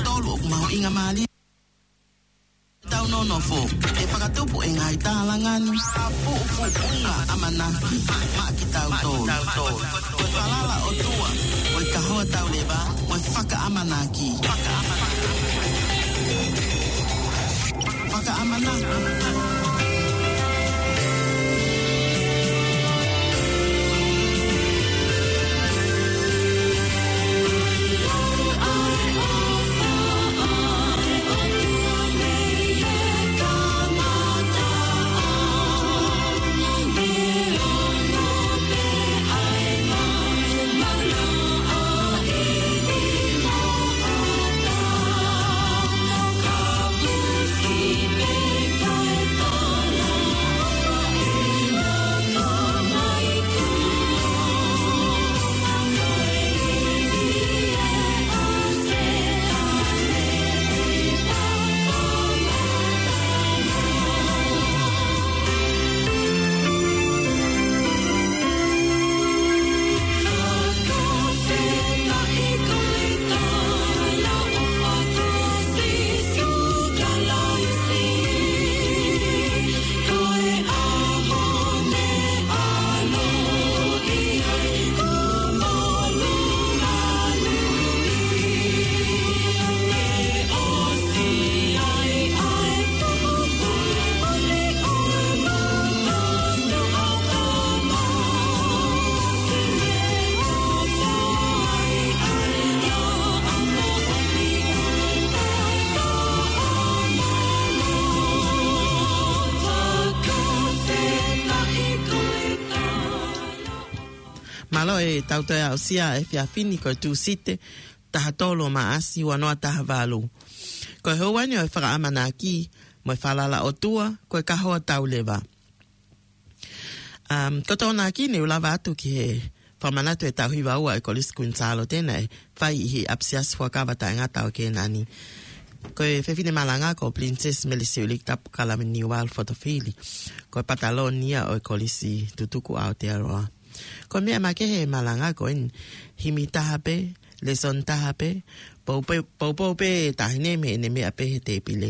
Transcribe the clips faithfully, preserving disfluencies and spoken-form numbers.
Tolu ʻoku mahuʻinga mālie. Tau nonofo, ʻe fakatupu e ngaahi tālanga ni, ʻa puʻupuʻunga ʻamanaki, maʻa kitautolu. Ko e falala ʻOtua, ko e kahoa tauleva, ko e fakaʻamanaki. Fakaʻamanaki. Mālō e tau toe aʻusia e efiafi ni, ko e Tūsite, taha tolu ʻo Maʻasi, ua noa taha valu. Ko e houa ni ʻo e fakaʻamanaki, mo e falala ʻOtua, ko e kahoa tauleva. Um, ko e Tokonaki ni ʻoku lava atu ki he fakamanatu e tauhi vaua e Kolisi Kuini Sālote naʻe fai ʻi he ʻapisiasi fuakava taʻengata ʻo Kēnani. Ko e fefine malanga ko Princess Mele Siuliki Tapu Kalaniuvalu Fotofili. Ko e pataloni ia ʻo e Kolisi Tutuku Aotearoa. Ko e meʻa makehe e malanga ko eni, himi taha pē, lēsoni taha pē, poupou, poupou pē taʻahine mei heʻene meʻa pē he tēpile.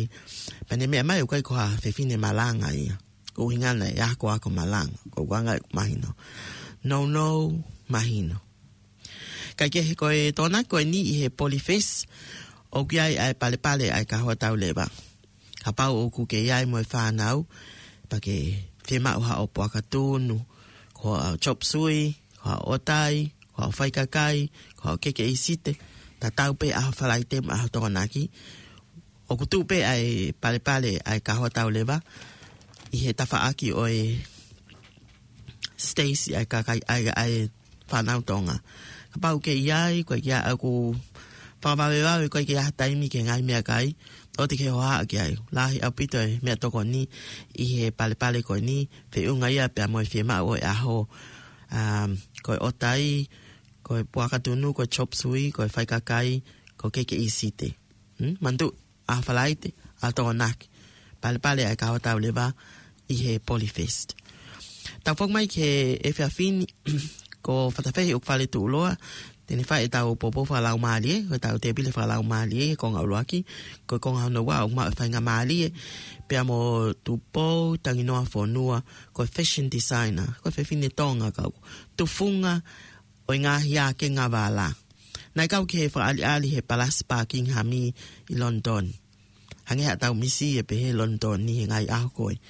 Pea ne meʻa mai ʻoku ʻikai ko ha fefine malanga ia. Ko e ʻuhinga naʻe akoako malanga, ko e anga ʻeku mahino. Nounou mahino. Kae kehe ko e Tokonaki ko eni ʻi he Polyfest, ʻoku ʻi ai ʻa e palepale ʻa e kahoa tauleva. Kapau ʻoku ke ʻi ai mo e fānau, pea ke fiemaʻu haʻo puaka tunu, ko haʻo chop suey, ko haʻo ʻotai, ko haʻo faikakai, ko haʻo keke ʻīsite, tatau pē ʻaho Falaite mo ʻaho Tokonaki, ʻoku tuʻu pē ʻa e palepale ʻa e kahoa tauleva ʻi he tafaʻaki ʻo e Stacy ʻa e kakai ʻa e, ʻa e fānau Tonga. Kapau ʻoku ke ʻi ai, ko e kia aku fakavavevave ko e kia taimi ke ngaahi meʻakai, ʻoua te ke hohaʻa ki ai. Lahi ʻaupito e meʻatokoni ʻi he palepale ko eni, feʻunga ia pea mo e fiemaʻu ʻo e ʻaho, um, ko e ʻotai, ko e puaka tunu, ko e chop suey, ko e faikakai, ko e keke ʻīsite. Hmm? Manatu, ʻaho Falaite, ʻaho Tokonaki. Palepale ʻa e kahoa tauleva ʻi he Polyfest. Tau foki mai ki he efiafi ni, ko Fatafehi ʻOkufale Tuʻuloa, te ne fai e tau poupou fakalaumālie, ko e tau tēpile fakalaumālie, he konga ʻuluaki, ko e konga hono ua ʻoku maʻu e faingamālie, pea mo Tupou Tanginoa Fonua, ko e fashion designer, ko e fefine Tonga kau tufunga ʻo e ngaahi ake ngā vala. Naʻe kau ki he fakaʻaliʻali he Palasi Buckingham ʻi London. Hangē haʻatau misi e pehē London ni he ngaahi ʻaho ko ē.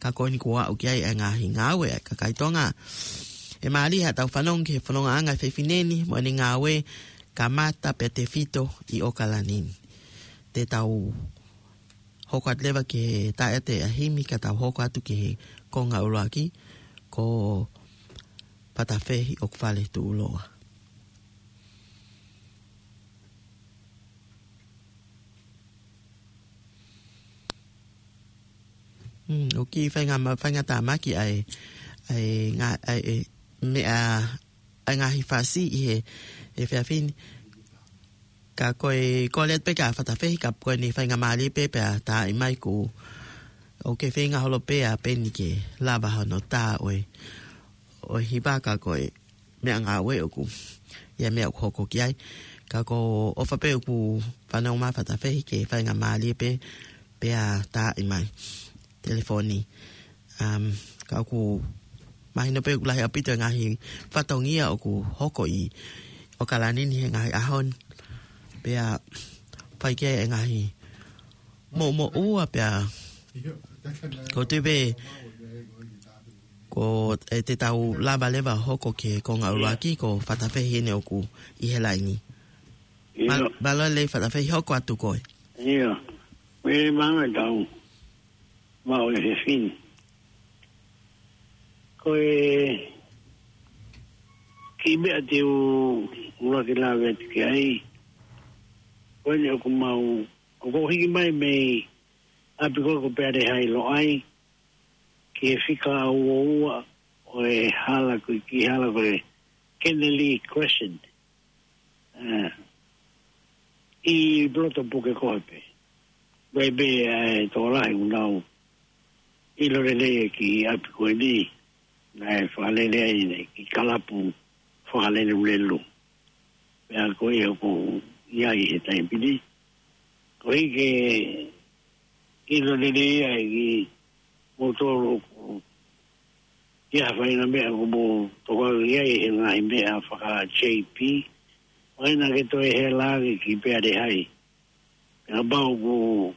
Ka ko eni kuo aʻu ki ai e ngaahi ngāue ʻa e kakai Tonga. ʻE mālie haʻatau fanongo ki he fonongaʻanga e fefine ni mo ʻene ngāue kamata pea tefito ʻi ʻOkalani ni. Te tau hoko atu leva ki he taʻeʻaho ʻa e himi ka tau hoko atu ki he konga ʻuluaki, ko Fatafehi ʻOkufale Tuʻuloa. Hmm, ʻoku kiʻi fainga ma-, faingatāmaki ʻa e, ʻa e ngā-, ʻa e meʻa, ʻa e ngaahi fasi ʻi he, he efiafi ni. Ka ko e kole atu pē kia Fatafehi, ka ko eni faingamālie pē pea tā ʻi mai ku ʻoku ke feinga holo pē ʻa Peni ke lava hono tā ʻo e, ʻo e hiva ka ko e meʻangāue ʻoku, ʻi ai e meʻa ʻoku hoko ki ai. Ka ko ʻofa pē ʻoku fanongo mai Fatafehi ke faingamālie pē, pea taaʻi mai telefoni. Um, ka ʻoku mahino pē ʻoku lahi ʻaupito e ngaahi fatongia ʻoku hoko ʻi ʻOkalani ni he ngaahi ʻaho ni. Pea fai ki ai e ngaahi moʻumoʻua pea ko te pē ko e te tau lava leva hoko ki he konga ʻuluaki ko Fatafehi ʻeni ʻoku ʻi he laini. Mālō lelei Fatafehi, hoko atu koe. Ia, mele manga tau, mau e fefine. Ko e kiʻi meʻa te u ʻuluaki lave atu ki ai, ko ʻeni ʻoku mau, ʻoku ou hiki mai mei ʻapi ko ē ko Peale Hai Loʻai, ki he fika ua ua ʻo e hala ko e kiʻi hala ko e Kennelly Crescent. ʻA, ʻi loto puke ko ē pē. Pea pē ʻa e tokolahi ʻoku nau ʻilo lelei e kiʻi ʻapi ko ʻeni. Naʻe fakalele ai ʻeni ki he kalapu fakalelulelu. Pea ko ia ʻoku ʻi ai he taimi ni. Ko e ke ʻilo lelei ai kimoutolu ʻoku ʻi ai ha faʻahinga meʻa ʻoku mou tokanga ki ai he ngaahi meʻa faka-J P. ʻOua ke toe hela ange ki Peale Hai. Pea kapau ʻoku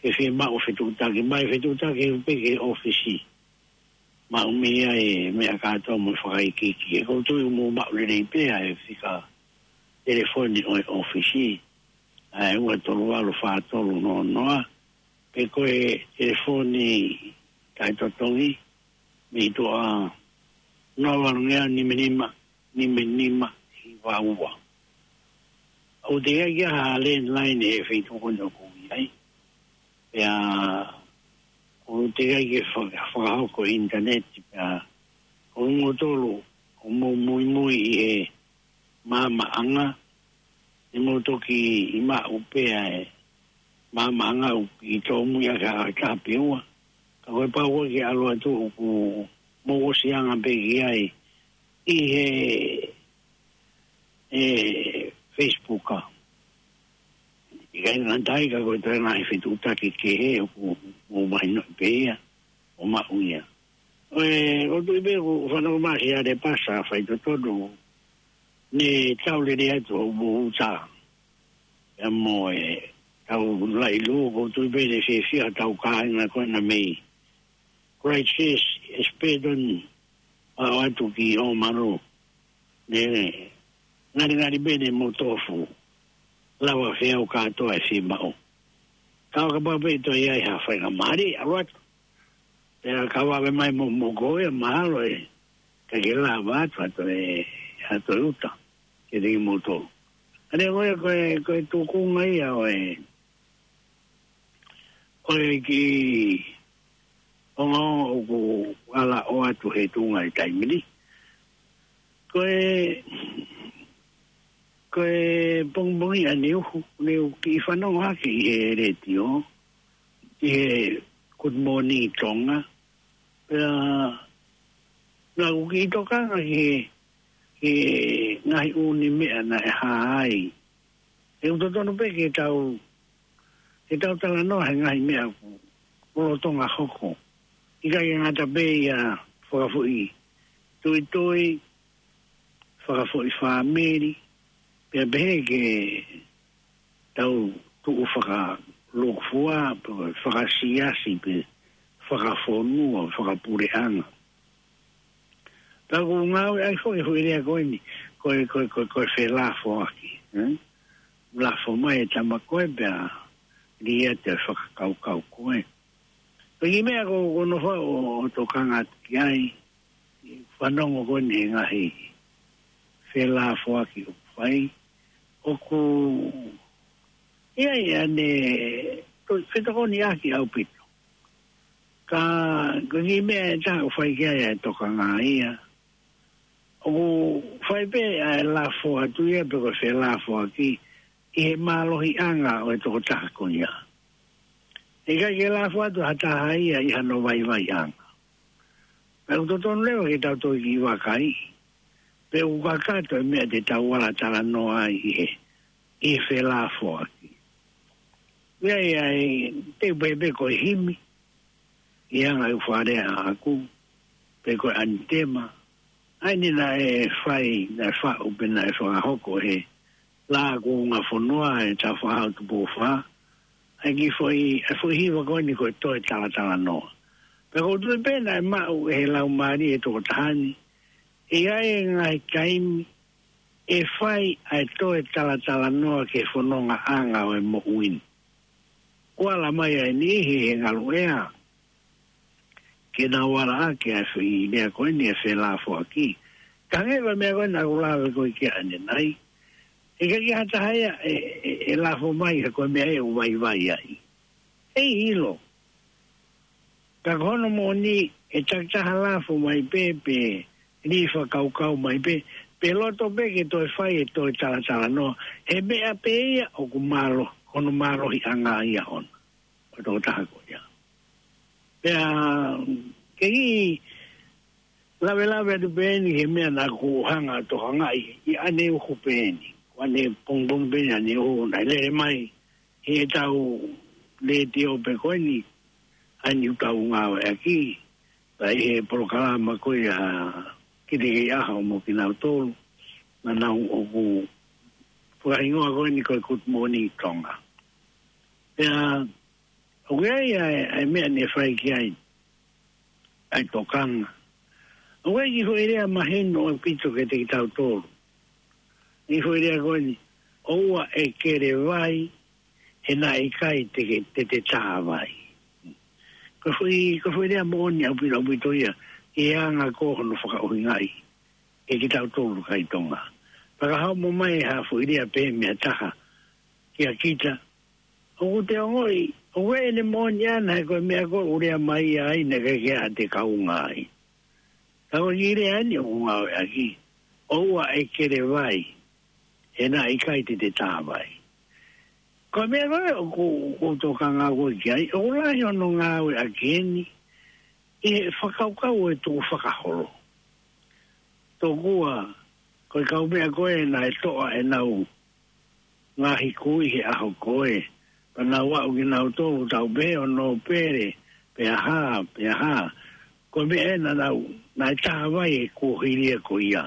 ke fiemaʻu fetuʻutaki mai, fetuʻutaki pē ki he ʻōfisi. Maʻu mei ai e meʻa kātoa mo e fakaikiiki. ʻOku ou tui ʻoku mou maʻu lelei pē ʻa e fika telefoni ʻo e ʻōfisi. ʻA e ua tolu valu fā tolu noa noa. Pe ko e telefoni taʻetotongi mei tuʻa noa valu ngeau nima nima, nima nima hiva ua. ʻOku teʻeki ai ke ʻi ai ha landline he feituʻu ko ʻeni ʻoku ou ʻi ai. Pea ʻoku teʻeki ai ke faka-, fakahoko ʻinitaneti pea ʻoku mou tolu, ʻoku mou muimui ʻi he maamaʻanga, ʻe mou toki maʻu pē ʻa e maamaʻanga ʻoku ʻi tōmui ʻaki ha taha pe ua. Ka ko e pau ko ē ke ʻalu atu ʻoku mou ʻosi anga pē ki ai ʻi he, e, Facebook a. ʻIkai ngata ai ka ko e toe ngaahi fetuʻutaki kehe ʻoku mou mahinoʻi pē ia, ʻo maʻu ia. ʻOku ou tui pē ʻoku fanongo mai ʻa Siale Pasa, faitotonu, ne tau lele atu ʻo mou uta. Pea mo e tau laʻi lū, ʻoku ou tui pē ne fiefia tau kāinga ko ena mei Christchurch, Espedon, ʻo atu ki ʻŌmalu. Ne ngalingali pē ne mou tofu. Lava feau kātoa e fiemaʻu. Ka ʻo kapau pē ʻe toe ʻi ai ha faingamālie, ʻalu atu. Pea ka vave mai mo, mo ko e mahalo ʻe, ka ke lava atu, atu e, atu e uta. Ke te kimoutolu. ʻA ia ko e, ko e, ko e tukunga ia ʻo e, ʻo e kiʻi ongoongo ʻoku ala ʻoatu he tuʻunga e taimi ni. Ko e, ko e pongipongi ʻaneuhu, ne u kiʻi fanongo hake ʻi he letiō, ʻi he Good Morning Tonga, pea naʻa ku kiʻi tokanga ki he, ki he ngaahi ʻū meʻa naʻe hā ai. ʻOku totonu pē ke tau, ke tau talanoa he ngaahi meʻa ʻoku lolotonga hoko. ʻIkai ke ngata pē ia fakafoʻituitui, fakafoʻifāmili, pea pehē ki he tau tuʻu fakalūkufua, pe fakasiasi, pe fakafonua, fakapuleʻanga. Pea ʻoku ngāueʻaki foki e foʻi lea ko eni, ko e, ko e, ko e, ko e felāfoaki, ē? Lafo mai e tama ko ē pea liʻaki e fakakaukau ko ē. Ko e kiʻi meʻa ʻoku, ʻoku ou nofo ʻo, ʻo tokanga atu ki ai, fanongo ko eni he ngaahi felāfoaki ʻoku fai, ʻoku ʻi ai ʻene, to-, fetokoniʻaki ʻaupito. Ka, ko e kiʻi meʻa ʻe taha ʻoku fai ki ai e tokanga ia. ʻOku fai pē ʻa e lafo atu ia pe ko e felāfoaki ʻi he mālohiʻanga ʻo e tokotaha ko ia. ʻIkai ke lafo atu ha taha ia ʻi hano vaivaiʻanga. Pea ʻoku totonu leva ke tau toki vakai. Pe ʻoku kakato e meʻa te tau ala talanoa ai ʻi he ʻi he felāfoaki. Ia ia e te pē pē ko e himi, ʻi he anga ʻeku fakalea ʻaʻaku, pe ko e anitema, ʻa eni naʻe fai, naʻe faʻu pe naʻe fakahoko he Laʻā Kuonga Fonua ʻe Tāufaʻāhau Tupou Fā, ʻa e kiʻi foʻi, ʻa e foʻi hiva ko eni ko e toe talatalanoa. Pea ʻoku ou tui pē naʻe maʻu ʻe he laumālie ʻo e tokotaha ni, ʻe ʻi ai e ngaahi taimi ʻe fai ʻa e toe talatalanoa ki he fonongaʻanga ʻo e moʻui ni. Kuo ala mai ai e niʻihi he ngaluʻea ke nau ala ʻaki ʻa e foʻi lea ko eni ʻa e felāfoaki. Ka hangē ko e meʻa ko eni naʻa ku lave ko ē ki ai ʻanenai, ʻe ʻikai ke ʻi ai ha taha ia ʻe, ʻe, ʻe lafo mai he ko e meʻa ʻe ʻoku vaivai ai. ʻE ʻilo. Ka ko hono moʻoni, ʻe takitaha lafo mai pē, pe lī fakakaukau mai pē, pe loto pē ke toe fai e toe talatalanoa he meʻa pē ia ʻoku mālohi, ko hono mālohiʻanga ia ʻona, ʻo e tokotaha ko ia. Pea ke kiʻi lavelave atu pē eni he meʻa naʻa ku hanga ʻo tokangaʻi ʻi ʻaneuhu pē eni. Ko ʻanepongipongi pē eni ʻaneuhu naʻe lele mai ʻi heʻetau letiō pē ko eni, ʻa eni ʻoku tau ngāueʻaki, pea ʻi he polokalama ko ia Kitekeiʻaho mo kinautolu, naʻa nau ʻoku fakahingoa ko eni ko e Good Morning Tonga. Pea ʻoku ʻi ai ʻa e, ʻa e meʻa naʻe fai ki ai ʻa e tokanga. ʻOku ʻi ai e kiʻi foʻi lea mahino ʻaupito kiate kitautolu. Kiʻi foʻi lea ko eni, ʻoua ʻe kele vai, he naʻe ʻikai te ke, te te tā vai. Ko e foʻi, ko e foʻi lea moʻoni ʻaupito, ʻaupito ia, ʻi he anga ko hono fakaʻuhingaʻi ʻe kitautolu kakai Tonga. Pea ka haʻu mai ha foʻi lea pē meʻa taha kia kita, ʻoku te ongoʻi, ʻoku ʻi ai ʻene moʻoni ʻana he ko e meʻa ko ē ʻoku lea mai ai naʻe ʻikai ke ʻi ai ha te kaunga ai. Ka ko e kiʻi lea eni ʻoku ngāueʻaki, ʻoua ʻe kele vai, he naʻe ʻikai te te tā vai. Ko e meʻa ko ē ʻoku, ʻoku ou tokanga ko ē ki ai, ʻoku lahi hono ngāueʻaki eni ʻi he fakakaukau ʻo e tukufakaholo. Tokua ko e kau meʻa ko ē naʻe toʻa ʻenau ngaahi kui he ʻaho ko ē, pea nau aʻu kinautolu tau pehē ʻo nōpele, pe ʻa hā, pe ʻa hā. Ko e meʻa ē naʻa nau, naʻe tā vai e kuohili ia ko ia.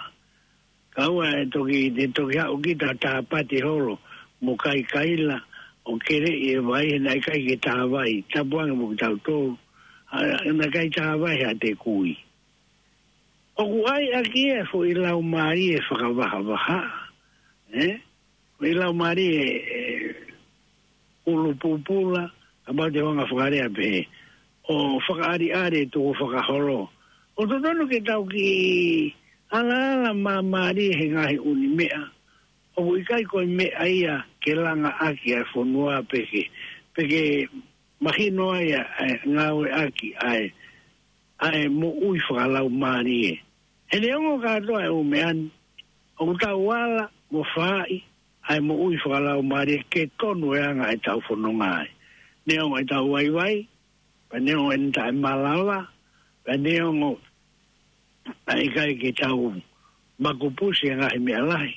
Kae ʻoua ʻe toki, te toki haʻu kita ʻo tāpati holo mo kaikaila ʻo keleʻi e vai he naʻe ʻikai ke tā vai, tapu ange mo kitautolu, ʻa, naʻe ʻikai tā vai ha te kui. ʻOku ʻai ʻaki e foʻi laumālie fakavahavaha, ē? Foʻi laumālie, ē, ʻulu pupula, kapau te u hanga ʻo fakalea pehē, ʻo fakaʻaliʻali e tukufakaholo. ʻOku totonu ke tau kiʻi alaala māmālie he ngaahi ʻū meʻa. ʻOku ʻikai ko e meʻa ia ke langa ʻaki ʻa e fonua pe ke, pe ke mahino ai ʻa e ngāueʻaki ʻa e, ʻa e moʻui fakalaumālie. He neongo kātoa e ʻū meʻa ni, ʻoku tau ala mo fai ʻa e moʻui fakalaumālie ke tonu e anga ʻetau fononga ai. Neongo ʻetau vaivai, pea neongo ʻene taʻemalava, pea neongo ʻa e ʻikai ke tau makupusi e ngaahi meʻa lahi.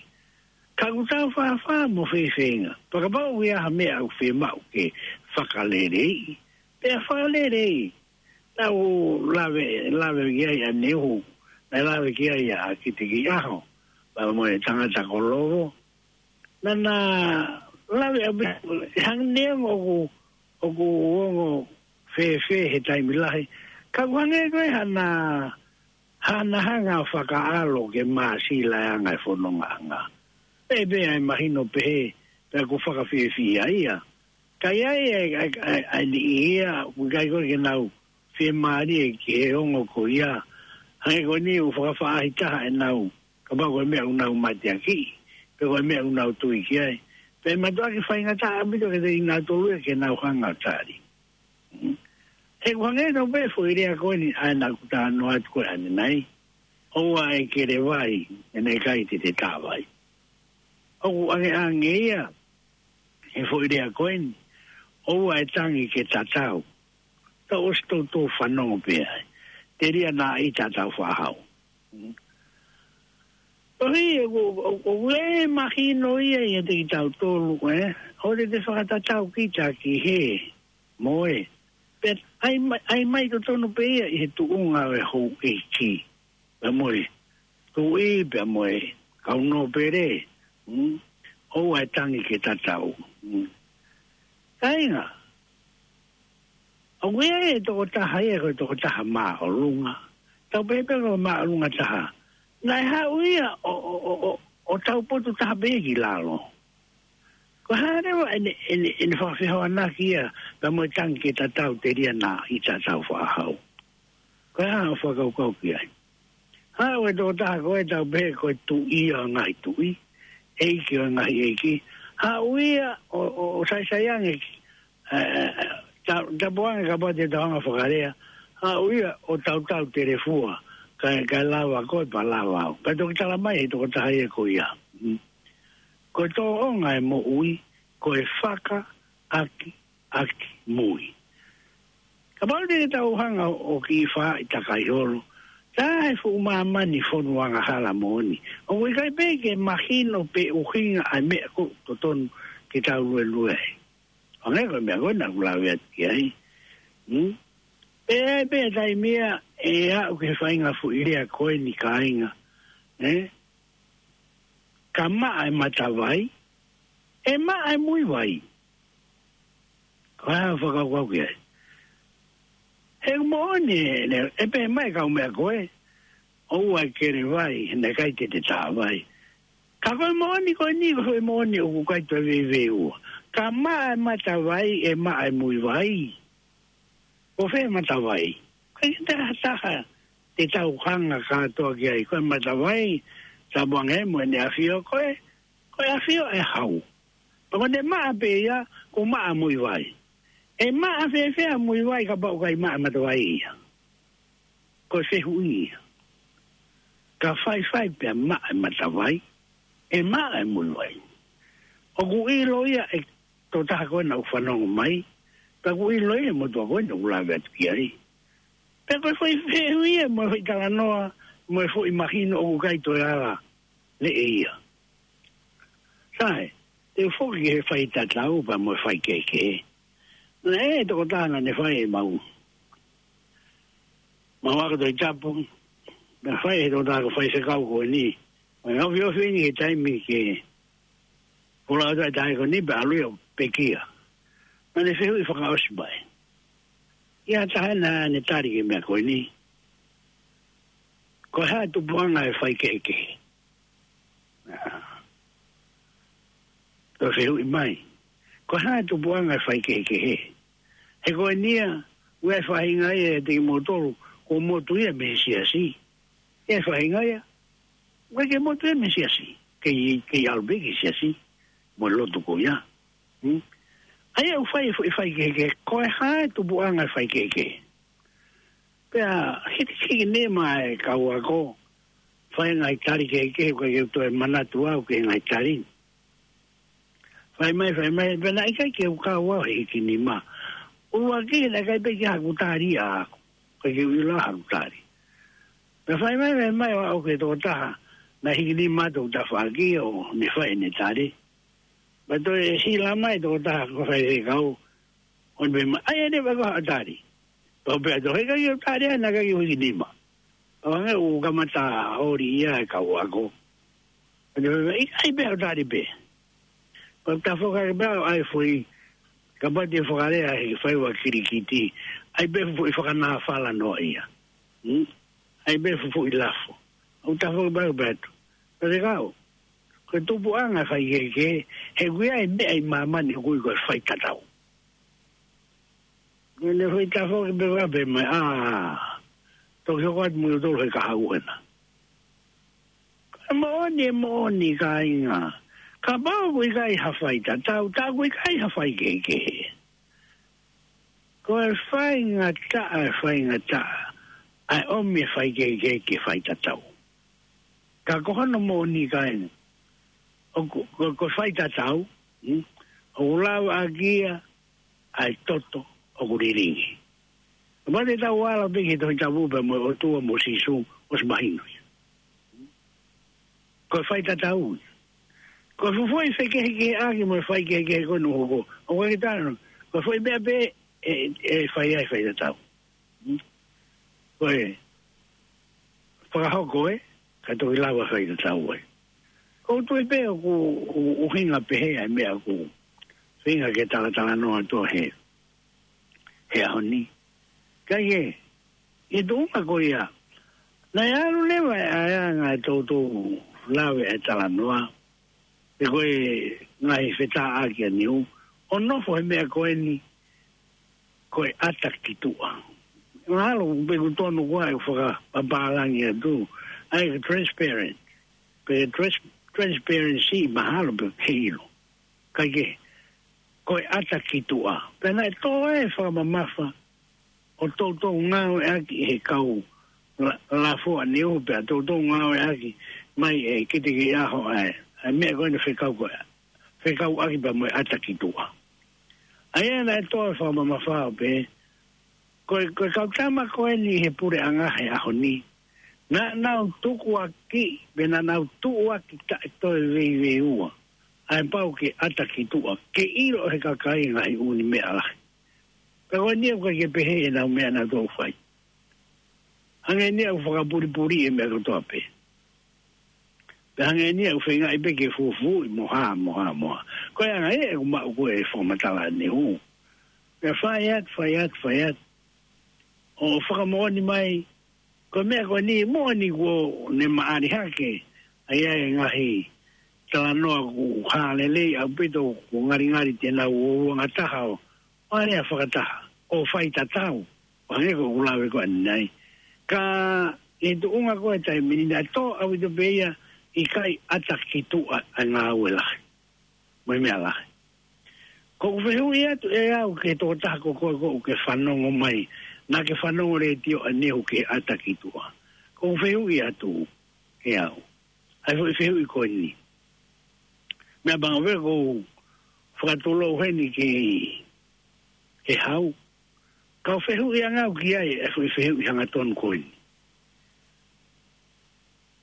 Ka ʻoku tau fāfā mo fēfē ʻa e ngaahi. Pea kapau ʻoku ʻi ai ha meʻa ʻoku fiemaʻu ke fakaleleiʻi, pea fakaleleiʻi. Naʻa ku lave, lave ki ai ʻaneuhu, naʻe lave ki ai ʻa Kitekeiʻaho, pea mo e tangata ko Lovo. Naʻa na lave ʻaupito, hangē neongo ʻoku, ʻoku ongo fēfē he taimi lahi. Ka ʻoku hangē ko e hā na, hā na hanga ʻo fakaʻalo ke māsila e anga e fonongaʻanga. Pea pē ʻa e mahino pehē, pea ʻoku fakafiefia ia. Ka ʻi ai e, e, e, e niʻihi ia, ʻoku ʻikai ko ē ke nau fiemālie ki he ongo ko ia. Hangē ko eni ʻoku fakafaʻahitaha ʻenau, kapau ko e meʻa ʻoku nau mateakiʻi, pe ko e meʻa ʻoku nau tui ki ai. Pea ʻe mātuʻaki faingataʻa ʻaupito kiate kinautolu ia ke nau hanga ʻo tali. Mm. He ʻoku hangē tofu pē foʻi lea ko eni ʻa ē naʻa ku talanoa atu ko ē ʻanenai. ʻOua ʻe kele vai, he naʻe ʻikai te te tā vai. ʻOku ʻangeʻange ia, he foʻi lea ko eni, ʻoua ʻe tangi ke tatau. Tau ʻosi toutou fanongo pē ai. Telia naʻa ʻita Tāufaʻāhau. Mm. Tohi, ʻoku, ʻoku, ʻoku ʻi ai e mahino ia ʻiate kitautolu, ē? ʻOua te te fakatatau kita ki he, mo e. Pea ʻai mai, ʻai mai totonu pē ia ʻi he tuʻunga ʻo e houʻeiki. Pea mo e tuʻi, pea mo e kau nōpele. Mm? ʻOua ʻe tangi ke tatau. Mm? Kāinga, ʻoku ʻi ai e tokotaha ia, ko e tokotaha māʻolunga. Tau pehē pē ko e māʻolunga taha. Naʻe haʻu ia ʻo, ʻo, ʻo, ʻo, ʻo taupotu taha pē ki lalo. Ko e hā leva ʻene, ʻene, ʻene fakafehoanaki ia, pea mo e tangi ke tatau telia naʻa ʻi tatau fakahau. Ko e hā hoʻo fakakaukau ki ai? Haʻu e tokotaha ko ē tau pehē ko e tuʻi ʻo e ngaahi tuʻi, ʻeiki ʻo e ngaahi ʻeiki. Haʻu ia ʻo, ʻo, ʻo saisai ange, ē, ta-, tapu ange kapau te tau hanga fakalea. Haʻu ia ʻo tautau telefua, kae, kae lava koe pea lava au. Pea toki tala mai he tokotaha ia ko ia. Mm. Ko e tōʻonga e moʻui, ko e fakaʻaki ʻaki mui. Kapau te tau hanga ʻo kiʻi fai takai holo, tā he fuʻu māmani fonu angahala moʻoni. ʻOku ʻikai pē ke mahino pe ʻuhinga ʻa e meʻa ʻoku totonu ke tau luelue ai. ʻO hangē ko e meʻa ko ē naʻa ku lave atu ki ai. Hmm? Pea ʻi ai pē taimi ia ʻe aʻu ki he faʻahinga foʻi lea ko eni kāinga. Eh? Ka maʻa e matavai, ʻe maʻa e muivai. Ko e hā hoʻo fakakaukau ki ai? He moʻoni, ne, ʻe pehē mai e kau meʻa ko ē, ʻoua ʻe kele vai, he naʻe ʻikai te te tā vai. Ka ko e moʻoni ko eni, ko e moʻoni ʻoku ʻikai toe veiveiua. Ka maʻa e matavai, ʻe maʻa e muivai. Ko fē matavai? Ko e taha taha te tau hanga kātoa ki ai. Ko e matavai, tapu ange mo ʻene ʻafio ko ē, ko e ʻafio ʻe hau. Pea ko ʻene maʻa pē ia, ko e maʻa muivai. ʻE maʻa fēfē muivai kapau ʻoku ʻikai maʻa matavai ia? Ko e fehuʻi ia. Ka faifai pea maʻa e matavai, ʻe maʻa e muivai. ʻOku ʻilo ia ʻe tokotaha ko ē naʻa ku fanongo mai, pea ʻoku ʻilo ia ʻe he motuʻa ko ē naʻa ku lave atu ki ai. Pea ko e foʻi fehuʻi ia mo e foʻi talanoa, mo e foʻi mahino ʻoku ʻikai toe ala leʻe ia. Sai, te u foki ki he faitatau pea mo e faikehekehe. Naʻe ʻi ai e tokotaha naʻa ne fai ʻemau, mau ako Tohi Tapu, naʻe fai ʻe he tokotaha ko e faifekau ko eni. Mo e ofiofi eni he taimi ke pulau atu ai taʻe ko eni pea ʻalu ia ʻo pekia. Naʻa ne fehuʻi fakaʻosi mai. ʻI ai ha taha naʻa ne tali ki he meʻa ko eni. Ko e hā e tupuʻanga e faikehekehe? Toe fehuʻi mai. Ko e hā e tupuʻanga e faikehekehe? He ko eni ia, ʻoku ʻi ai e faʻahinga ia ʻiate kimoutolu, ʻoku motu ia mei he siasi. ʻI ai e faʻahinga ia, ʻoku ʻikai ke motu ia mei he siasi. Kei, kei ʻalu pē ki he siasi mo e lotu ko ia. Hmm? ʻA ia ʻoku fai e foʻi faikehekehe, ko e hā e tupuʻanga e faikehekehe? Pea hikihiki nima e kau ako, fai e ngaahi tali kehekehe, ʻoku ʻikai ke u toe manatu au ki he ngaahi tali. Fai mai, fai mai, pea naʻe ʻikai ke u kau au he hikinima. ʻUluaki naʻe ʻikai pē ke ʻi ai haku tali ʻaʻaku, ʻikai ke u ʻilo haku tali. Pea fai mai, fai mai, ʻo aʻu ki he tokotaha naʻe hikinima atu hoku tafaʻaki ʻo ne fai ʻene tali. Pea toe hila mai e tokotaha ko e faifekau, ʻo ne pehē mai, ʻai ʻene pea ko haʻo tali. Pea u pehē atu, he ʻikai ke u tali ʻaʻana, ʻikai ke u hikinima. ʻO hangē ʻoku kamata ʻoli ia e kau ako. ʻO ne pehē mai, ʻikai pē, haʻo tali pē. Pea u tafoki hake pē au ʻo ʻai e foʻi, kapau te u fakalea he faiva kilikiti, ʻai pē e foʻi fakanāfala noa ia. Hmm? ʻAi pē e foʻi lafo. ʻO tafoki pē au ʻo pehē atu, faifekau, ko e tupuʻanga e faikehekehe, he ʻoku ʻi ai e meʻa ʻi māmani ʻoku ui ko e faitatau. Ko ʻene foʻi tafoki pē ʻo pehē mai, ʻā, toki hoko atu mo kimoutolu he kahaʻu ena. Ko e moʻoni, e moʻoni kāinga. Kapau ʻoku ʻikai ha faitatau, tā ʻoku ʻikai ha faikehekehe. Ko e faingataʻa, e faingataʻa ʻa e ʻomi e faikehekehe ki he faitatau. Ka ko hono moʻoni kāinga, ʻoku, ko, ko e faitatau, hmm? ʻOku lava ʻaki ia ʻa e toto ʻoku lilingi. Kapau te tau ala pē ki he Tohi Tapu pea mo e ʻOtua mo Sīsū, ʻosi mahino ia. ko e faitatau. Ko e fuʻu foʻi fekehekeheʻaki mo e faikehekehe ko ē ʻoku hoko. ʻOku ʻikai ke tala, ko e foʻi meʻa pē ʻe, ʻe fai ai e faitatau. Ko e fakahoko ē, ka toki lava e faitatau ē. ʻOku ou tui pē ʻoku, ʻoku, ʻuhinga pehē ʻa e meʻa ʻoku feinga ke talatalanoa atu he, he ʻaho ni. Ka ʻi he, ʻi he tuʻunga ko ia, naʻe ʻalu leva e ʻaiʻanga ʻo toutou lave e talanoa, pe ko e ngaahi fetāʻaki ʻa Niu, ʻo nofo he meʻa ko eni, ko e ʻata ki tuʻa. Mahalo pē ʻoku tonu ko ā ʻeku fakapapālangi atu, ʻa e transparent. Pe trans-, transparency mahalo pē ke ʻilo. Kae kehe, ko e ʻata ki tuʻa. Pea naʻe tō e fakamamafa ʻo toutou ngāueʻaki he kau la-, lafoa Niu pea toutou ngāueʻaki mai ʻe Kite Keiʻaho ʻa e, ʻa e meʻa ko eni fekau ko ē, fekauʻaki pea mo e ʻata ki tuʻa. ʻA ia naʻe tō e fakamamafa ʻo pehē, ko e, ko e kau tama ko eni he puleʻanga he ʻaho ni, naʻa nau tukuakiʻi, pe naʻa nau tukuakiʻi taʻe toe veiveiua ʻa e pau ke ʻata ki tuʻa, ke ʻilo ʻe he kakai e ngaahi ʻū meʻa lahi. Ka ko eni ʻoku ʻikai ke pehē ʻenau meʻa naʻa nau fai. Hangē ni ʻoku fakapulipuli e meʻa kotoa pē. Pea hangē ni ʻoku feingaʻi pē ke fufuuʻi mo hā, mo hā, mo hā. Ko e anga ē ʻoku maʻu ko ē e fakamatala ʻa Niu. Pea fai atu, fai atu, fai atu. ʻO fakamoʻoni mai, ko e meʻa ko eni, moʻoni kuo ne maʻali hake, ʻa ia e ngaahi talanoa ʻoku hā lelei ʻaupito, ʻoku ngalingali te nau ō ʻo ngataha ʻo, ʻo alea fakataha, ʻo faitatau, ʻo hangē ko ʻeku lave ko eni. Ka ʻi he tuʻunga ko ē taimi ni naʻe tō ʻaupito pē ia, ʻikai ʻata ki tuʻa ʻa e ngāue lahi mo e meʻa lahi. ʻOku ou fehuʻi atu ʻe au ki he tokotaha ko koe ʻoku ke fanongo mai, naʻa ke fanongo letiō ʻanenai ki he ʻata ki tuʻa. ʻOku ou fehuʻi atu ʻe au ʻa e foʻi fehuʻi ko eni. Meʻapango pē ʻoku ou fakatulou heni ki he hau. Ka u fehuʻi ange au ki ai e foʻi fehuʻi hangatonu ko eni.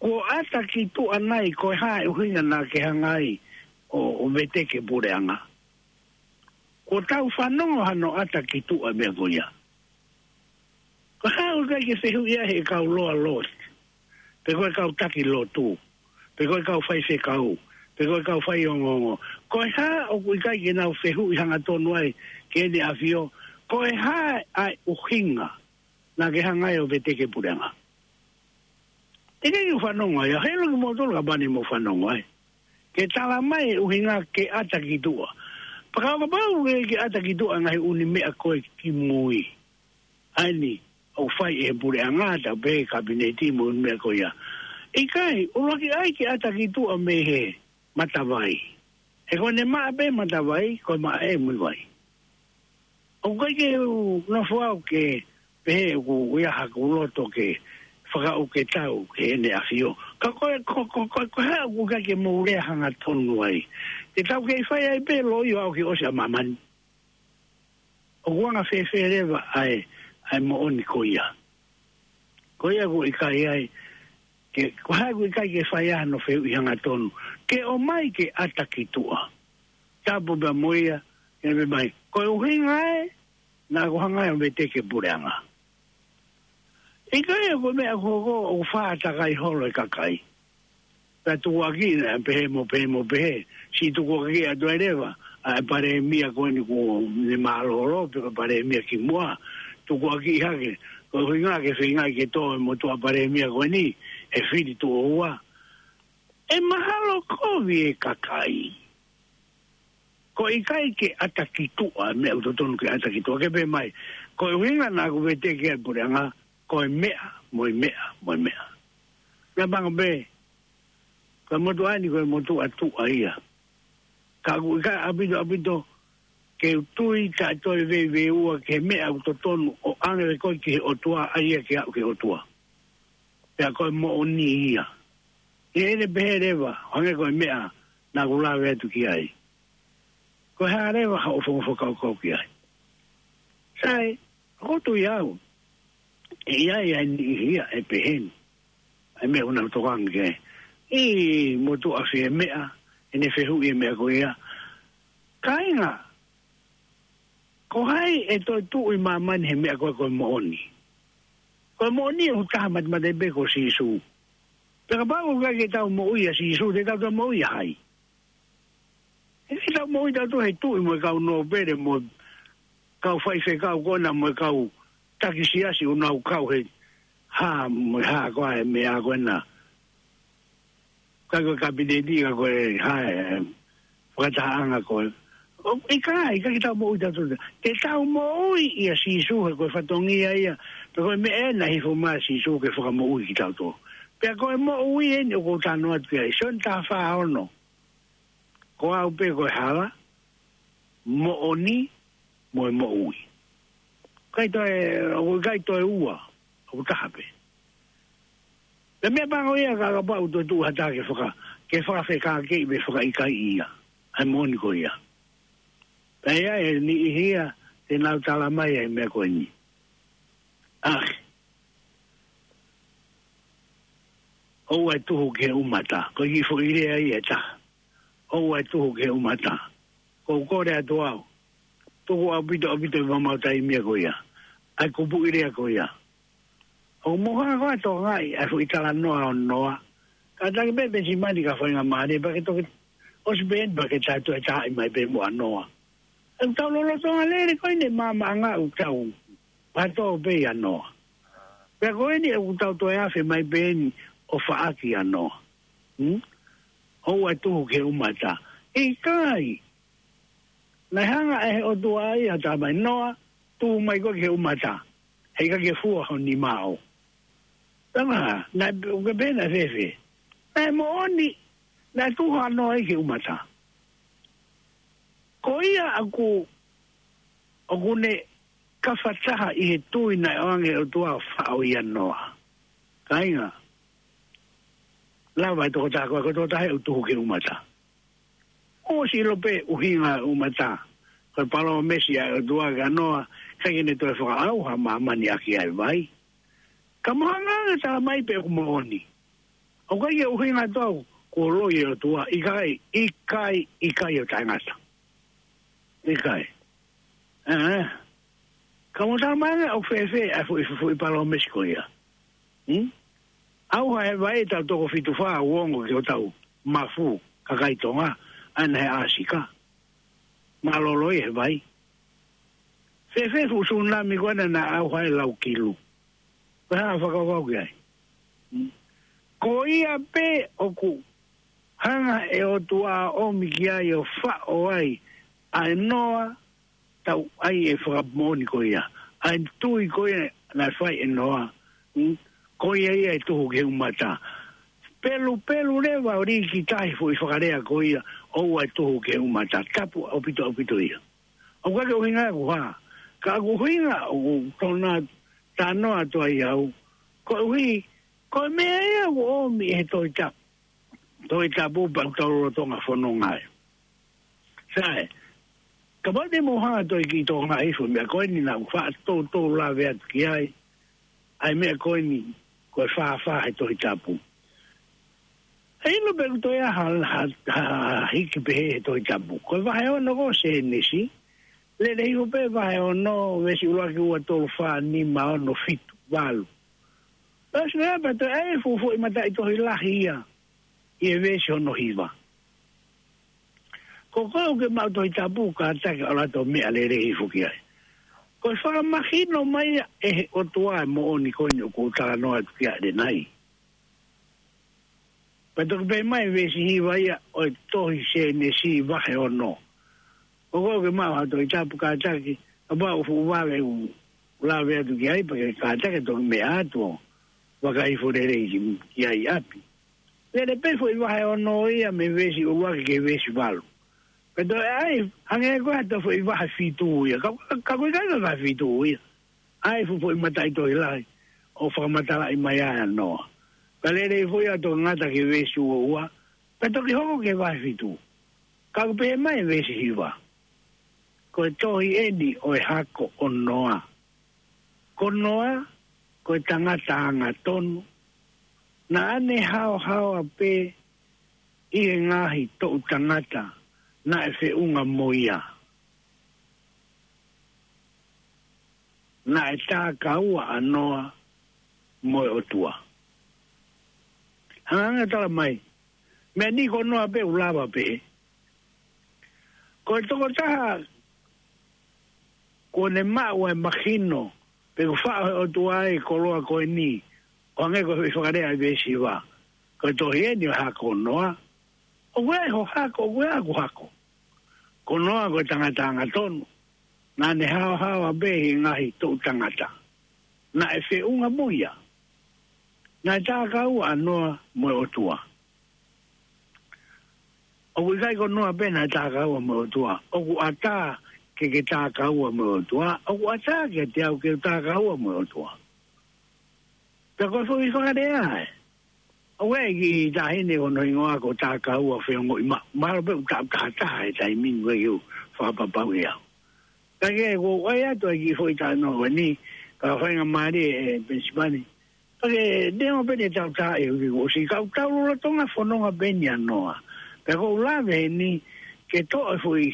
Kuo ʻata ki tuʻa nai, ko e hā e ʻuhinga naʻa ke hanga ai ʻo, ʻo veteki e puleʻanga? Kuo tau fanongo hano ʻata ki tuʻa meʻa ko ia. Ko e hā ʻoku ʻikai ke fehuʻi ai he kau loaloa, pe ko e kau taki lotu, pe ko e kau faifekau, pe ko e kau faiongoongo? Ko e hā ʻoku ʻikai ke nau fehuʻi hangatonu ai ki Heʻene ʻAfio? Ko e hā ʻa e ʻuhinga naʻa ke hanga ai ʻo veteki e puleʻanga? Teʻeki ke u fanongo ai, ʻa helo ki moutolu kapau naʻa mou fanongo ai. Ke tala mai e ʻuhinga ke ʻata ki tuʻa. Pea kapau ʻoku ke ʻata ki tuʻa ngaahi ʻū meʻa ko ē kimui, ʻa eni ʻoku fai ʻe he puleʻanga, tau pehē kapineti mo e meʻa ko ia. ʻIkai, ʻuluaki ʻai ke ʻata ki tuʻa mei he matavai. He ko ʻene maʻa pē matavai, ko e maʻa ʻe Muivai. ʻOku ʻikai ke u nofo au ke pehē ʻoku ʻi ai haku loto ke fakaʻau ke tau ki Heʻene ʻAfio. Ka ko e, ko, ko, ko, ko e hā ʻoku ʻikai ke mou lea hangatonu ai? Te tau kei fai ai pē loi ʻo aʻu ki he ʻosi ʻa māmani. ʻOku anga fēfē leva ʻa e, ʻa e moʻoni ko ia? Ko ia ʻoku ʻikai ai, ke, ko e hā ʻoku ʻikai ke fai ai hano fehuʻi hangatonu, ke ʻomai ke ʻata ki tuʻa? Tapu pea mo ia, ke pehē mai, ko e ʻuhinga ē naʻa ku hanga ai ʻo veteki e puleʻanga. ʻIkai, ko e meʻa ko ē ʻoku fātakai holo e kakai. Pea tukuakiʻi, naʻe pehē mo pehē mo pehē, siʻi tukuakiʻi atu ai leva ʻa e palēmia ko eni kuo ne mālōlō, pe ko e palēmia kimuʻa, tukuakiʻi hake, ko e ʻuhinga ke feinga ke tō e motuʻa palēmia ko eni he fili tuʻo ua. ʻE mahalo kovi e kakai. Ko e ʻikai ke ʻata ki tuʻa, meʻa ʻoku totonu ke ʻata ki tuʻa, ke pehē mai, ko e ʻuhinga naʻa ku veteki ai e puleʻanga, ko e meʻa, mo e meʻa, mo e meʻa. Meʻapango pē, ko e motuʻa ni ko e motuʻa tuʻa ia. Ka ʻoku ʻikai ʻaupito, ʻaupito ke u tui taʻe toe veiveiua ki he meʻa ʻoku totonu ʻo ʻange ko ē ki he ʻOtua, ʻa ia ke aʻu ki he ʻOtua. Pea ko e moʻoni ia. ʻI heʻene pehē leva, hangē ko e meʻa naʻa ku lave atu ki ai. Ko e hā leva haʻo foʻi fakakaukau ki ai? Sai, ʻoku ou tui au, ʻe ʻi ai ʻa e niʻihi ia ʻe pehē ni. ʻA e meʻa ʻoku nau tokanga ki ai. ʻI motuʻa fie meʻa, ʻene fehuʻi e meʻa ko ia. Kāinga, ko hai ʻe toe tuʻu ʻi māmani he meʻa ko ē ko e moʻoni? Ko e moʻoni ʻoku taha matamata pē ko Sīsū. Pea kapau ʻoku ʻikai ke tau moʻui ʻia Sīsū, te tau toe moʻui ʻia hai? ʻE ʻikai ke tau moʻui tautolu he tuʻi mo e kau nōpele mo e kau faifekau ko ena mo e kau taki siasi ʻoku nau kau he hā mo e hā ko ā e meʻa ko ena. Ka ko e kapineti ka ko e hā e fakatahaʻanga ko ē. ʻO, ʻikai, ʻikai ke tau moʻui tautolu. Te tau moʻui ʻia Sīsū he ko e fatongia ia. Pea ko e meʻa ena hifo mai ʻa Sīsū ke fakamoʻui kitautolu. Pea ko e moʻui eni ʻoku ou talanoa atu ki ai. Sione taha fā ono. Ko au pē ko e hala, moʻoni, mo e moʻui. ʻIkai toe, ʻoku ʻikai toe ua, ʻoku taha pē. Pea meʻapango ia ka kapau toe tuʻu ha taha ke faka-, ke fakafekākeʻi pe fakaʻikaiʻi ia ʻa e moʻoni ko ia. Pea ʻe ʻi ai e niʻihi ia te nau tala mai ʻa e meʻa ko eni. ʻAi. ʻOua ʻe tuhu ki he ʻumata. Ko e kiʻi foʻi lea ia ʻe taha. ʻOua ʻe tuhu ki he ʻumata. Ko u kole atu au. Tuku ʻaupito, ʻaupito ʻi homau taimi ko ia ʻa e kupuʻi lea ko ia. ʻOku mou hanga ʻo tokangaʻi ʻa e foʻi talanoa ʻo Noa. Kātaki pē Petimani ka faingamālie pea ke toki ʻosi pē eni pea ke tau toe taaʻi mai pē muʻa Noa. ʻOku tau lolotonga lele ko eni he maamaʻanga ʻoku tau pātō pē ʻia Noa. Pea ko eni ʻoku tau toe afe mai pē eni ʻo faʻaki ʻa Noa. Hmm? ʻOua ʻe tuhu ki he ʻumata. ʻIkai. Naʻe hanga ʻe he ʻOtua ia ʻo tala mai, Noa, tuhu mai koe ki he ʻumata. He ʻikai ke fua ho nima ʻo. Tama, naʻe, ʻoku ke pehē naʻe fēfē? Naʻe moʻoni, naʻe tuhu ʻa Noa ia ki he ʻumata. Ko ia ʻoku, ʻoku ne kafataha ʻi he tui naʻe ʻoange ʻe he ʻOtua ʻo faʻo ʻia Noa. Kāinga, lava e tokotaha ko ē, ko e tokotaha ʻoku tuhu ki he ʻumata. ʻOsi ʻilo pē ʻuhinga e ʻumata. Ko e palōmesi ʻa e ʻOtua kia Noa, ʻikai ke ne toe fakaʻauha māmani ʻaki ʻa e vai. Ka mou hanga ange ʻo tala mai pē ʻoku moʻoni. ʻOku ʻikai ke ʻuhinga atu au kuo loi e ʻOtua, ʻikai, ʻikai, ʻikai ʻo taʻengata. ʻIkai. ʻE, ʻe. Ka mou tala mai ange ʻoku fēfē ʻa e foʻi, foʻi, foʻi palōmesi ko ia. Hmm? ʻAuha e vai ʻe taha toko fitu fā ʻo ongo ki hotau mafu, kakai Tonga, ʻa ena he ʻAsika. Mālōlō ia he vai. Fēfē fuʻu sūnami ko ena naʻe ʻauha e lau kilu. Ko e hā e fakakaukau ki ai? Hmm. Ko ia pē ʻoku hanga ʻe he ʻOtua ʻo ʻomi ki ai ʻo faʻo ai ʻa e Noa, tau ʻai e fakamoʻoni ko ia. ʻA e tui ko ia naʻe fai ʻe Noa. Hmm? Ko ia ia ʻe tuhu ki he ʻumata. Pelupelu leva ʻo lī ki tahi foʻi fakalea ko ia, ʻoua ʻe tuhu ki he ʻumata. Tapu ʻaupito, ʻaupito ia. ʻOku ʻikai ke ʻuhinga ia ʻoku hā. Ka ʻoku ʻuhinga ʻoku ou talanoa atu ai au. Koeʻuhi, ko e meʻa ia ʻoku ʻomi ʻe he Tohi Tapu. Tohi Tapu pea ʻoku tau lolotonga fononga ai. Sai, kapau te mou hanga ʻo toe kiʻi tokangaʻi e foʻi meʻa ko eni naʻa ku faʻa toutou lave atu ki ai, ʻa e meʻa ko eni ko e fāfā he Tohi Tapu. ʻE ʻilo pē ʻoku toe ʻi ai ha, ha, ha, ha hiki pehē he Tohi Tapu. Ko e vahe ono ko Sēnesi, lele hifo pē vahe ono, veesi ʻuluaki, ua, tolu, fā, nima, ono, fitu, valu. Pea ʻosi pē pea toe ʻai e fuʻu foʻi mataʻitohi lahi ia ʻi he veesi hono hiva. Ko koe ʻoku ke maʻu Tohi Tapu, kātaki ʻo ʻalu atu ʻo meʻa lelei hifo ki ai. Ko e fakamahino mai ia ʻe he ʻOtua e moʻoni ko eni ʻoku ou talanoa atu ki ai ʻanenai. Pea toki pehē mai veesi hiva ia ʻo e tohi Sēnesi vahe ono. Ko koe ʻoku ke maʻu ha Tohi Tapu, kātaki, kapau ʻoku fuʻu vave ʻeku lave atu ki ai, pea ke kātaki ʻo toki meʻa atu ʻo vakai hifo lelei ki, ki ai ʻi ʻapi. Lele pē foʻi vahe ono ia mei he veesi ʻuluaki ki he veesi valu. Pea toe ʻai, hangē ko e hā ha toe foʻi vahe fitu ia. Ka, ka, ka ko e ʻikai ko e vahe fitu ia. ʻAi e fuʻu foʻi mataʻitohi lahi ʻo fakamatalaʻi mai ai ʻa Noa. Pea lele hifo ia ʻo toki ngata ki he veesi ua ua. Pea toki hoko ki he vahe fitu. Ka ʻoku pehē mai e veesi hiva, ko e tohi eni ʻo e hako ʻo Noa. Ko Noa, ko e tangata angatonu. Naʻa ne haohaoa pē ʻi he ngaahi toʻu tangata naʻe feʻunga mo ia. Naʻe takaua ʻa Noa mo e ʻOtua. Hanga ʻo tala mai, meʻa ni ko Noa pē ʻoku lava pē. Ko e tokotaha kuo ne maʻu ʻa e mahino, pe kuo faʻo he ʻOtua ʻa e koloa ko eni, ʻo hangē ko e fakalea ʻa e veesi hiva. Ko e tohi eni ʻo e hako ʻo Noa. ʻOku ʻi ai ho hako, ʻoku ʻi ai hoku hako. Ko Noa ko e tangata angatonu. Naʻa ne haohaoa pē ʻi he ngaahi toʻu tangata naʻe feʻunga mo ia. Naʻe takaua ʻa Noa mo e ʻOtua. ʻOku ʻikai ko Noa pē naʻe takaua mo e ʻOtua. ʻOku ʻatā ke ke takaua mo e ʻOtua. ʻOku ʻatā kiate au ke u takaua mo e ʻOtua. Pea ko e foʻi fakalea ē. ʻOku ʻi ai e kiʻi taʻahine ko hono hingoa ko Takaua Feongoʻimaʻu. Mahalo pē ʻoku taʻu taha taha he taimi ni, ʻoku ʻikai ke u fakapapauʻi au. Ka ke ʻoku ou ʻai atu ʻa e kiʻi foʻi talanoa ko eni, ka faingamālie ʻe Penisipani. Ka ke neongo pē ʻene tautaaʻi ʻo ki kuo ʻosi, ka ʻoku tau lolotonga fononga pē eni ʻa Noa. Pea ʻoku ou lave eni ke toʻo e foʻi,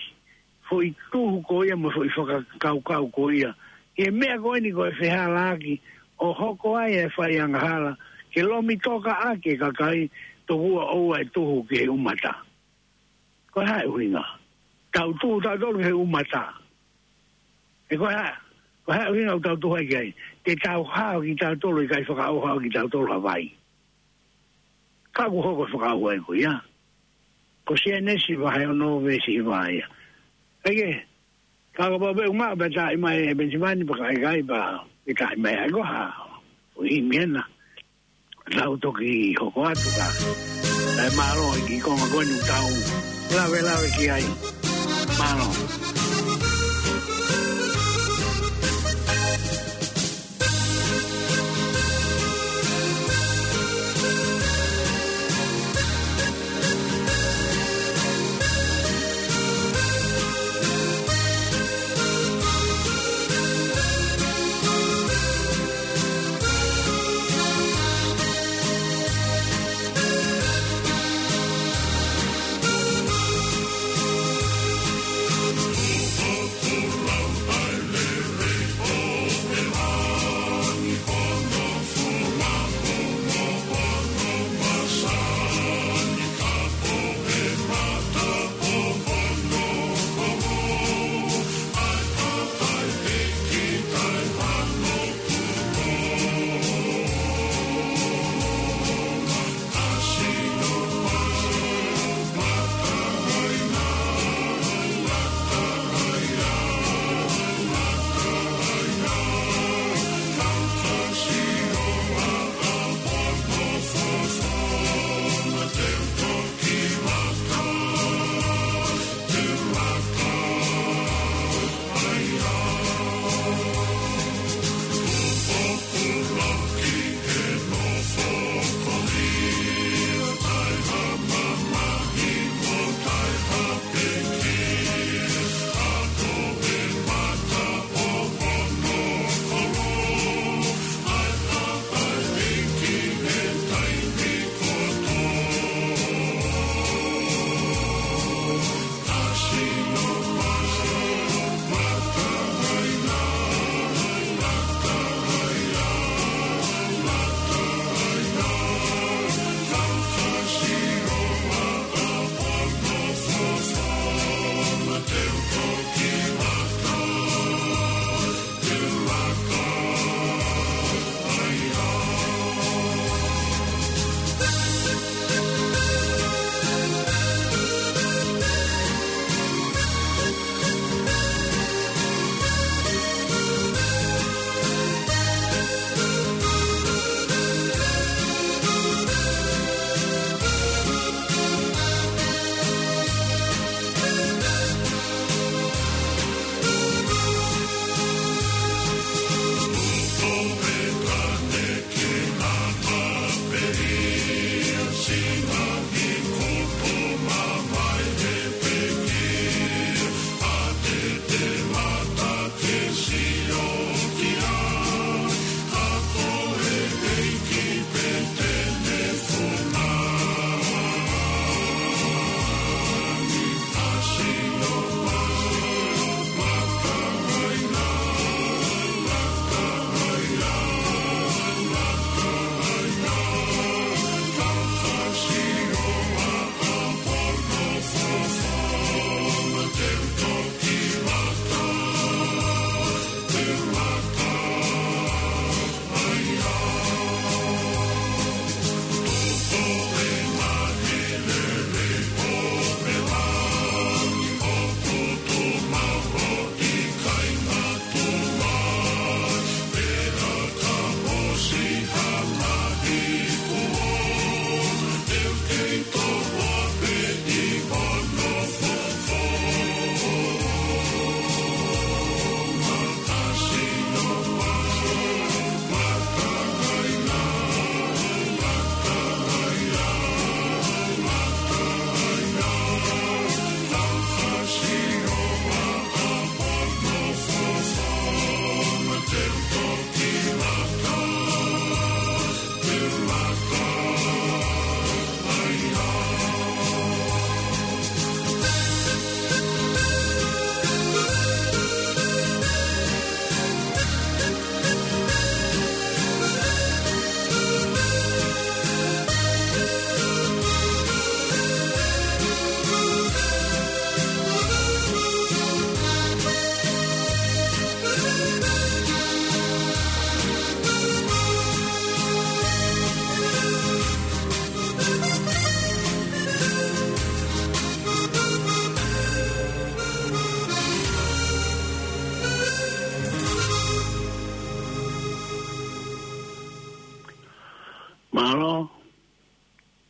foʻi tuhu ko ia mo e foʻi fakakaukau ko ia. Ki he meʻa ko eni ko e fehālaaki ʻo hoko ai e fai angahala, ke lomi toka ʻaki e kakai, tokua ʻoua ʻe tuhu ki he ʻumata. Ko e hā e ʻuhinga? Tau tuhu tautolu ki he ʻumata. Ē ko e hā, ko e hā e ʻuhinga ʻoku tau tuhu ai ki ai? Te tau hao kitautolu, ʻikai fakaʻauha kitautolu ha vai. Ka ʻoku hoko e fakaʻauha ko ia. Ko Sēnesi vahe ono veesi hiva ia. ʻAi ke, ka kapau pē ʻoku maʻu pē taʻi mai ʻe Penisipani pea ka ʻikai pea ke taʻi mai ai ko ha. ʻOi miena. Tau toki hoko atu ka. ʻAi mālō e kiʻi konga ko eni ʻoku tau lavelave ki ai. Mālō.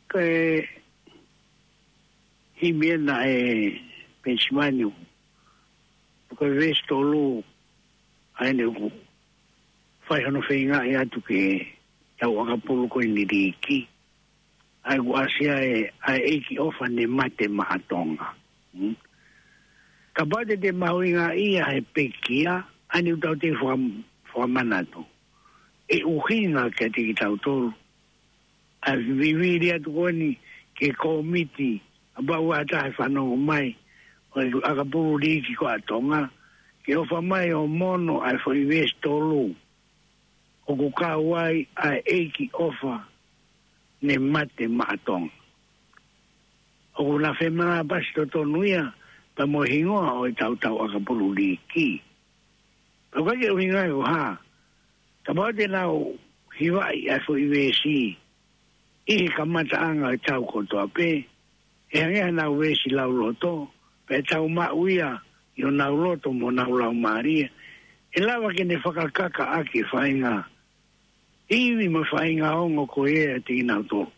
Ko e himi ena ʻa e Penisimani, ko e veesi tolu, ʻa ē naʻe fai hono feingaʻi atu ke tau ʻakapulu ko eni liiki. ʻA ia ʻoku ʻasi ai ʻa e ʻEiki ʻofa ne mate maʻa Tonga. Hmm? Kapau te te mahuʻingaʻia he pekia, ʻa eni ʻoku tau te fua-, fuamanatu. ʻE ʻuhinga kiate kitautolu ʻa e vivili atu ko eni ki he kōmiti, kapau ʻoku ʻi ai ha taha ʻe fanongo mai, ʻo ʻakapulu liiki ko ē ʻa Tonga, ke ʻofa mai ʻo mono ʻa e foʻi veesi tolu, ʻoku kau ai ʻa e ʻEiki ʻofa ne mate maʻa Tonga. ʻOku na femanapasi totonu ia, pea mo e hingoa ʻo e tau tau ʻakapulu liiki. Pea ʻoku ʻikai ke ʻuhinga ia ko e hā, kapau te nau hivaʻi ʻa e foʻi veesi ʻi he kamataʻanga ʻo e tau kotoa pē, ʻe hangē haʻanau veesi lauloto, pea tau maʻu ia ʻi honau loto mo honau laumālie, ʻe lava ke ne fakakaka ʻaki e faʻahinga ivi mo e faʻahinga ongo ko ia ʻiate kinautolu.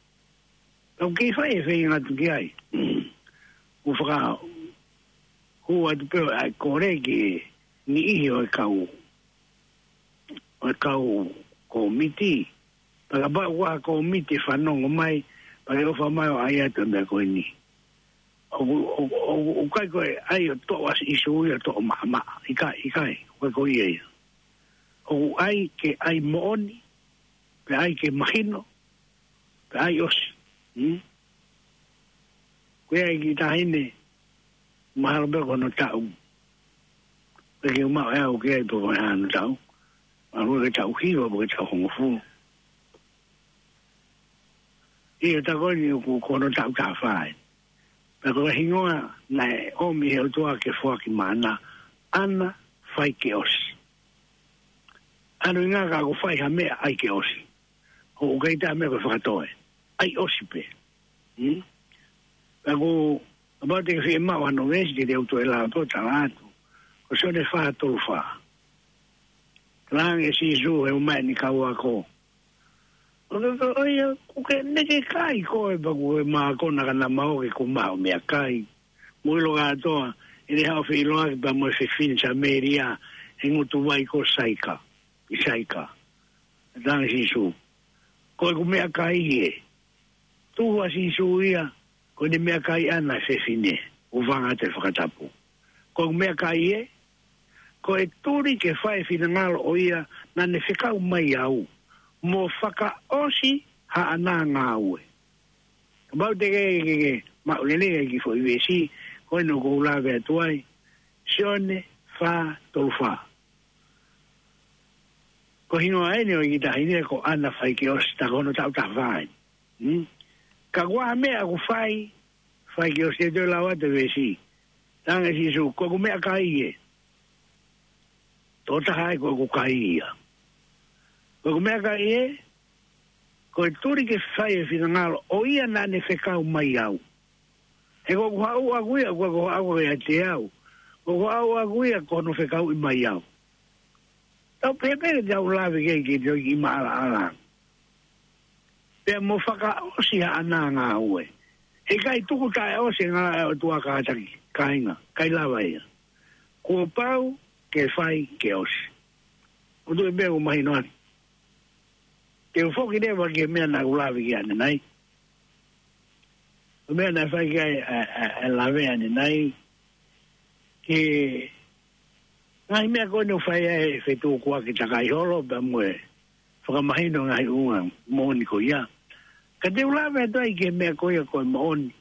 Ka ʻoku kei fai e feinga atu ki ai. ʻOku fakahū atu pē ʻa e kole ki he niʻihi ʻo e kau, ʻo e kau kōmiti. Pea kapau ʻoku ʻi ai ha kōmiti ʻe fanongo mai, pea ke ʻofa mai ʻo ʻai atu e meʻa ko eni. ʻOku, ʻoku, ʻoku, ʻoku ʻikai ko e ʻai ʻo toʻo ʻa Sīsū ia ʻo toʻo maʻamaʻa. ʻIkai, ʻikai, ʻoku ʻikai ko ia ia. ʻOku ʻai ke ʻai moʻoni, pea ʻai ke mahino, pea ʻai ʻosi. Hmm? Ko ia e kiʻi taʻahine, mahalo pē ko hono taʻu. Pea ke u maʻu ʻe au ki ai pe ko e hā hono taʻu. Mahalo ke taʻu hiva, pe ko e taʻu hongofulu. ʻI he taʻu ko eni ʻoku ko hono taʻu taha fā ē. Pea ko e hingoa naʻe ʻomi he ʻOtua ke foaki maʻana, ʻAna Faikeʻosi. ʻA ia ʻoku ʻikai ke fai ha meʻa ʻai ke ʻosi. ʻOku ʻikai ha meʻa ko e fakatoe. ʻAi ʻosi pē. Hmm? Pea ʻoku, kapau te ke fiemaʻu hano veesi te te u toe lava pē ʻo tala atu. Ko Sione fā tolu fā. Talaange ʻe Sīsū he ʻomai ʻene kau ako. ʻO ke, ʻo ia, ʻoku ke neke kai koe pea ʻoku ke mākona ka na maʻu ke ko maʻu meʻakai. Mou ʻilo kātoa, ʻene haʻu ʻo feʻiloaki pea mo e fefine Samēlia, he ngutu vai ko Saika, ʻi Saika. Talaange ʻe Sīsū, ko ʻeku meʻakai ē. Tuhu ʻa Sīsū ia, ko ʻene meʻakai ʻana e fefine, ʻo vanga atu e fakatapu. Ko ʻeku meʻakai ē, ko e tuli ke fai e finangalo ʻo ia naʻa ne fekau mai au, mo fakaʻosi haʻana ngāue. Kapau te ke, ke, ke maʻu lelei e kiʻi foʻi veesi ko eni ʻoku ou lave atu ai, Sione fā tolu fā. Ko e hingoa eni ʻo e kiʻi taʻahine ko ʻAna Faikeʻosi, tā ko hono taʻu taha fā eni. Hmm? Ka ko e hā e meʻa ʻoku fai, Faikeʻosi, te u toe lau atu e veesi. Talaange ʻe Sīsū, ko ʻeku meʻakai ē. Tokotaha ai ko ʻeku kai ia. Ko ʻeku meʻakai ē, ko e tuli ke fai e finangalo ʻo ia naʻa ne fekau mai au. He ko ʻeku haʻu ʻaʻaku ia, ko ʻeku haʻu ʻiate au. Ko ʻeku haʻu ʻaʻaku ia ko hono fekauʻi mai au. Tau pehē pē ke tau lave ki ai ke toe kiʻi maʻalaʻala. Pea mo fakaʻosi haʻana ngāue. He ʻikai tuku taʻeʻosi e ngāue ʻa e ʻOtua kātaki, kāinga, ʻikai lava ia. Kuo pau ke fai ke ʻosi. ʻOku ou tui pē ʻoku mahino atu. Te u foki leva ki he meʻa naʻa ku lave ki ai ʻanenai. Ko e meʻa naʻe fai ki ai ʻa, ʻa, ʻa e lave ʻanenai. Ki he ngaahi meʻa ko eni ʻoku fai ai e fetukuaki takai holo pea mo e fakamahino ngaahi ʻuhinga moʻoni ko ia. Ka te u lave atu ai ki he meʻa ko ia ko e moʻoni.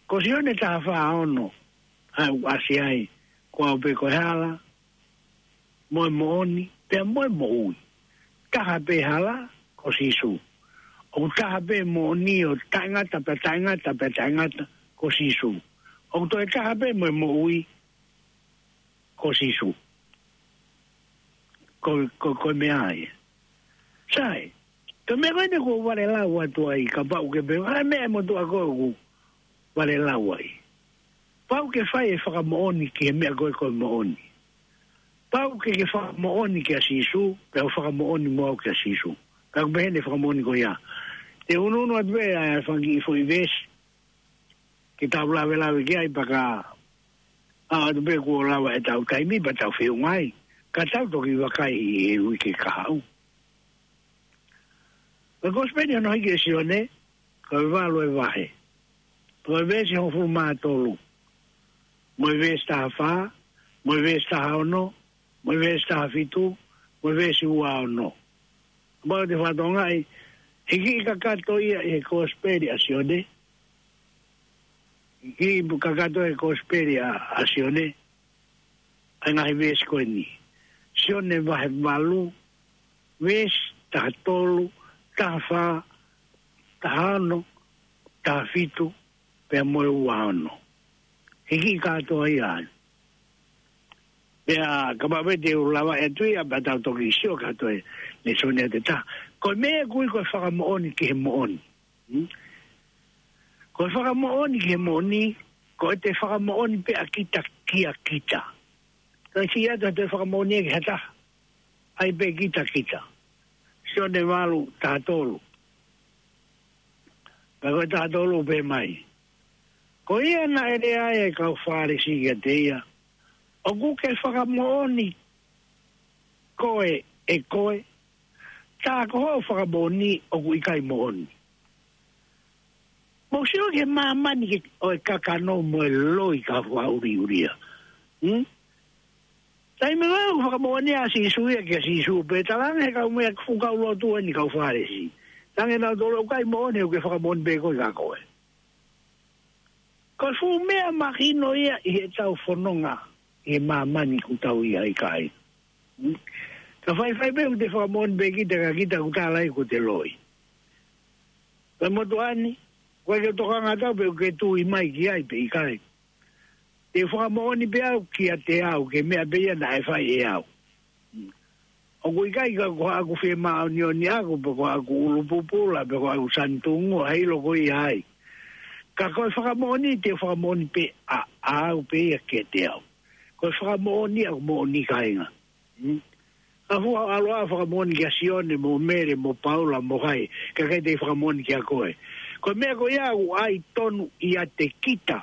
Ko Sione taha fā ono, ʻa ē ʻoku ʻasi ai, ko au pē ko e hala, mo e moʻoni, pea mo e moʻui. Taha pē hala, ko Sīsū. ʻOku taha pē moʻoni ʻo taʻengata, pea taʻengata, pea taʻengata, ko Sīsū. ʻOku toe taha pē mo e moʻui, ko Sīsū. Ko, ko, ko e meʻa ia. Sai, ko e meʻa ko eni ʻoku ou vale lau atu ai, kapau ke pehē, ʻa e meʻa ʻe motuʻa ko ē ʻoku vale lau ai. Pau ke fai e fakamoʻoni ki he meʻa ko ē ko e moʻoni. Pau ke ke fakamoʻoni kia Sīsū, pea u fakamoʻoni mo au kia Sīsū. Pea ʻoku pehē ʻene fakamoʻoni ko ia. Te u unuunu atu pē ʻa e fanga kiʻi foʻi veesi ke tau lavelaveʻi ai pea ka ʻalu atu pē kuo lava ʻetau taimi pea tau feʻunga ai. Ka tau toki vakai ʻi he uike kahaʻu. Ko e Kosipeli hono hiki ʻe Sione, ko e valu e vahe. Ko e veesi hongofulu mā tolu. Mo e veesi taha fā, mo e veesi taha ono, mo e veesi taha fitu, mo e veesi ua ono. Kapau te u fakatokangaʻi, he kiʻi kakato ia ʻi he Kosipeli ʻa Sione. He kiʻi kakato ʻi he Kosipeli ʻa, ʻa Sione. ʻA e ngaahi veesi ko eni. Sione vahe valu, veesi taha tolu, taha fā, taha ono, taha fitu, pea mo e ua ono. He kiʻi kātoa ia ai. Pea kapau pē te u lava ʻe tui a pea tau toki sio kātoa e lēsoni ʻa e taha. Ko e meʻa ʻoku ui ko e fakamoʻoni ki he moʻoni. Hmm? Ko e fakamoʻoni ki he moʻoni, ko e te fakamoʻoni pē ʻa kita kia kita. Ka ʻi he ʻata te fakamoʻoni ʻe ki ha taha. ʻAi pē kita kita. Sione valu taha tolu. Pea ko e taha tolu pē mai. Ko ia naʻe lea ai e kau Fālesi kiate ia. ʻOku ke fakamoʻoni koe ʻe koe. Tā ko hoʻo fakamoʻoni ʻoku ʻikai moʻoni. Mou sio ki he māmani ke ʻo e kakano mo e loi ka fua uri uria. Hmm? Taimi ko ē ʻoku fakamoʻoni ʻa Sīsū ia kia Sīsū pē talange he kau meʻa fuʻu kau lotu eni kau Fālesi. Tange nau tolo ʻoku ʻikai moʻoni ʻoku ke fakamoʻoni pē koe ka koe. Ko e fuʻu meʻa mahino ia ʻi heʻetau fononga ʻi he māmani ʻoku tau ʻi ai kai. Hmm? Ka faifai pē ʻoku te fakamoʻoni pē kita ka kita ʻoku tala ai ʻoku te loi. Pea motuʻa ni, ʻoku ʻikai ke u tokanga atu pē ʻoku ke tui mai ki ai pe ʻikai. Te u fakamoʻoni pē au kiate au, ki he meʻa pē ia naʻe fai ʻe au. ʻOku ʻikai ka ko haʻaku fie māʻoniʻoni ʻaku, pe ko haʻaku ʻulu pupula, pe ko haʻaku sanitungua, ʻikai loko ia ai. Ka ko e fakamoʻoni, te u fakamoʻoni pē ʻa, ʻa au pē ia kiate au. Ko e fakamoʻoni ʻaku moʻoni kāinga. Hmm? Ka fua ʻalu ʻa fakamoʻoni kia Sione, mo Mele, mo Paula, mo hai, ka ʻikai te u fakamoʻoni kia koe. Ko e meʻa ko ia ʻoku ʻai tonu ʻiate kita.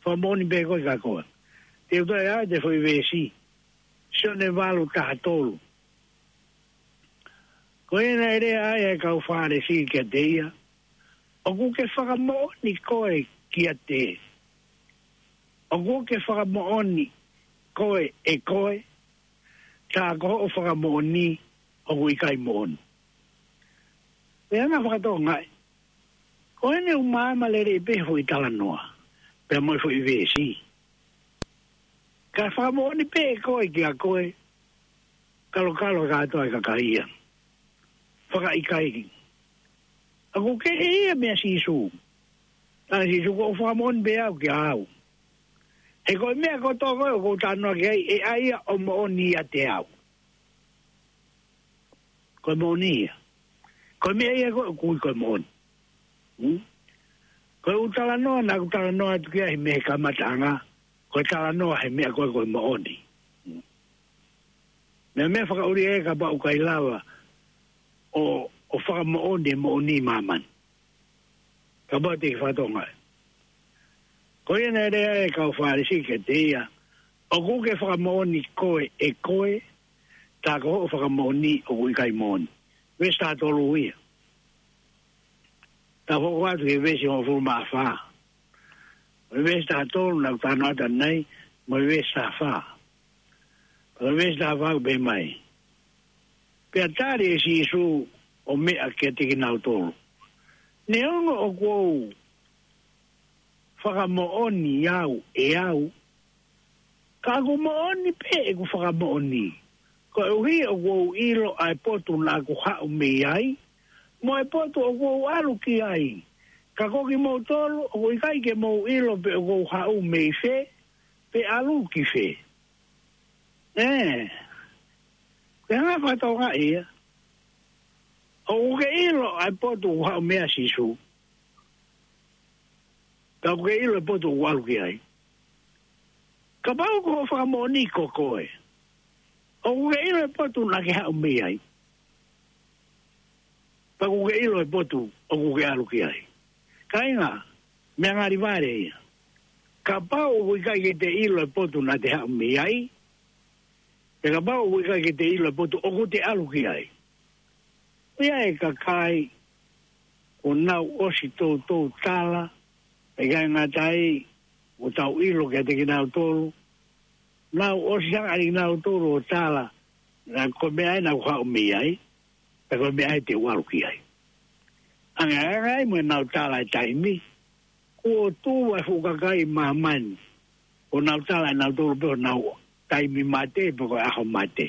Fakamoʻoni pē koe ka koe. Te u toe ʻai ʻa e foʻi veesi. Sione valu taha tolu. Ko ia naʻe lea ai e kau Fālesi kiate ia. ʻOku ke fakamoʻoni koe kiate. ʻOku ke fakamoʻoni koe ʻe koe. Tā ko hoʻo fakamoʻoni ʻoku ʻikai moʻoni. Pea ʻoku ou fakatokangaʻi. Ko eni ʻoku maama lelei pē foʻi talanoa. Pea mo e foʻi veesi. Ka fakamoʻoni pē ʻe koe kia koe. Kalokalo kātoa e kakai ia. Fakaʻikaiʻi. ʻOku kehe ia meia Sīsū. Tala Sīsū ko e fakamoʻoni pē au kia au. He ko e meʻa kotoa ko ē ʻoku ou talanoa ki ai ʻe ʻai ia ʻo moʻoni ʻiate au. Ko e moʻoni ia. Ko e meʻa ia ko ē ʻoku ui ko e moʻoni. Hmm? Ko e ʻū talanoa naʻa ku talanoa atu ki ai mei he kamataʻanga. Ko e talanoa he meʻa ko ē ko e moʻoni. Hmm. Meʻa meʻa fakaʻuli ē kapau ʻoku ʻikai lava ʻo, ʻo fakamoʻoni e moʻoni ʻi māmani. Kapau te ke fakatokangaʻi. Ko ia naʻe lea e kau Fālesi kiate ia. ʻOku ke fakamoʻoni koe ʻe koe. Tā ko hoʻo fakamoʻoni ʻoku ʻikai moʻoni. Veesi taha tolu ia. Tau hoko atu ki he veesi hongofulu mā fā. Mo e veesi taha tolu naʻa ku talanoa atu ai, mo e veesi taha fā. Mo e veesi taha fā ʻoku pehē mai. Pea tali ʻe Sīsū ʻo meʻa kiate kinautolu. Neongo ʻoku ou fakamoʻoni au ʻe au. Ka ʻoku moʻoni pē ʻeku fakamoʻoni. Koeʻuhi ʻoku ou ʻilo ʻa e potu naʻa ku haʻu mei ai. Mo e potu ʻoku ou ʻalu ki ai. Ka ko kimoutolu, ʻoku ʻikai ke mou ʻilo pe ʻoku ou haʻu mei fē, pe ʻalu ki fē. ʻE. Ko e hanga fakatokangaʻi ia. ʻOku ke ʻilo ʻa e potu ʻoku haʻu mei ai Sīsū. Ka ʻoku ke ʻilo e potu ʻoku ʻalu ki ai. Kapau ko hoʻo fakamoʻoni ko koe. ʻOku ke ʻilo e potu naʻa ke haʻu mei ai. Pea ʻoku ke ʻilo e potu ʻoku ke ʻalu ki ai. Kāinga, meʻa ngali vale ia. Kapau ʻoku ʻikai ke te ʻilo e potu naʻa te haʻu mei ai, pea kapau ʻoku ʻikai ke te ʻilo e potu ʻoku te ʻalu ki ai. ʻOku ʻi ai e kakai, ʻoku nau ʻosi toutou tala, ʻikai ngata ai, ʻoku tau ʻilo kiate kinautolu, nau ʻosi hanga ʻe kinautolu ʻo tala, naʻa ko e meʻa ē naʻa ku haʻu mei ai, pea ko e meʻa ē te u ʻalu ki ai. Ange, ange ai mo ʻenau tala e taimi, kuo tuʻu e fuʻu kakai ʻi māmani, ʻo nau tala ʻe nautolu pē honau taimi mate, pe ko e ʻaho mate.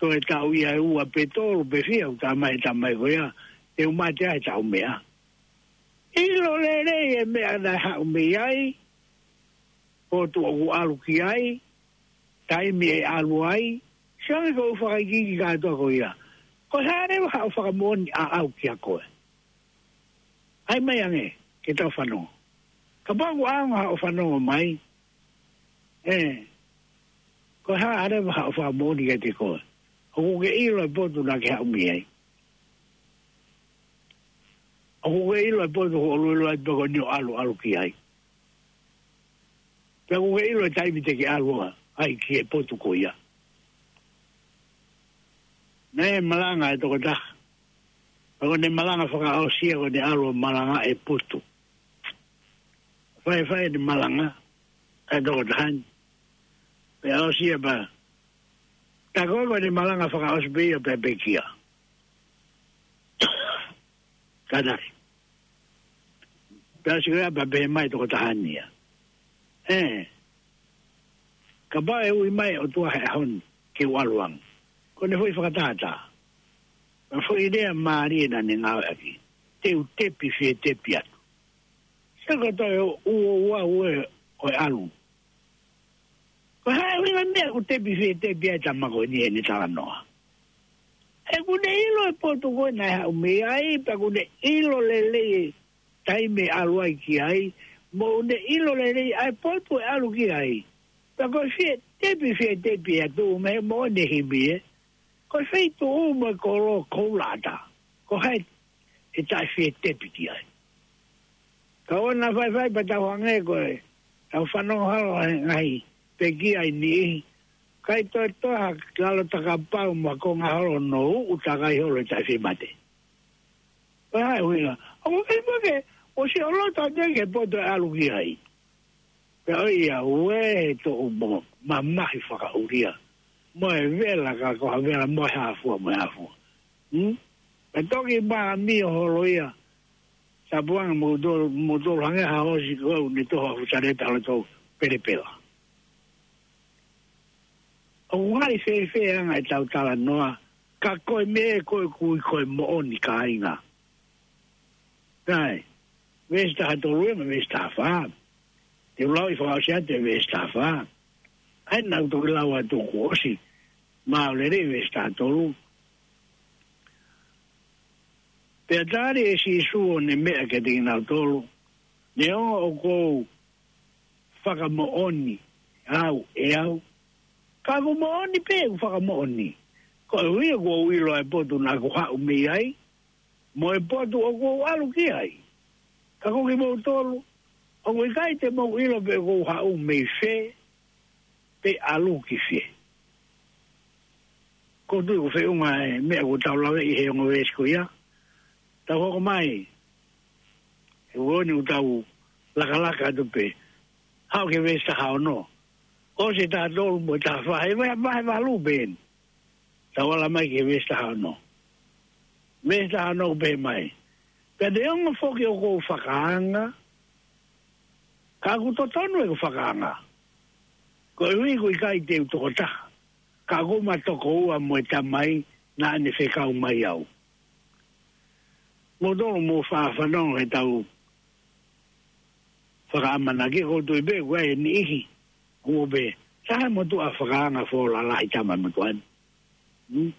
Toe taʻu ia ʻe ua pe tolu pe fiha, ʻoku talamai ʻe he tamai ko ia, te u mate ai he taʻu meʻa. ʻIlo lelei e meʻa naʻe haʻu mei ai, potu ʻoku ʻalu ki ai, taimi ʻe ʻalu ai, sio ange ko e fakaikiiki kātoa ko ia. Ko e hā leva haʻo fakamoʻoni ʻaʻau kia koe? ʻAi mai ange, ke tau fanongo. Kapau ʻoku ʻaonga haʻo fanongo mai, ē, ko e hā leva haʻo fakamoʻoni kiate koe? ʻOku ke ʻilo e potu naʻa ke haʻu mei ai? ʻOku ke ʻilo e potu ʻoku ʻiloʻilo ai pe ko eni ʻoku ʻalu, ʻalu ki ai? Pea ʻoku ke ʻilo e taimi te ke ʻalu ai ki he potu ko ia? Naʻe malanga e tokotaha. Pea ko ʻene malanga fakaʻosi ia ko ʻene ʻalu ʻo malanga e potu. Faifai ʻene malanga e tokotaha ni. Pea ʻosi ia pea. Tā ko ē ko ʻene malanga fakaʻosi pē ia pea pekia. Kātaki. Pea ʻosi ko ia pea pehē mai tokotaha ni ia. Ē. Kapau ʻe ui mai ʻOtua he ʻaho ni ke u ʻalu ange. Ko ʻene foʻi fakatātā. Ko e foʻi lea mālie naʻa ne ngāueʻaki. Te u tepi fie tepi atu. Sio ko e toe ʻuoʻua ue ʻo e ʻalu. Ko e hā e ʻuhinga meʻa ʻoku tepi fie tepi ai tama ko eni ʻene talanoa? He ʻoku ne ʻilo e potu ko ē naʻe haʻu mei ai, pea ʻoku ne ʻilo lelei e taimi ʻe ʻalu ai ki ai, mo ʻoku ne ʻilo lelei ʻa e potu ʻe ʻalu ki ai. Pea ko e fie tepi, fie tepi atu, mei he moʻoni e himi ē. Ko e feituʻu mo e kolo koula ʻatā. Ko hai ʻe taʻefie tepi ki ai? Ka ʻoua naʻa faifai pea tau hangē ko e, tau fanongo holo he ngaahi pekia ʻi niʻihi. ʻIkai toe toe ha lalo takapau mo ha konga holo ʻo uʻu takai holo ʻe taʻefie mate. Ko e hā e ʻuhinga? ʻOku ʻikai pē ke, ʻosi ʻalu atu ʻa e potu ʻe ʻalu ki ai. Pea ʻoiauē he toʻu mo mamahi fakaʻulia. Mo e vela ka ko ha vela mo e hā fua, mo e hā fua. Hmm? Pea toki māmio holo ia. Sapuanga mo tolu, mo tolu hangē ha ʻosi ko ʻene toho a futareta ʻalu atu pelepela. ʻOku ngali fēfē ʻa e anga ʻetau talanoa, ka ko e meʻa ko ē ʻoku ui ko e moʻoni kāinga. Kai, veesi taha tolu ia mo e veesi taha fā. Te u lau ʻi fakaʻosi atu e veesi taha fā. ʻAi naʻa ku toki lau atu kuo ʻosi. Maʻu lelei veesi taha tolu. Pea tali ʻe Sīsū ʻo ne meʻa kiate kinautolu. Neongo ʻoku ou fakamoʻoni au ʻe au. Ka ʻoku moʻoni pē ʻeku fakamoʻoni. Koeʻuhi ʻoku ou ʻilo ʻa e potu naʻa ku haʻu mei ai. Mo e potu ʻoku ou ʻalu ki ai. Ka ko kimoutolu, ʻoku ʻikai te mou ʻilo pe ʻoku ou haʻu mei fē, pe ʻalu ki fē. Ko e tuʻu feʻunga e meʻa ʻoku tau lave ʻi he ongo veesi ko ia. Tau hoko mai, he ʻoku ʻoni ʻoku tau lakalaka atu pē. Haʻu ki he veesi taha ono. ʻOsi e taha tolu mo e taha fā, he vahe, vahe valu pē eni. Tau ala mai ki he veesi taha ono. Veesi taha ono ʻoku pehē mai. Pea neongo foki ʻoku ou fakaanga, ka ʻoku totonu ʻeku fakaanga. Koeʻuhi ʻoku ʻikai te u tokotaha. Ka ʻoku ma tokoua mo e Tamai naʻa ne fekau mai au. Mou tolu mou faʻa fanongo he tau fakaʻamanaki, ʻoku ou tui pē ʻoku ʻi ai e niʻihi. ʻOku pehē, sai mo tuʻa fakaanga fō lalahi tama mo tuʻa ni. Hmm?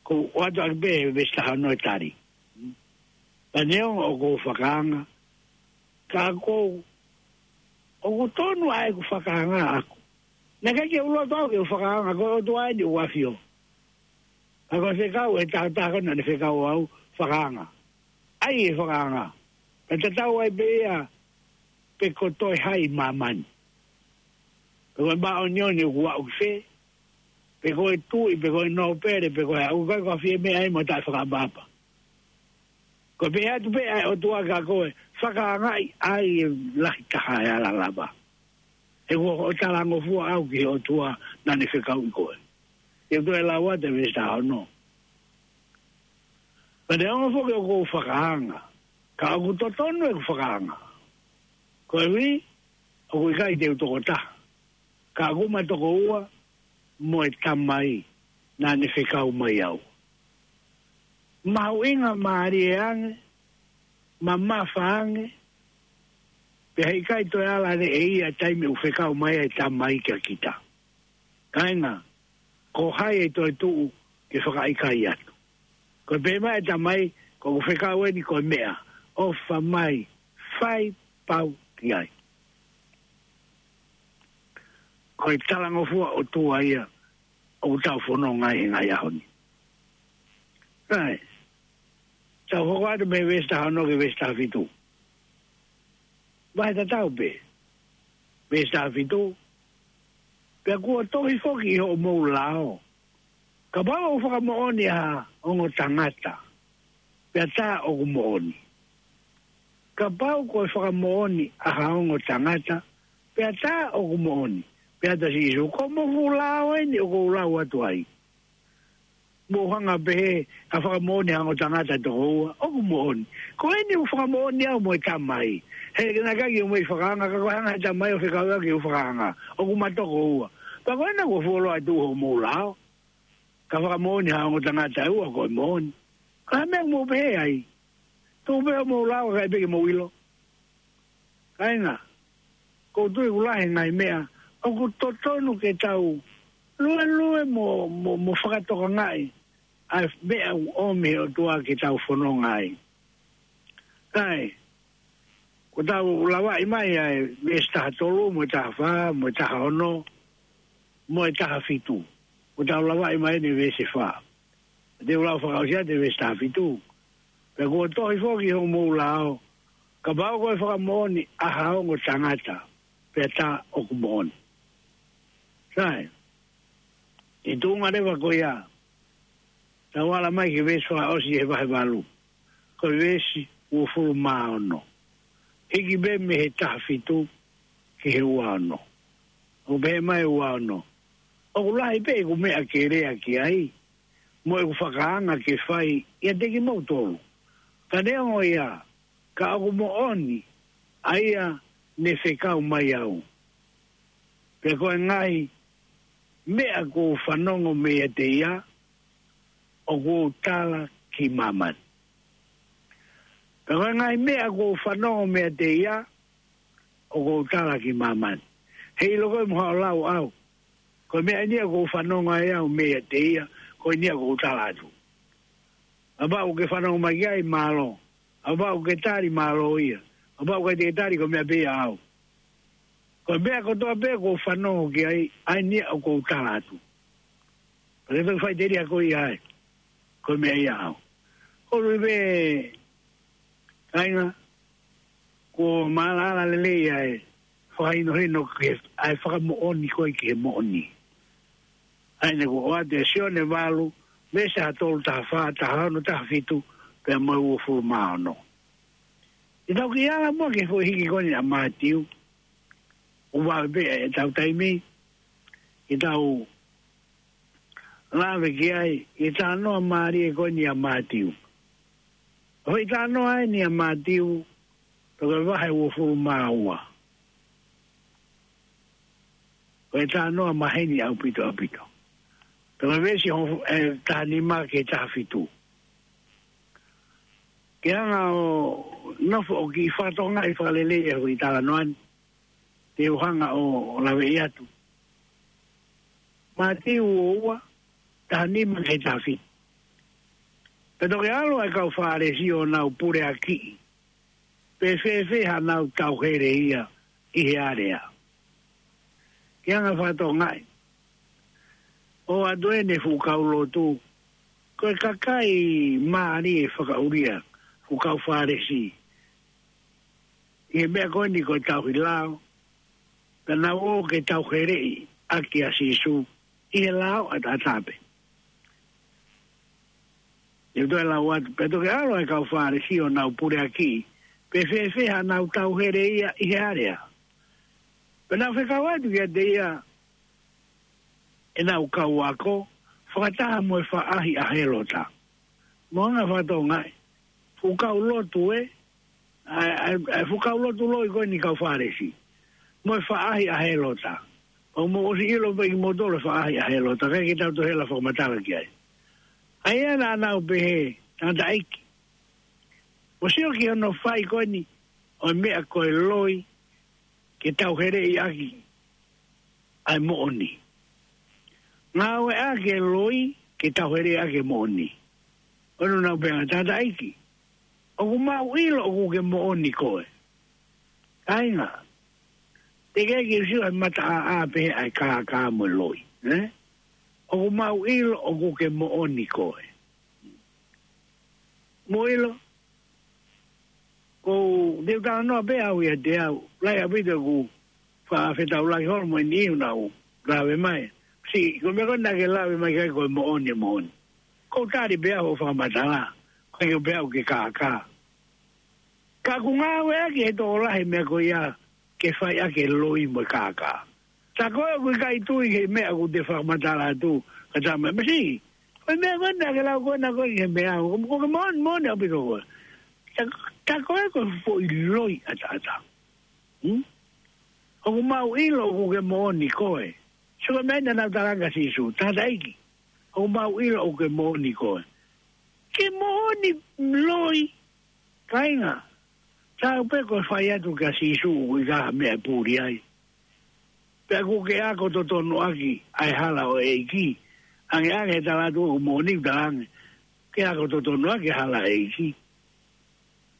Ko ʻoatu ʻaki pē he veesi taha ono e tali. Hmm? Pea neongo ʻoku ou fakaanga. Ka ʻoku, ʻoku tonu ʻa ʻeku fakaanga ʻaʻaku. Naʻe ʻikai ke u loto au ke u fakaanga ko e ʻOtua eni ʻoku ʻafio. Ka ko e fekau ʻe taha taha ko ē naʻa ne fekau au, fakaanga. ʻAi e fakaanga. Ka tatau ai pē ia pe ko e toe hai ʻi māmani. Pe ko e māʻoniʻoni ʻoku aʻu ki fē, pe ko e tuʻi, pe ko e nōpele, pe ko e ʻoku ʻikai ko ha fie meʻa ai mo taʻefakaʻapaʻapa. Ko e pehē atu pē ʻa e ʻOtua kia koe, fakaangaʻi ʻa e lahi taha ʻe ala lava. He ʻoku ou talangofua au ki he ʻOtua naʻa ne fekauʻi koe. Te u toe lau atu e veesi taha ono. Ka neongo foki ʻoku ou fakaanga, ka ʻoku totonu ʻeku fakaanga. Koeʻuhi, ʻoku ʻikai te u tokotaha, ka ʻoku ma tokoua mo e Tamai naʻa ne fekau mai au. Mahuʻinga mālie ange, mamafa ange, pea heʻikai toe ala lelei ia taimi ʻoku fekau mai ai e Tamai kia kita. Kāinga, ko hai ʻe toe tuʻu ke fakaʻikaiʻi atu? Ko e pehē mai e Tamai, ko ʻeku fekau eni ko e meʻa, ʻofa mai, fai pau ki ai. Ko e talangofua ʻOtua ia ʻoku tau fononga ai he ngaahi ʻaho ni. Sai. Tau hoko atu mei he veesi taha ono ki he veesi taha fitu. Vahe tatau pē. Veesi taha fitu. Pea kuo tohi foki ʻi hoʻomou lao, kapau ʻoku fakamoʻoni ʻa ha ongo tangata, pea tā ʻoku moʻoni. Kapau ko e fakamoʻoni ʻa ha ongo tangata, pea tā ʻoku moʻoni. Pea tā Sīsū, ko hoʻomou fuʻu lao eni ʻoku ou lau atu ai. Mou hanga pehē, ʻa e fakamoʻoni ʻa e ongo tangata ʻe toko ua, ʻoku moʻoni. Ko eni ʻoku fakamoʻoni au mo e Tamai. He naʻe ʻikai ke u mei fakaanga, ka ko e hanga he Tamai ʻo fekau au ke u fakaanga. ʻOku ma toko ua. Pea ko ena kuo fuoloa atu hoʻomou lao. Ka fakamoʻoni ha ongo tangata ʻe ua ko e moʻoni. Ka ha meʻa mou pehē ai. Tuʻu pē hoʻomou lao kae ʻikai pē ke mou ʻilo. Kāinga, ʻoku ou tui ʻoku lahi e ngaahi meʻa ʻoku totonu ke tau luelue mo, mo, mo fakatokangaʻi ʻa e meʻa ʻoku ʻomi he ʻOtua ke tau fononga ai. Sai, ko ʻetau lavaʻi mai ʻa e veesi taha tolu, mo e taha fā, mo e taha ono, mo e taha fitu. Ko ʻetau lavaʻi mai eni veesi fā. Te u lau fakaʻosi atu e veesi taha fitu. Pea kuo tohi foki ʻi hoʻomou lao, kapau ko e fakamoʻoni ʻa ha ongo tangata, pea tā ʻoku moʻoni. Sai, ʻi he tuʻunga leva ko ia, tau ala mai ki he veesi fakaʻosi he vahe valu. Ko e veesi uofulu mā ono. Hiki pē mei he taha fitu ki he ua ono. ʻOku pehē mai ua ono, ʻoku lahi pē ʻeku meʻa ke lea ki ai, mo ʻeku fakaanga ke fai ʻiate kimoutolu. Ka neongo ia, ka ʻoku moʻoni ʻa ia ne fekau mai au. Pea ko e ngaahi meʻa kuo u fanongo meiate ia, ʻoku ou tala ki māmani. Pea ko e ngaahi meʻa kuo u fanongo meiate ia, ʻoku ou tala ki māmani. Heiʻilo koe mo haʻo lau au. Ko e meʻa eni ia ʻoku ou fanongo ai au meiate ia, ko eni ia ʻoku ou tala atu. Kapau ʻoku ke fanongo mai ki ai, mālō. Kapau ʻoku ke tali, mālō ia. Kapau ʻoku ʻikai te ke tali, ko e meʻa pē ia ʻaʻau. Ko e meʻa kotoa pē ʻoku ou fanongo ki ai, ʻa eni ia ʻoku ou tala atu. Pea ke toki faʻiteliha koe ia ai. Ko e meʻa ia ʻaʻau. Ko e ʻuhi pē, kāinga, kuo ma ala lelei ʻa e fakahinohino ki he, ʻa e fakamoʻoni ko ē ki he moʻoni. ʻA eni kuo ʻoatu ʻe Sione valu, veesi taha tolu, taha fā, taha ono, taha fitu, pea mo e uofulu mā ono. Te tau kiʻi ala muʻa ki he foʻi hiki ko eni ʻa Mātiu. ʻOku vave pē ʻetau taimi ke tau lave ki ai, ʻi he talanoa mālie ko eni ʻa Mātiu. Ko e talanoa eni ʻa Mātiu, ko e vahe uofulu mā ua. Ko e talanoa maheni ʻaupito, ʻaupito. Ko e veesi hongofulu, ʻe, taha nima ki he taha fitu. Ke hanga ʻo nofo ʻo kiʻi fakatokangaʻi fakalelei e foʻi talanoa ni, te u hanga ʻo, ʻo laveʻi atu. Mātiu ua ua, taha nima ki he taha fitu. Pea toki ʻalu ʻa e kau Fālesi ʻo nau puleakiʻi pe fēfē haʻanau tauhele ia ʻi he alea. Ke hanga fakatokangaʻi. ʻOatu ʻene fuʻu kau lotu, Ko e kakai mālie fakaʻulia ʻoku kau Fālesi ʻi he meʻa ko eni ko e tauhi lao, pea nau ō ke tauheleʻi ʻaki ʻa Sīsū ʻi he lao ʻataʻatā pē. ʻE toe lau atu, pea toki ʻalu ʻa e kau Fālesi ʻo nau puleʻaki, pe fēfē haʻanau tauhele ia ʻi he alea. Pea nau fekau atu kiate ia ʻenau kau ako, fakataha mo e faʻahi ʻa Hēlota. Mo anga fakatonga ē, fuʻu kau lotu ē, ʻa e, ʻa e, ʻa e fuʻu kau lotu loi ko eni kau Fālesi. Mo e faʻahi ʻa Hēlota. ʻOku mou ʻosi ʻilo pē ʻe kimoutolu e faʻahi ʻa Hēlota, ʻikai ke tau toe hela fakamatala ki ai. ʻA ia naʻa nau pehē, tangataʻeiki, mou sio ki hono fai ko eni ʻo e meʻa ko e loi ke tauheleʻi ʻaki ʻa e moʻoni. Ngāueʻaki e loi ke tauheleʻi ʻaki e moʻoni. ʻOku nau pehē, tangataʻeiki, ʻoku mau ʻilo ʻoku ke moʻoni koe. Kāinga, teʻeki ke sio he mataʻāʻā pē ʻa e kākā mo e loi, ē? ʻOku mau ʻilo ʻoku ke moʻoni koe. Mou ʻilo, ʻoku ou talanoa pē au ʻiate au, lahi ʻaupito ʻeku faʻa fetaulaki holo mo e niʻihi ʻoku nau lave mai. Siʻi, ko e meʻa ko ē naʻa ke lave mai ki ai ko e moʻoni, moʻoni. ʻOku ou tali pē au hoʻo fakamatala, ʻikai ke u pehē au ʻoku ke kākā. Ka ʻoku ngāueʻaki ʻe he tokolahi e meʻa ko ia ke fai ʻaki e loi mo e kākā. Tā ko ē ʻoku ʻikai tui ki he meʻa ʻoku te fakamatala atu, ka tā mai, masiʻi, ko e meʻa ko ē naʻa ke lau ko ena ko ē ki he meʻa, ʻoku, ʻoku ke moʻoni, moʻoni ʻaupito koe. Tā, tā ko ē ko e foʻi loi ʻataʻatā. Hmm? ʻOku mau ʻilo ʻoku ke moʻoni koe. Sio ki he meʻa naʻa nau talaange kia Sīsū, tangataʻeiki, ʻoku mau ʻilo ʻoku ke moʻoni koe. Ke moʻoni loi, kāinga, taau pē ko e fai atu kia Sīsū ʻoku ʻikai ha meʻa ʻe puli ai. Pea ʻoku ke ako totonu ʻaki ʻa e hala ʻo e ʻEiki. ʻAngeʻange he tala atu ʻoku moʻoni, talaange ke ako totonu ʻaki e hala ʻo e ʻEiki.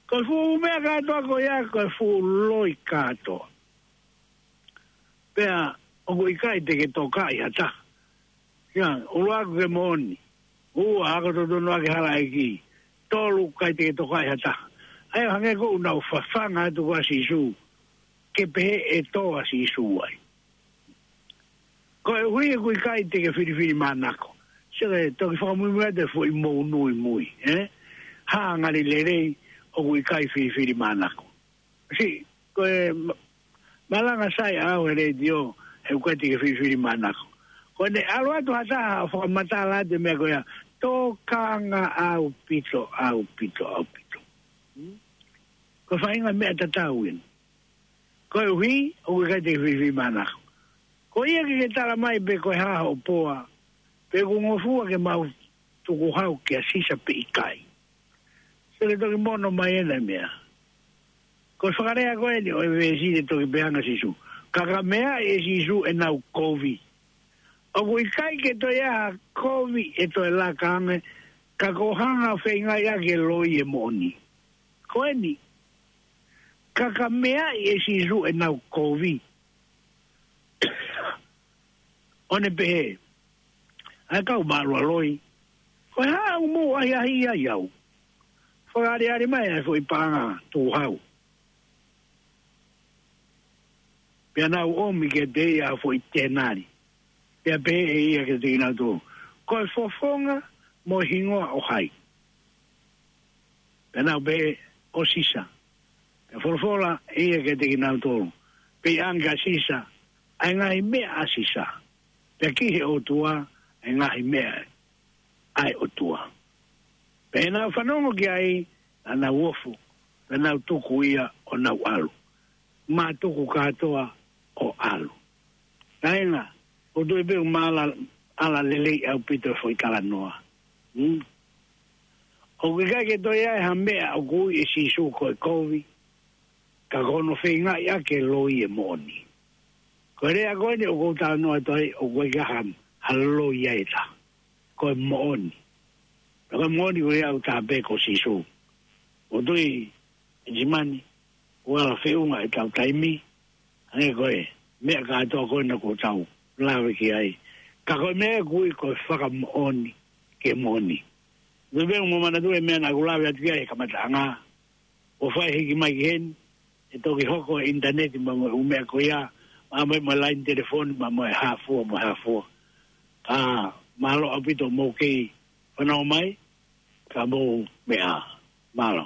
Ko e fuʻu meʻa kātoa ko ia, ko e fuʻu loi kātoa. Pea ʻoku ʻikai te ke tokaʻi ha taha. Ia, ʻuluaki ke moʻoni. Ua, ako totonu ʻaki e hala ʻo e ʻEiki. Tolu, ʻikai te ke tokaʻi ha taha. ʻA ia hangē ko ʻenau fafanga atu kia Sīsū ke pehē ʻe tō ʻa Sīsū ai. Koeʻuhi ʻoku ʻikai te ke filifilimānako. Sio ki he toki fakamuimui atu e foʻi mou nui mui, ē? Hā ngali lelei ʻoku ʻikai filifilimānako. Siʻi, ko e ma-, malanga sai ʻaʻau he letiō, he ʻoku ʻikai te ke filifilimānako. Ko ʻene ʻalu atu ha taha ʻo fakamatala atu e meʻa ko ia, tokanga ʻaupito, ʻaupito, ʻaupito. Hmm? Ko e faʻahinga meʻa tatau eni. Koeʻuhi ʻoku ʻikai te ke filifilimānako. Ko ia ke ke tala mai pe ko e hā hoʻo poa, pe ʻoku ngofua ke mau tukuhau kia Sisa pe ʻikai. Sio ki he toki mono mai ena e meʻa. Ko e fakalea ko eni ʻo e veesi naʻe toki pehē ange ʻe Sīsū. Ka ka meaʻi ʻe Sīsū ʻenau kovi. ʻOku ʻikai ke toe ʻi ai ha kovi ʻe toe laka ange, ka ko e hanga ʻo feingaʻi ʻaki e loi e moʻoni. Ko eni. Ka ka meaʻi ʻe Sīsū ʻenau kovi. ʻO ne pehē, ʻa e kau mālualoi, ko e hā ʻoku mou ʻahiʻahiʻi ai au? Fakaʻaliʻali mai ʻa e foʻi paʻanga tukuhau. Pea nau ʻomi kiate ia ha foʻi tenali. Pea pehē ʻe ia kiate kinautolu, ko e fofonga mo e hingoa ʻo hai? Pea nau pehē, ʻo Sisa. Pea folofola ʻe ia kiate kinautolu, pea ʻoange kia Sisa ʻa e ngaahi meʻa ʻa Sisa, pea ki he ʻOtua ʻa e ngaahi meʻa ʻa e ʻOtua. Pea ʻi heʻenau fanongo ki ai, naʻa nau ofo, pea nau tuku ia ʻo nau ʻalu. Mātuku kātoa ʻo ʻalu. Kāinga, ʻoku ou tui pē ʻoku ma ala, ala lelei ʻaupito e foʻi talanoa. Hmm? ʻOku ʻikai ke toe ʻi ai ha meʻa ʻoku ui ʻe Sīsū ko e kovi, ka ko hono feingaʻi ʻaki e loi e moʻoni. Ko e lea ko eni ʻoku ou talanoa atu ai, ʻoku ʻikai ha, ha loi ai e taha. Ko e moʻoni. Pea ko e moʻoni ko ia ʻoku taha pē ko Sīsū. ʻOku ou tui, Simani, ʻoku ala feʻunga ʻetau taimi, hangē ko e meʻa kātoa ko ena ʻoku tau lave ki ai. Ka ko e meʻa ʻoku ui ko e fakamoʻoni ki he moʻoni. Pea mo manatu e meʻa naʻa ku lave atu ki ai he kamataʻanga. ʻO fai hiki mai ki heni, ʻe toki hoko e ʻinitaneti mo e ʻū meʻa ko ia, pea mo e, mo e laine telefoni, pea mo e hā fua, mo e hā fua. Ka mālō ʻaupito mou kei fanongo mai, ka mou meʻa. Mālō.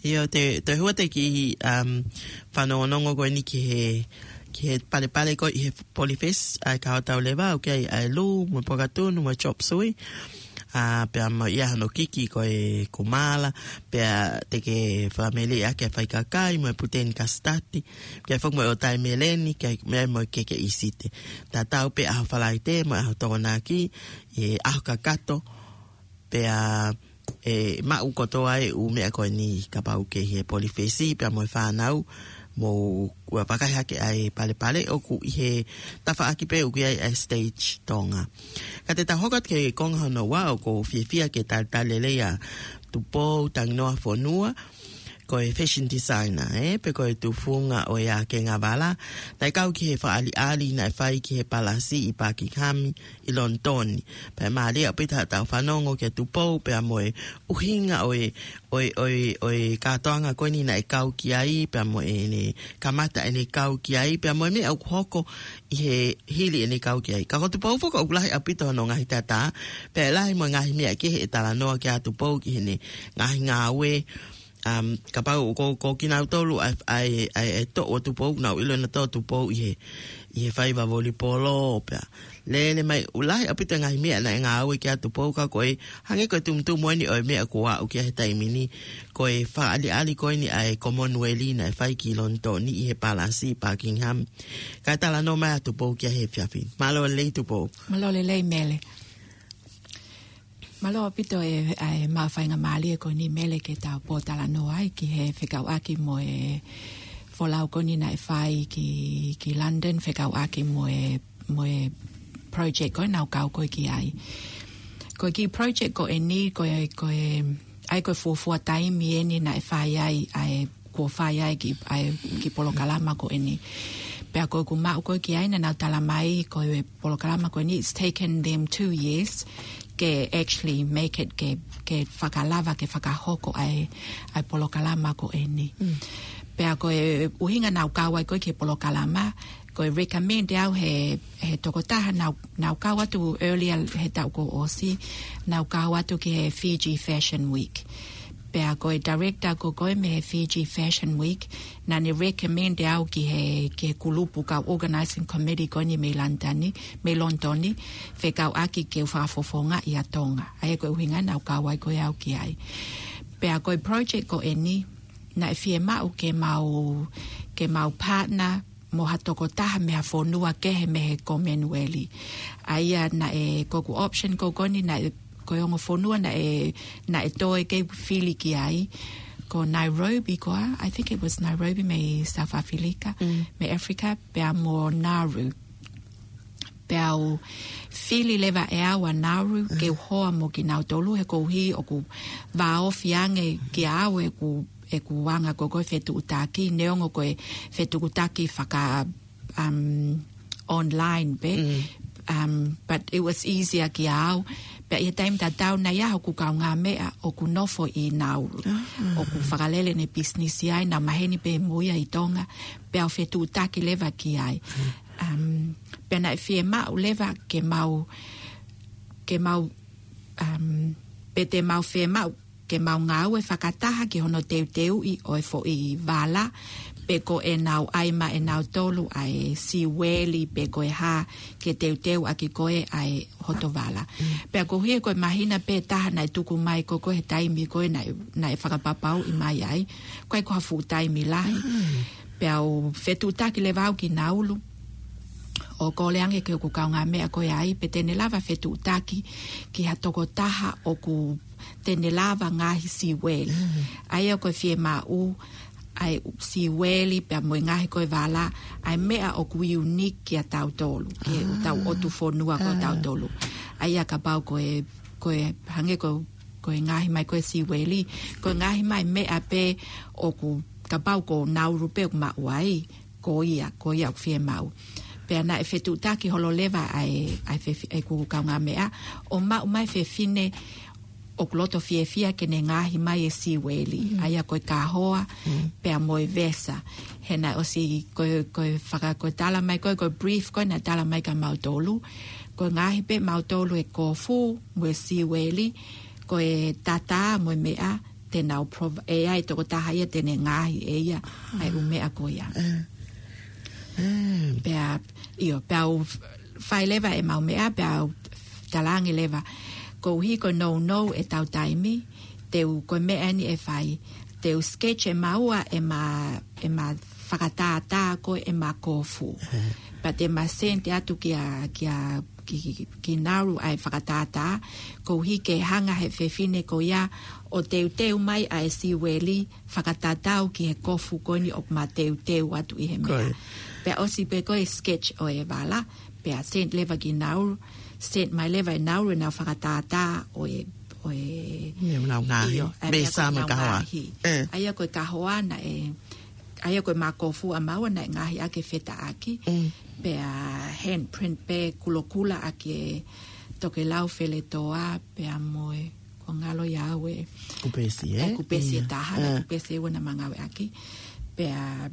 ʻIo, te, te hua te ki, um, fanongonongo ko eni ki he, ki he palepale ko ē ʻi he Polifesi, ʻa e kau tau leva, ʻoku ʻi ai ʻa e Lū, mo e Pukatunu, mo e Chop Suey. ʻA, pea mo ia hono kiki ko e Kumala, pea te ke fakamele ʻa e fai kakai, mo e Puteni Kasitati, pea foki mo e ʻOtai Meleni, ke mea mo e Keke ʻIsite. Tatau pē ʻaho Falaite, mo e ʻaho Tokonaki, ʻi he ʻaho kakato, pea ʻe maʻu kotoa e ʻū meʻa ko eni kapau ʻoku ke ʻi he Polifesi, pea mo e fānau, mou ua vakai hake ʻa e palepale ʻoku ʻi he tafaʻaki pē ʻoku ʻi ai ʻa e Stage Tonga. Ka te tau hoko atu ki he konga hono ua ʻoku ou fiefia ke talitali lelei ʻa Tupou Tanginoa Fonua, ko e fashion designer, ē, pea ko e tufunga ʻo e Akengavala. Naʻe kau ki he fakaʻaliʻali naʻe fai ki he Palasi ʻi Buckingham ʻi Lonitoni. Pea mālie ʻaupito haʻatau fanongo kia Tupou, pea mo e ʻuhinga ʻo e, ʻo e, ʻo e, ʻo e kātoanga ko eni naʻe kau ki ai, pea mo ʻene kamata ʻene kau ki ai, pea mo e meʻa ʻoku hoko ʻi he hili ʻene kau ki ai. Ka ko Tupou foki ʻoku lahi ʻaupito hono ngaahi tatā, pea lahi mo e ngaahi meʻa kehe ʻe talanoa ki ai ʻa Tupou ki heʻene ngaahi ngāue, um, kapau ko, ko kinautolu ʻa e, ʻa e, ʻa e, ʻa e toʻu ʻo Tupou, nau ʻilo nautolu ʻa Tupou ʻi he, ʻi he faiva volipolo pea. Lele mai, ʻoku lahi ʻaupito e ngaahi meʻa naʻe ngāue ki ai ʻa Tupou ka ko e, hangē ko e tumutumu eni ʻo e meʻa kuo aʻu ki ai he taimi ni, ko e fakaʻaliʻali ko eni ʻa e Commonwealth naʻe fai ki Lonitoni ʻi he Palasi Buckingham. Kae talanoa mai ʻa Tupou ki ai he efiafi ni. Mālō e lelei Tupou. Mālō e lelei Mele. Mālō ʻaupito e, e maʻu faingamālie ko eni Mele ke tau pōtalanoa ai ki he fekauʻaki mo e folau ko eni naʻe fai ki, ki London, fekauʻaki mo e, mo e project ko ē naʻa ku kau ko ē ki ai. Ko e kiʻi project ko eni, ko e, ko e, ʻa ia ko e fuofua taimi eni naʻe fai ai, ʻa e kuo fai ai ki, ʻa e kiʻi polokalama ko eni. Pea ko ʻeku maʻu ko ē ki ai naʻa nau tala mai ko e polokalama ko eni, it's taken them two years ke actually make it, ke, ke fakalava, ke fakahoko ʻa e, ʻa e polokalama ko eni. Mm. Pea ko e ʻuhinga naʻa ku kau ai ko ē ki he polokalama, ko e recommend ʻe au he, he tokotaha naʻa ku, naʻa ku kau atu earlier he taʻu kuo ʻosi, naʻa ku kau atu ki he Fiji Fashion Week. Pea ko e director ko ē mei he Fiji Fashion Week, naʻa ne recommend ʻe au ki he, ki he kulupu kau organizing committee ko eni mei Lonitoni, mei Lonitoni, fekauʻaki ke u fakafofongaʻi ʻa Tonga. ʻA ia ko e ʻuhinga naʻa ku kau ai ko ē au ki ai. Pea ko e project ko eni, naʻe fiemaʻu ke mau, ke mau partner mo ha tokotaha mei ha fonua kehe mei he Commonwealth. ʻA ia naʻe, ko ʻeku option ko ē ko eni naʻe, ko e ongo fonua naʻe, naʻe toe ke fili ki ai. Ko Nairobi ko ā, I think it was Nairobi mei South Africa, mm, mei Africa, pea mo Nauru. Pea u fili leva ʻe au ʻa Nauru, mm, ke u hoa mo kinautolu he koeʻuhi ʻoku vāofi ange kiate au ʻeku, ʻeku anga ko ē ko e fetuʻutaki, neongo ko e fetuʻutaki faka, um, online pē. Mm. Um, but it was easier kiate au. Pea ʻi he taimi tatau naʻe ʻi ai hoku kaungāmeʻa ʻoku nofo ʻi Nauru. Ah. ʻOku fakalele ʻene business ai, naʻa maheni pē mo ia ʻi Tonga. Pea u fetuʻutaki leva ki ai. Mm. Um, pea naʻe fiemaʻu leva ke mau, ke mau, um, pe te mau fiemaʻu ke mau ngāue fakataha ki hono teuteuʻi ʻo e foʻi vala, pe ko ʻenau ʻai maʻanautolu ʻa e sīveli pe ko e hā ke teuteuʻaki ko ē ʻa e hoto vala. Mm. Pea koeʻuhi ko e māhina pē taha naʻe tuku mai ko ē ko ē he taimi ko ē naʻe, naʻe fakapapauʻi mai ai, ʻoku ʻikai ko ha fuʻu taimi lahi. Mm. Pea u fetuʻutaki leva au ki Nauru. ʻO kole ange ki hoku kaungāmeʻa ko ē ai, pe te ne lava fetuʻutaki ki ha tokotaha ʻoku te ne lava ngaahi sīveli. Mm. ʻA ia ko e fiemaʻu, ʻa e sīveli pea mo e ngaahi ko e vala, ʻa e meʻa ʻoku unique kiate kitautolu, ki heʻetau ʻotu fonua ko ē ʻa tautolu. ʻA ia kapau ko e, ko e hangē ko, ko e ngaohi mai ko ē sīveli, ko e ngaohi mai meʻa pē ʻoku kapau ko Nauru pē ʻoku maʻu ai, ko ia, ko ia ʻoku fiemaʻu. Pea naʻe fetuʻutaki holo leva ʻa e, ʻa e fefi-, ʻeku kaungāmeʻa, ʻo maʻu mai fefine ʻoku loto fiefia ke ne ngaohi mai e sīveli. Mm. ʻA ia ko e kahoa, mm, pea mo e vesa. He naʻe ʻosi ko e, ko e faka-, ko e tala mai ko ē, ko e brief ko ē naʻe tala mai kia mautolu. Ko e ngaohi pē mautolu e kofu, mo e sīveli, ko e tatā mo e meʻa, te nau prov-, ʻe ʻi ai e tokotaha ia te ne ngaohi ʻe ia ʻa e ʻū meʻa ko ia. Pea, ʻio, pea u fai leva ʻemau meʻa, pea u talaange leva, koeʻuhi ko e nounou ʻetau taimi, te u, ko e meʻa eni ʻe fai, te u sketch ʻe maua ʻema, ʻema fakatātā ko ē ʻema kofu. Pea te ma send atu kia, kia, ki, ki, ki Nauru ʻa e fakatātā, koeʻuhi ke hanga he fefine ko ia ʻo teuteu mai ʻa e siueli fakatatau ki he kofu ko eni ʻoku ma teuteu atu ʻi he meʻa. Pea ʻosi pē ko e sketch ʻo e vala, pea send leva ki Nauru, send mai leva ʻe Nauru ʻenau fakatātā ʻo e, ʻo e, ʻio, ʻa e meʻa ko ʻenau ngaohi. ʻA ia ko e kahoa naʻe, ʻa ia ko ʻema kofu ʻa maua naʻe ngaohi ʻaki e fetaʻaki, pea handprint pē kulokula ʻaki e tokelau feletoa, pea mo e, ko ngalo ia au e kupesi, ʻe kupesi ʻe taha, ʻe kupesi ʻe ua naʻa ma ngāueʻaki. Pea,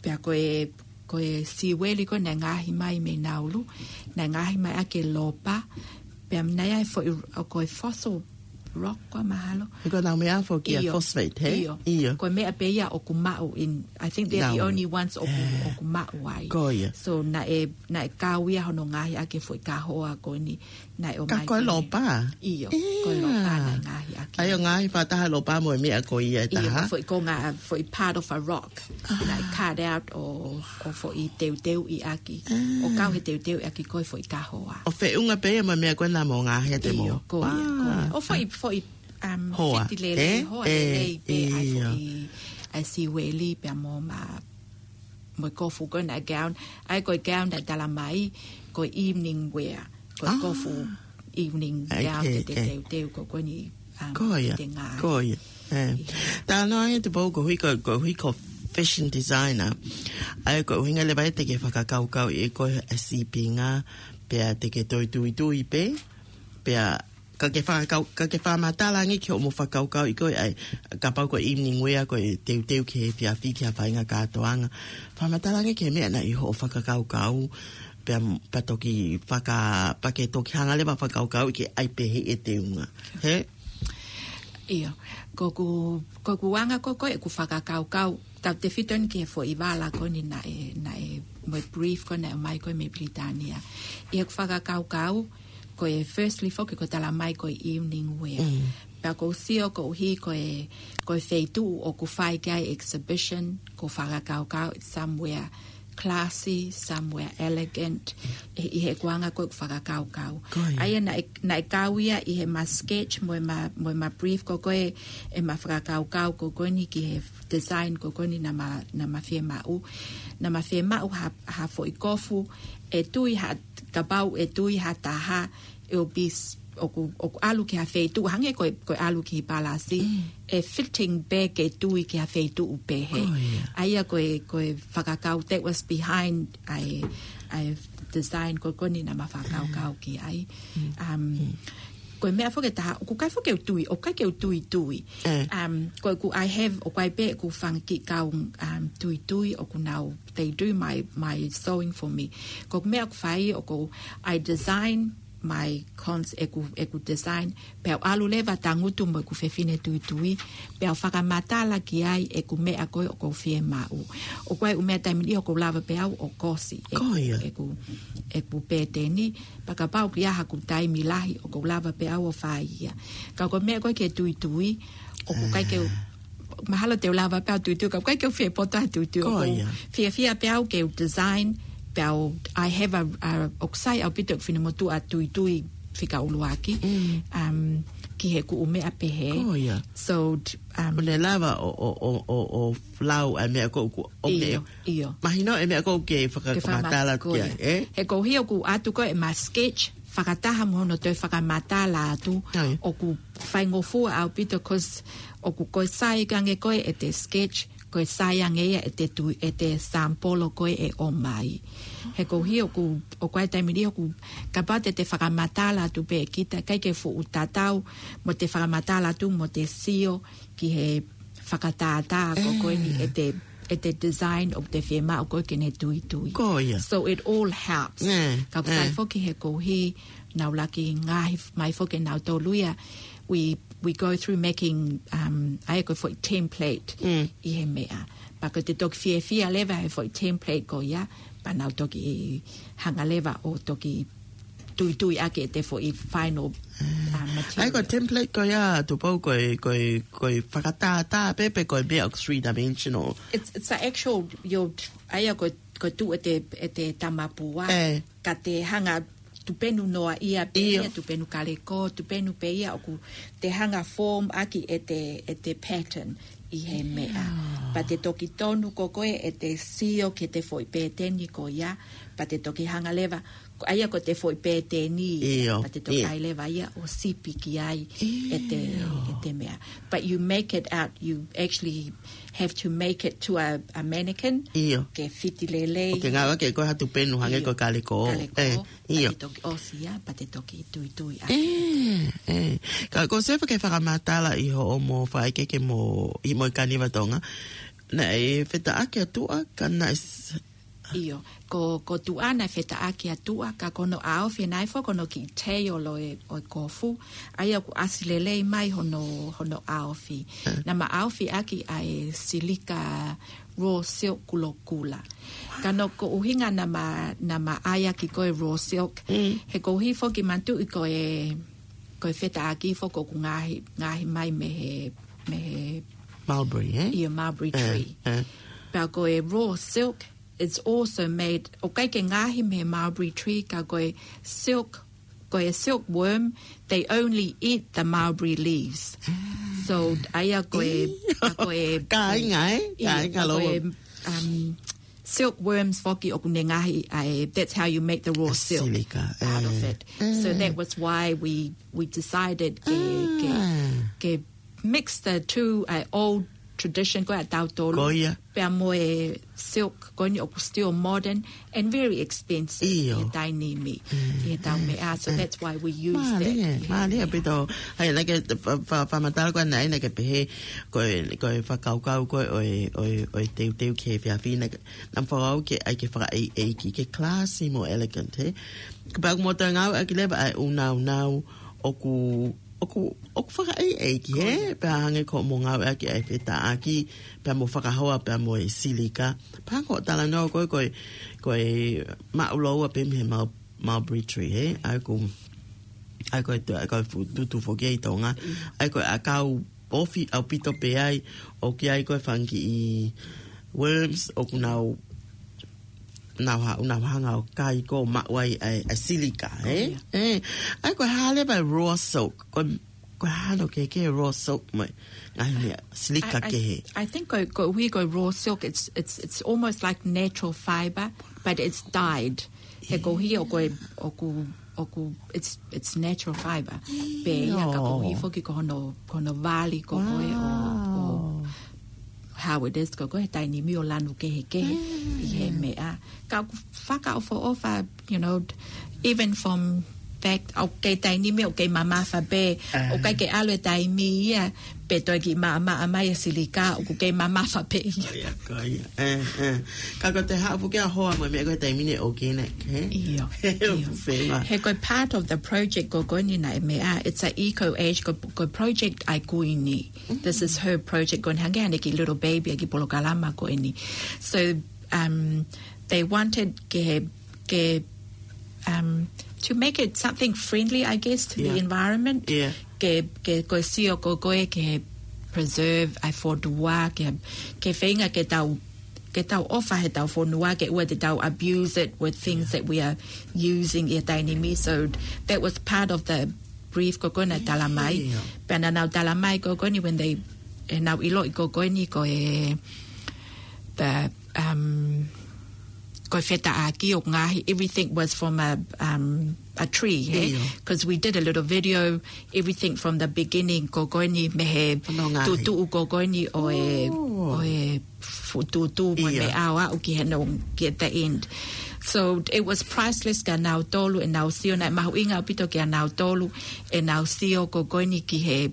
pea ko e, ko e siueli ko ē naʻe ngaohi mai mei Nauru, naʻe ngaohi mai ʻaki e lopa, pea naʻe ʻi ai e foʻi, ʻo ko e fossil rock ko ē mahalo. He ko ʻenau meʻa foki ia phosphate, he? ʻIo. Ko e meʻa pē ia ʻoku maʻu in, I think they're the only ones ʻoku, ʻoku maʻu ai. Ko ia. So naʻe, naʻe kau ia hono ngaohi ʻaki e foʻi kahoa ko eni, naʻe ʻomai ko e lopa? ʻIo, ko e lopa naʻe ngaohi ʻaki. ʻA ia ʻo ngaohi fakataha lopa mo e meʻa ko ia ʻe taha? ʻIo, foʻi konga, foʻi part of a rock. Naʻe cut out ʻo, ʻo foʻi teuteuʻi ʻaki. ʻO kau he teuteuʻi ʻaki ko e foʻi kahoa. ʻO feʻunga pē ia mo e meʻa ko ē naʻa mo ngaohi ʻe te mo? ʻIo, ko ia, ko ia. ʻO foʻi, foʻi, um, hoa, fiti lelei, hoa lelei pē ʻa e foʻi, ʻa e siueli pea mo ʻema mo e kofu ko ē naʻe gown, ʻa ia ko e gown naʻe tala mai, ko e evening wear, ko e kofu evening gown te te teuteu ko ē ko eni, um, ko ia, te ngāue. Ko ia. Talanoa ange Tupou koeʻuhi ko, koeʻuhi ko fashion designer, ʻa ia ko e ʻuhinga leva ia te ke fakakaukauʻi ʻe koe e sīpinga, pea te ke toe tuitui pē, pea ka ke fakakau-, ka ke fakamatala ange ki hoʻomo fakakaukauʻi ko ē, ʻa ia, kapau ko e evening wear ko e teuteu ki he efiafi ki ha faʻahinga kātoanga. Fakamatala ange ki he meʻa naʻe ʻi hoʻo fakakaukau, pea, pea toki faka-, pea ke toki hanga leva fakakaukauʻi ke ʻai pehē e teunga. He? ʻIo, ko ʻeku, ko ʻeku anga ko ē ko ē ʻeku fakakaukau, tau tefito eni ki he foʻi vala ko eni naʻe, naʻe, mo e brief ko ē naʻe ʻomai ko ē mei Pilitānia. ʻI heʻeku fakakaukau, ko e firstly foki ko e tala mai ko e evening wear. Pea ʻoku ou sio koeʻuhi ko e, ko e feituʻu ʻoku fai ki ai e exhibition, ʻoku ou fakakaukau it's somewhere classy, somewhere elegant, ʻi, ʻi heʻeku anga ko ē ʻeku fakakaukau. Ko ia. ʻA ia naʻe, naʻe kau ia ʻi heʻema sketch mo ʻema, mo ʻema brief ko ē ko ē ʻema fakakaukau ko ē ko eni ki he design ko ē ko eni naʻa ma, naʻa ma fiemaʻu. Naʻa ma fiemaʻu ha, ha foʻi kofu, ʻe tui ha, kapau ʻe tui ha taha, ʻe ʻo bis, ʻoku, ʻoku ʻalu ki ha feituʻu, hangē ko e, ko e ʻalu ki Palasi, ʻe fitting pē ke tui ki ha feituʻu pehē. Ko ia. ʻA ia ko e, ko e fakakau that was behind ʻa e, ʻa e design ko ē ko eni naʻa ma fakakaukau ki ai. Um, ko e meʻa foki ʻe taha, ʻoku ʻikai foki ke u tui, ʻoku ʻikai ke u tuitui. Um, ko ʻeku, I have, ʻoku ʻi ai pē ʻeku fanga kiʻi kau, um, tuitui, ʻoku nau, they do my, my sewing for me. Ko e meʻa ʻoku fai, ʻoku, I design my cons-, ʻeku, ʻeku design, pea u ʻalu leva tangutu mo ʻeku fefine tuitui, pea u fakamatala ki ai ʻeku meʻa ko ē ʻoku ou fiemaʻu. ʻOku ʻi ai e ʻū meʻa taimi ni ʻoku ou lava pē au ʻo kosi ʻeku, ʻeku, ʻeku pēteni, pea kapau ʻoku ʻi ai haʻaku taimi lahi ʻoku ou lava pē au ʻo fai ia. Ka ko e meʻa ko ē ke tuitui, ʻoku ʻikai ke u, mahalo te u lava pē au tuitui, ka ʻoku ʻikai ke u fie poto he tuitui. ʻOku ou fiefia pē au ke u design, pea u, I have a, a, ʻoku sai ʻaupito ʻeku finemotuʻa tuitui fika ʻuluaki, um, ki he ʻū meʻa pehē. So, um, ʻo ne lava ʻo, ʻo, ʻo, ʻo, ʻo lau ʻa e meʻa ko ē ʻoku, ʻo meʻa. ʻIo. Mahino e meʻa ko ē ke fakamatala ki ai, ē? He koeʻuhi ʻoku ʻatu ko ē ʻema sketch, fakataha mo hono toe fakamatala atu, ʻoku faingofua ʻaupito, 'cause ʻoku ko e sai ange ko ē ʻete sketch, ko e sai ange ia ʻete tui, ʻete sample ko ē ʻe ʻomai. He koeʻuhi ʻoku, ʻoku ʻi ai e taimi ni ʻoku, kapau te te fakamatala atu pē kita, ʻikai ke fuʻu tatau mo ʻete fakamatala atu mo ʻete sio ki he fakatātā ko ē ko eni ʻete, ʻete design ʻoku te fiemaʻu ko ē ke ne tuitui. Ko ia. So it all helps. Ka ʻoku sai foki he koeʻuhi naʻa ku laki ngaohi mai foki nautolu ia, we we go through making, um, ʻa ia ko e foʻi template ʻi he meʻa. Pea ko ʻete toki fiefia leva he foʻi template ko ia, pea nau toki hanga leva ʻo toki tuitui ʻaki ʻete foʻi final, uh, material. ʻA ia ko e template ko ia, Tupou, ko e, ko e, ko e fakatātā pē pe ko e meʻa ʻoku three dimensional? It's, it's the actual, your, ʻa ia ko, ko e tuʻu ʻete, ʻete tamapua. Ka te hanga tupenu noa ia pē ia, tupenu kaleko, tupenu pē ia ʻoku te hanga form ʻaki ʻete, ʻete pattern ʻi he meʻa. Pea te toki tonu ko koe ʻete sio ki he foʻi pēteni ko ia, pea te toki hanga leva, ʻa ia ko ʻete foʻi pēteni, pea te toki ʻai leva ia ʻo sipi ki ai ʻete, ʻete meʻa. But you make it out, you actually have to make it to a, a mannequin, ke fiti lelei. ʻOku ke ngāueʻaki ʻe koe ha tupenu hangē ko e kaleko. Kaleko. Pea te toki ʻosi ia, pea te toki tuitui ʻaki. Ka ko Sefa ke fakamatala ʻi hoʻomo fakaʻekeʻeke mo, ʻi mo e Kaniva Tonga. Naʻe fetaʻaki ʻa tuʻa, ka naʻe s- ʻIo, ko, ko tuʻa naʻe fetaʻaki ʻa tuʻa, ka ko hono ʻaofi naʻe foki ko hono kiʻi tail ʻo e, ʻo e kofu. ʻA ia ʻoku ʻasi lelei mai hono, hono ʻaofi. Naʻa ma ʻaofi ʻaki ʻa e silika raw silk kulokula. Ka ko hono ʻuhinga naʻa ma, naʻa ma ʻai ʻaki ko e raw silk, he koeʻuhi foki manatuʻi ko e, ko e fetaʻaki foki ʻoku ngaohi, ngaohi mai mei he, mei he mulberry, ʻio, mulberry tree. Pea ko e raw silk, it's also made, ʻoku ʻikai ke ngaohi mei he mulberry tree, ka ko e silk, ko e silkworm, they only eat the mulberry leaves. So, ʻa ia ko e, ko e kāinga, ē? Kāinga ko e, um, silkworms foki ʻoku ne ngaohi ʻa e, that's how you make the raw silk out of it. So that was why we, we decided ke, ke, ke mix the two, uh, old tradition ko ē ʻa tautolu. Pea mo e silk ko eni ʻoku still modern and very expensive ʻi he taimi ni, ʻi he tau meʻa. So that's why we use that. Mālie, mālie ʻaupito. ʻA ia naʻa ke fa-, fa-, fakamatala ko ē naʻe, naʻa ke pehē ko e, ko e fakakaukau ko ē ʻo e, ʻo e, ʻo e teuteu ki he efiafi ni, naʻa ma fakakaukau ke ʻai ke fakaʻeiʻeiki, ke classy mo elegant, ē? Pea ʻoku mo toe ngāueʻaki leva ʻa e ʻunaunau ʻoku, ʻoku, ʻoku fakaʻeiʻeiki, ē? Pea hangē ko hoʻomo ngāueʻaki ʻa e fetaʻaki, pea mo fakahoa, pea mo e silika. Pea ko e talanoa ko ē, ko e, ko e maʻu lōua pē mei he mul-, mulberry tree, ē? ʻA ia ko, ʻa ia ko e tu-, ʻa ia ko e fu-, tutu foki ʻi Tonga. ʻA ia ko e ʻakau ofi ʻaupito pē ai, ʻoku ʻi ai ko e fanga kiʻi worms, ʻoku nau, nau ha-, nau hanga ʻo kai ko ē ʻo maʻu ai ʻa e, ʻa e silika, ē? ʻA ia ko e hā leva e raw silk, ko, ko e hā hono kehekehe raw silk mo e ngaahi meʻa silika kehe? I, I, I think ko, koeʻuhi ko e raw silk, it's, it's, it's almost like natural fiber, but it's dyed. He koeʻuhi ʻoku, ʻoku, ʻoku, it's, it's natural fiber. Pea ʻi he ka koeʻuhi foki ko hono, ko hono vali ko ē ʻo, ʻo how it is ko ē he taimi ni ʻo lanu kehekehe ʻi he meʻa. Ka ʻoku fakaʻofoʻofa, you know, even from fact, ʻoku kei taimi ni ʻoku kei mamafa pē, ʻoku ʻikai ke ʻalu e taimi ia, pea toe kiʻi maʻamaʻa mai e silika, ʻoku kei mamafa pē ia. Ko ia, ko ia. Ka ko ʻete haʻu foki ʻo hoa mo e meʻa ko ē he taimi ni ʻoku kei nai, ē? ʻIo, ʻio. He ko e part of the project ko eni naʻe meʻa, it's a Eco Age, ko, ko e project ʻa e Kuini. This is her project ko eni, hangē haʻane kiʻi little baby ʻa e kiʻi polokalama ko eni. So, um, they wanted ke, ke, um, to make it something friendly, I guess, to the environment. Ke, ke, ko e sio ko ē ke preserve ʻa e fonua, ke, ke feinga ke tau, ke tau ʻofa he tau fonua, ke ʻoua te tau abuse it with things that we are using ʻi he taimi ni. So that was part of the brief ko ē naʻe tala mai. Pea naʻa nau tala mai ko eni when they, ʻenau ʻiloʻi ko eni ko e, the, um, ko e fetaʻaki ʻoku ngaohi, everything was from a, um, a tree, ē? 'Cause we did a little video, everything from the beginning ko eni mei he tuʻutuʻu ko eni ʻo e, ʻo e fu-, tuʻutuʻu mo e meʻa ʻo aʻu ki he no, ki he the end. So it was priceless kia nautolu ʻenau sio, naʻe mahuʻinga ʻaupito kia nautolu ʻenau sio ko eni ki he,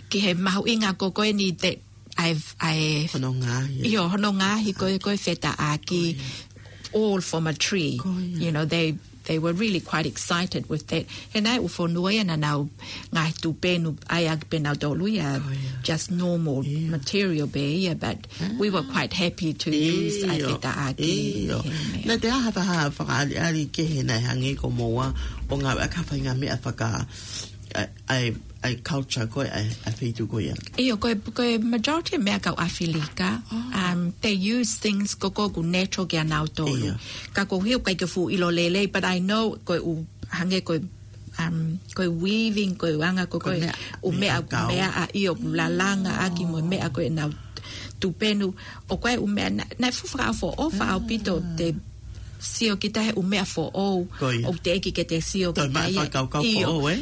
ki he mahuʻinga ko eni that I've, I, hono ngaohi, ʻio, hono ngaohi ko e, ko e fetaʻaki, all from a tree. You know, they, they were really quite excited with that. He naʻe ʻū fonua ia naʻa nau ngaahi tupenu ʻai ʻaki pē nautolu ia, just normal material pē ia, but we were quite happy to use ʻa e fetaʻaki. ʻIo. Naʻe ʻi ai ha fakaʻaliʻali kehe naʻe hangē ko moua ʻo ngāueʻaki ha faʻahinga meʻa faka-, ʻa e, ʻa e, ʻa e culture ko ē, ʻa e, ʻa e feituʻu ko ia. ʻIo, ko e, ko e majority meʻa kau ʻAfilika, um, they use things ko ē ʻoku natural kia nautolu. Ka ko hiu kai ke fuʻu ʻilo lelei, but I know ko e ʻū hangē ko e, um, ko e weaving, ko e anga ko ē ko e ʻū meʻa, meʻa ʻa ia ʻoku lalanga ʻaki mo e meʻa ko ē ʻenau tupenu. ʻO ko e ʻū meʻa naʻe, naʻe fuʻu fakaʻofoʻofa ʻaupito te sio kita he ʻū meʻa foʻou. ʻOku teʻeki ke te sio kita ia.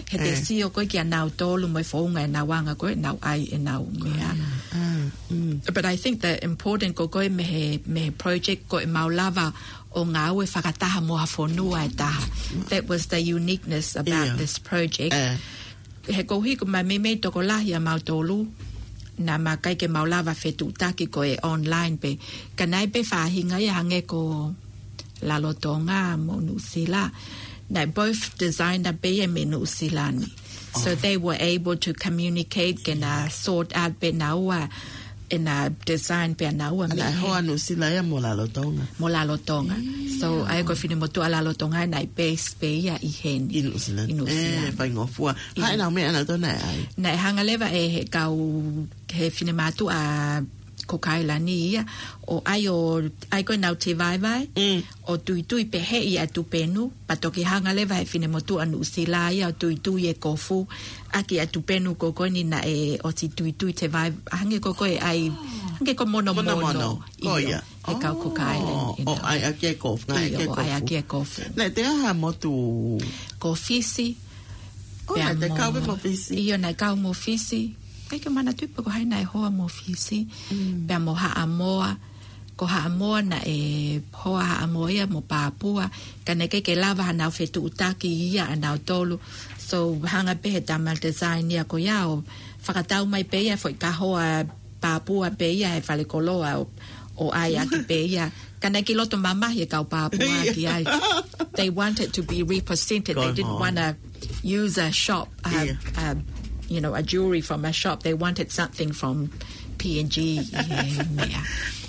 He te sio ko ē kia nautolu mo e founga ʻenau anga ko ē ʻenau ʻai ʻenau meʻa. But I think the important ko ē ko e mei he, mei he project ko ē mau lava ʻo ngāue fakataha mo ha fonua ʻe taha. That was the uniqueness about this project. He ko hiu ko e meimei tokolahi ʻa mautolu, naʻa ma kai ke mau lava fetuʻutaki ko e online pē. Ka naʻe ʻi ai pē faʻahinga ia hangē ko Lalotonga mo Nuʻusila. Naʻe both designer pē ia mei Nuʻusila ni. So they were able to communicate ke na sort out pē naua ʻena design pē ʻa naua. Naʻe hoa Nuʻusila ia mo Lalotonga. Mo Lalotonga. So ʻa ia ko e finemotuʻa Lalotonga naʻe base pē ia ʻi heni. ʻI Nuʻusila. ʻI Nuʻusila. ʻE, faingofua. Hā ʻenau meʻa nautolu naʻe ʻai? Naʻe hanga leva ʻe he kau, he finemotuʻa Cook Island ia, ʻo ʻai ʻo, ʻai ko ʻenau tēvaevae, ʻo tuitui pē he ʻi ʻa e tupenu, pea toki hanga leva he finemotuʻa Nuʻusila ia ʻo tuitui e kofu, ʻaki ʻa e tupenu ko ē ko eni naʻe ʻosi tuitui tēvaevae, hangē ko ē ko e ʻai, hangē ko e monomono. Monomono. Ko ia. He kau Cook Island ʻo ʻai ʻaki e kofu, ngāueʻaki e kofu. Naʻe ʻi ai ha motu? Ko Fisi. ʻO naʻe kau pē mo Fisi. ʻIo, naʻe kau mo Fisi. Kai ke manatuʻi pe ko hai naʻe hoa mo Fisi. Pea mo Haʻamoa. Ko Haʻamoa naʻe hoa Haʻamoa ia mo Papua. Ka naʻe ʻikai ke lava hanau fetuʻutaki ia ʻa nautolu. So hanga pē he tama design ia ko ia ʻo fakatau mai pē ia foʻi kahoa Papua pē ia he falekoloa ʻo, ʻo ʻai ʻaki pē ia. Ka naʻe ʻikai ke loto mamahi e kau Papua ki ai. They wanted to be represented. They didn't wanna use a shop, uh, uh, you know, a jewelry from a shop. They wanted something from P and G. ʻIo, meʻa.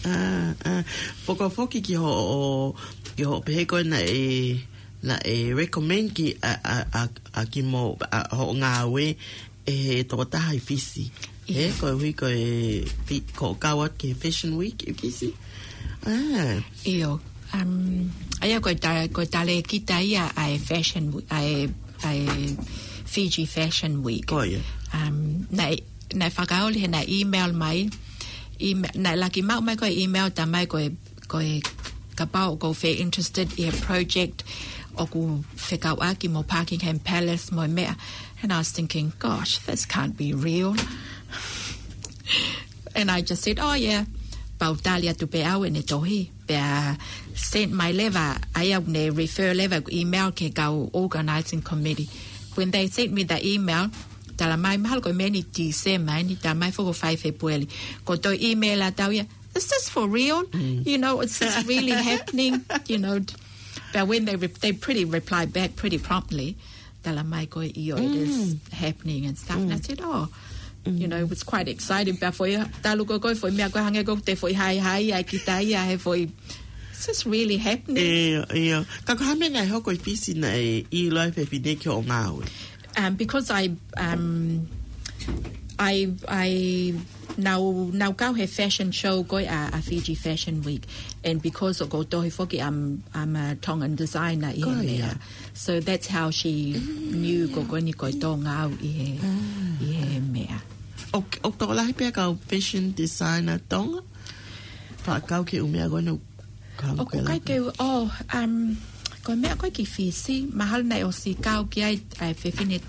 ʻA, ʻa, poko foki ki hoʻo, ki hoʻo pehē ko ē naʻe, naʻe recommend ki ʻa, ʻa, ʻa, ʻa kimoua, ʻa, hoʻo ngāue ʻe he tokotaha ʻi Fisi. He ko e hui ko e fi-, ko e kau atu ki he Fashion Week ʻi Fisi. ʻIo. Um, ʻa ia ko e ta-, ko e talēkita ia ʻa e Fashion Week, ʻa e, ʻa e Fiji Fashion Week. Ko ia. Um, naʻe, naʻe fakaoli he naʻe email mai. Email, naʻe laki maʻu mai ko e email talamai ko e, ko e kapau ʻoku ou fie interested ʻi he project ʻoku fekauʻaki mo Buckingham Palace mo e meʻa. And I was thinking, "Gosh, this can't be real." And I just said, "Oh, yeah." Pea u tali atu pē au ʻene tohi. Pea sent mai leva, ʻa ia ne refer leva email ki he kau organizing committee. When they sent me the email, talamai mahalo ko e meʻa ni Tīsema, ʻeni talamai foki ʻo fai Fēpueli. Ko e toe email atu ia, "Is this for real? You know, is this really happening?" You know, but when they re-, they pretty replied back pretty promptly. Talamai ko e ʻio, it is happening and stuff. And I said, "Oh," you know, it was quite exciting. Pea foʻi, talu ko ē ko e foʻi meʻa ko ē hangē ko e te foʻi haihai ai kita ia he foʻi, "Is this really happening?" ʻIo, ʻio. Ka ko e hā e meʻa naʻe hoko ʻi Fisi naʻe ʻilo ai e fefine ki hoʻo ngāue? Um, because I, um, I, I, naʻa ku, naʻa ku kau he fashion show ko ē ʻa, ʻa Fiji Fashion Week. And because ʻoku ou tohi foki, I'm, I'm a Tongan designer ʻi he meʻa. So that's how she knew ko eni ko e Tonga au ʻi he, ʻi he meʻa. ʻOku, ʻoku tokolahi pē kau fashion designer Tonga? Pea kau ki he ʻū meʻa ko eni ʻoku ʻikai ke u, oh, um, ko e meʻa ko ē ki Fisi, mahalo naʻe ʻosi kau ki ai ʻa e fefine,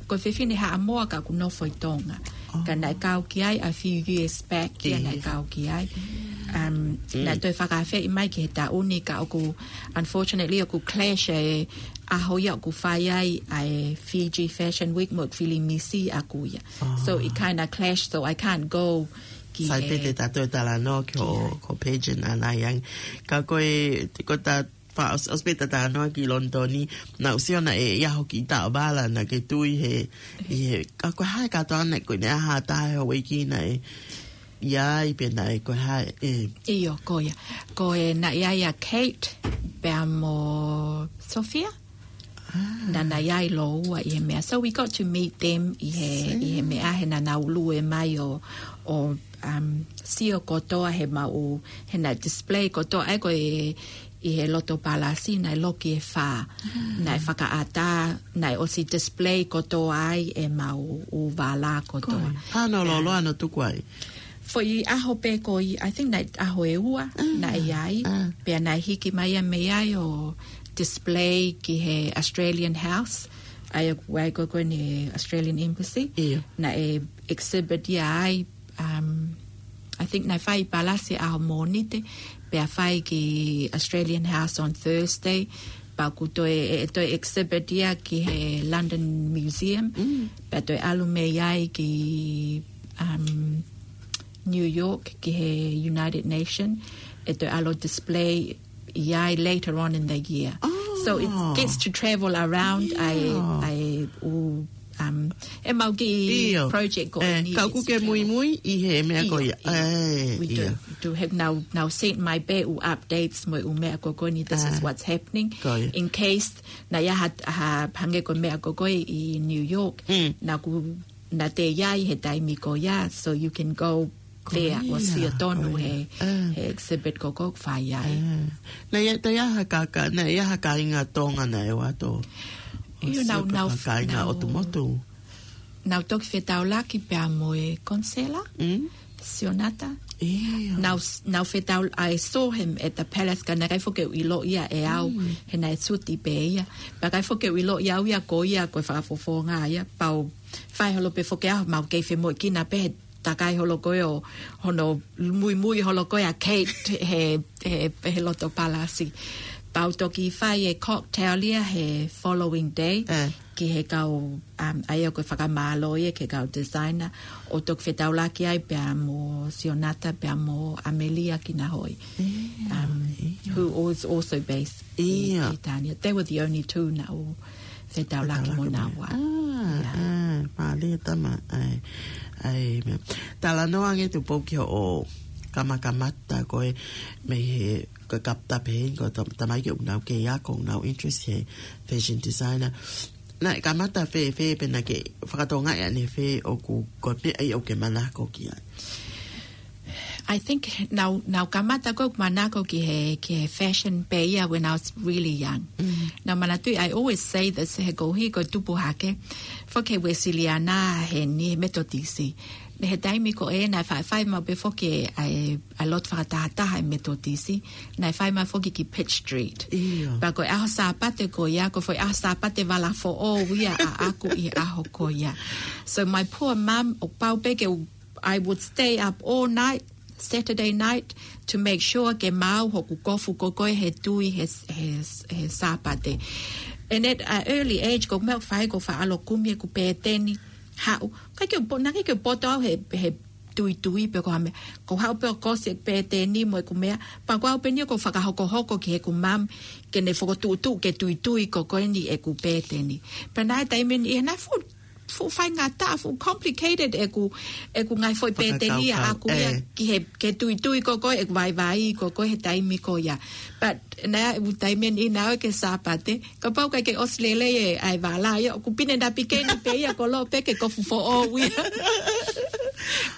ko e fefine Haʻamoa ka ʻoku nofo ʻi Tonga. Ka naʻe kau ki ai a few years back, ia naʻe kau ki ai. Um, naʻe toe fakaafeʻi mai ki he taʻu ni ka ʻoku, unfortunately, ʻoku clash e ʻaho ia ʻoku fai ai ʻa e Fiji Fashion Week mo e Filimisi ʻaku ia. So it kinda clash, so I can't go ki he. Sai pē te ta toe talanoa ki hoʻo, ko e pageant ʻanai ange. Ka ko e, ko ʻeta fa-, ʻosi, ʻosi pē talanoa ki London, naʻá ku sio naʻe ʻi ai hoʻo kiʻi taʻovala naʻá ke tui he, ʻi he, ka ko e hā e kātoanga naʻe, ko ʻene ʻaho ʻe taha he houʻeiki naʻe ʻi ai pē naʻe ko e hā e. ʻIo, ko ia. Ko e naʻe ʻi ai ʻa Kate pea mo Sophia. Ah. Naʻa na ʻi ai lōua ʻi he meʻa. So we got to meet them ʻi he, ʻi he meʻa he naʻa nau lue mai ʻo, ʻo, um, sio kotoa he maʻu, he naʻe display kotoa, ʻa ia ko e, ʻi he loto palasi, naʻe loki ʻe fā. Ah. Naʻe fakaʻatā, naʻe ʻosi display kotoa ai e maʻu ʻū vālā kotoa. Ko e, hano loloa no tuku ai. Foʻi ʻaho pē ko ia, I think naʻe ʻaho ʻe ua, ah, naʻe ʻi ai, ah, pea naʻe hiki mai ia mei ai ʻo display ki he Australian House, ʻa ia ko e, ko e, ko eni Australian Embassy. ʻIo. Naʻe exhibit ia ai, um, I think naʻe fai palasi ʻaho Mōnite, pea fai ki Australian House on Thursday, pea kuo toe, ʻe, ʻe toe exhibit ia ki he London Museum, mm, pea toe ʻalu mei ai ki, um, New York, ki he United Nation, ʻe toe ʻalu display ia later on in the year. Oh. So it gets to travel around, yeah, ʻa e, ʻa e ʻū, um, e maʻu kiʻi, ʻio, project ko eni, ka ʻoku ke muimui ʻi he meʻa ko ia. ʻIo, ʻio. ʻIo. We do, do have now, now sent mai pē ʻū updates mo e ʻū meʻa ko eni, this is, ah, what's happening. Ko ia. In case, naʻe ʻi ai ha, ha hangē ko e meʻa ko eni ʻi New York, mm, naʻá ku, naʻá te ʻi ai he taimi ko ia, so you can go there ʻo sio tonu he, he exhibit ko eni ʻoku fai ai. Ah. Naʻe ʻi ai, naʻe ʻi ai ha kāka-, naʻe ʻi ai ha kāinga Tonga naʻe ō atu ʻo sio, nau, pe nau, kāinga nau, ʻotu motu. Nau toki fetaulaki pea mo e Konsela, mm, Sionata. ʻIo. Nau, nau fetaul-, I saw him at the palace, ka naʻe ʻikai foki ke u ʻiloʻi ia ʻe au, mm, he naʻe suti pē ia. Pea ʻikai foki ke u ʻiloʻi au ia ko ia, ko e fakafofonga ia, pea u fai holo pē foki au, mau kei femoʻuekina pē he takai holo ko ē ʻo hono muimui holo ko ē ʻa Kate he, he, he loto palasi. Pea u toki fai e cocktail ia he following day, eh, ki he kau, um, ʻa ia ko e fakamālō ia ki he kau designer, ʻo toki fetaulaki ai pea mo Sionata pea mo Amelia Kinahoe, um, who is also based ʻi, ʻio, ʻi Tania. They were the only two naʻá ku fetaulaki mo naua. Ah, ah, mālie tama, ʻai, ʻai, meʻa. Talanoa ange Tupou ki hoʻo kamakamata ko ē mei he, ko e kapta pē, ko e tam-, tamaiki ʻoku nau kei ako, ʻoku nau interest he fashion designer. Naʻe kamata fēfē pea naʻá ke fakatokangaʻi ʻanefē ʻoku, ko e meʻa ia ʻoku ke manako ki ai? I think nau, nau kamata ko ē ʻeku manako ki he, ki he fashion pē ia when I was really young. Mm. Nau manatuʻi, I always say this, he ko e hā ko e tupu hake, foki he Uēsiliana heni, he Metotisi. Naʻe he taimi ko ē naʻe faifai mau pē foki ʻa e, ʻa e lotu fakatahataha ʻa e Metotisi, naʻe fai mai foki ki Pitt Street. ʻIo. Pea ko e ʻaho Sāpate ko ia, ko e foʻi ʻaho Sāpate vala foʻou ia ʻaʻaku ʻi he ʻaho ko ia. So my poor mum, ʻoku pau pē ke u I would stay up all night, Saturday night, to make sure ke maau hoku kofu ko ē he tui he, he, he Sāpate. And at an early age, ko e meʻa ʻoku fai ko e faʻa ʻalu ʻo kumi ʻeku pēteni, haʻu. ʻIkai ke u po-, naʻe ʻikai ke u poto au he, he tuitui pe ko e hā meʻa. Ko e haʻu pē ʻo kosi ʻeku pēteni mo ʻeku meʻa. Pea ko au pē eni ʻoku ou fakahokohoko ki heʻeku mum, ke ne fokotuʻutuʻu ke tuitui ko eni ʻeku pēteni. Pea naʻe taimi ʻe niʻihi naʻe fuʻu fuʻu faingataʻa, fuʻu complicated ʻeku, ʻeku ngaahi foʻi pēteni ʻaʻaku ia, eh, ki he, ke tuitui ko ē ʻeku vaivai ko ē he taimi ko ia. But naʻe ʻi ai e taimi ʻe niʻihi naʻe ʻosi e Sāpate, kapau ʻikai ke ʻosi lelei e, ʻa e vālā ia, ʻoku pine napi keni pē ia, koloa pē ke kofu foʻou ia.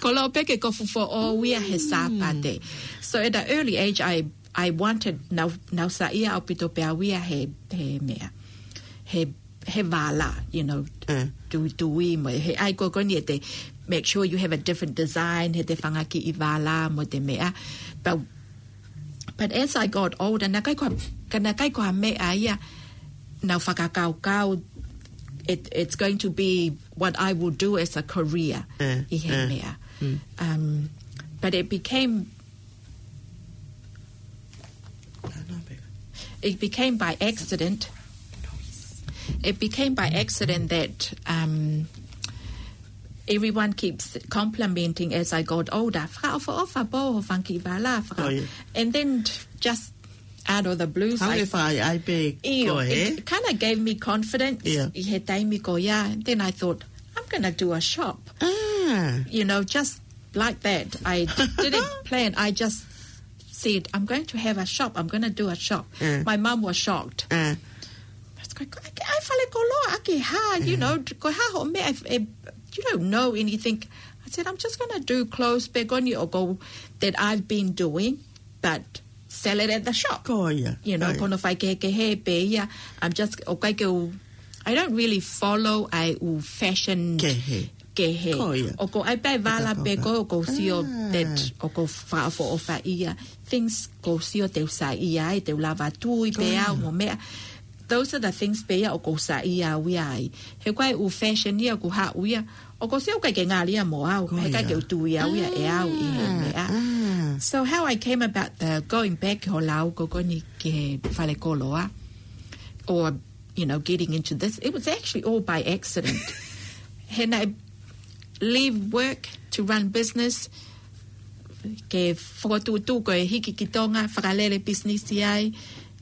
Koloa pē ke kofu foʻou ia he Sāpate. So at an early age, I, I wanted, nau, nau saiʻia ʻaupito pē au ia he, he meʻa. He he vālā, you know, eh, tuitui mo, he ʻai ko ē ko eni ʻe te make sure you have a different design, he te fanga kiʻi vālā mo e meʻa. But, but as I got older, naʻe ʻikai ko ha, ka naʻe ʻikai ko ha meʻa ia naʻá ku fakakaukau, it, it's going to be what I will do as a career, eh, ʻi he, eh, meʻa. Mm. Um, but it became It became by accident. It became by accident that, um, everyone keeps complimenting as I got older. Fakaʻofoʻofa pē hoʻo fanga kiʻi vālā, faka-, oh, yeah, and then just out of the blues. Hau I e fai ai pē ʻIo, ko e. It kind of gave me confidence ʻIo. ʻi he taimi ko ia. Then I thought, "I'm gonna do a shop." Ah. You know, just like that. I didn't plan. I just said, "I'm going to have a shop. I'm gonna do a shop." Ah. My mum was shocked. Ah. It's like, "ʻAi, ʻai fale koloa ʻaki ha, you know, ko e hā hoʻo meʻa, if, if you don't know anything." I said, "I'm just gonna do clothes pē ko eni ʻoku, that I've been doing, but sell it at the shop." Ko ia, You know, ko ia. ko hono faikehekehe pē ia. I'm just, ʻoku ʻikai ke u, I don't really follow ʻa e ʻū fashion Kehe. kehe. Ko ia. ʻOku ʻai pē vala Ka pē ka ko, ʻoku ou sio Ah. that ʻoku ou fakaʻofoʻofa ia. Things ʻoku ou sio te u saiʻia ai, te u lava tui Ko pē ia. au mo meʻa. Those are the things pē ia ʻoku ou saiʻia au ia ai. He ko e ʻū fashion ia ʻoku haʻu ia, ʻoku ou sio ʻoku ʻikai ke ngali ia mo au, Ko he ʻikai ia. ke u tui au ia ʻe au ʻi he Ah, meʻa. ah. So how I came about the going back ho lau ko eni ki he fale koloa, or, you know, getting into this, it was actually all by accident. He naʻe leave work to run business, ke fokotuʻutuʻu ko e hiki ki Tonga, fakalele business ai.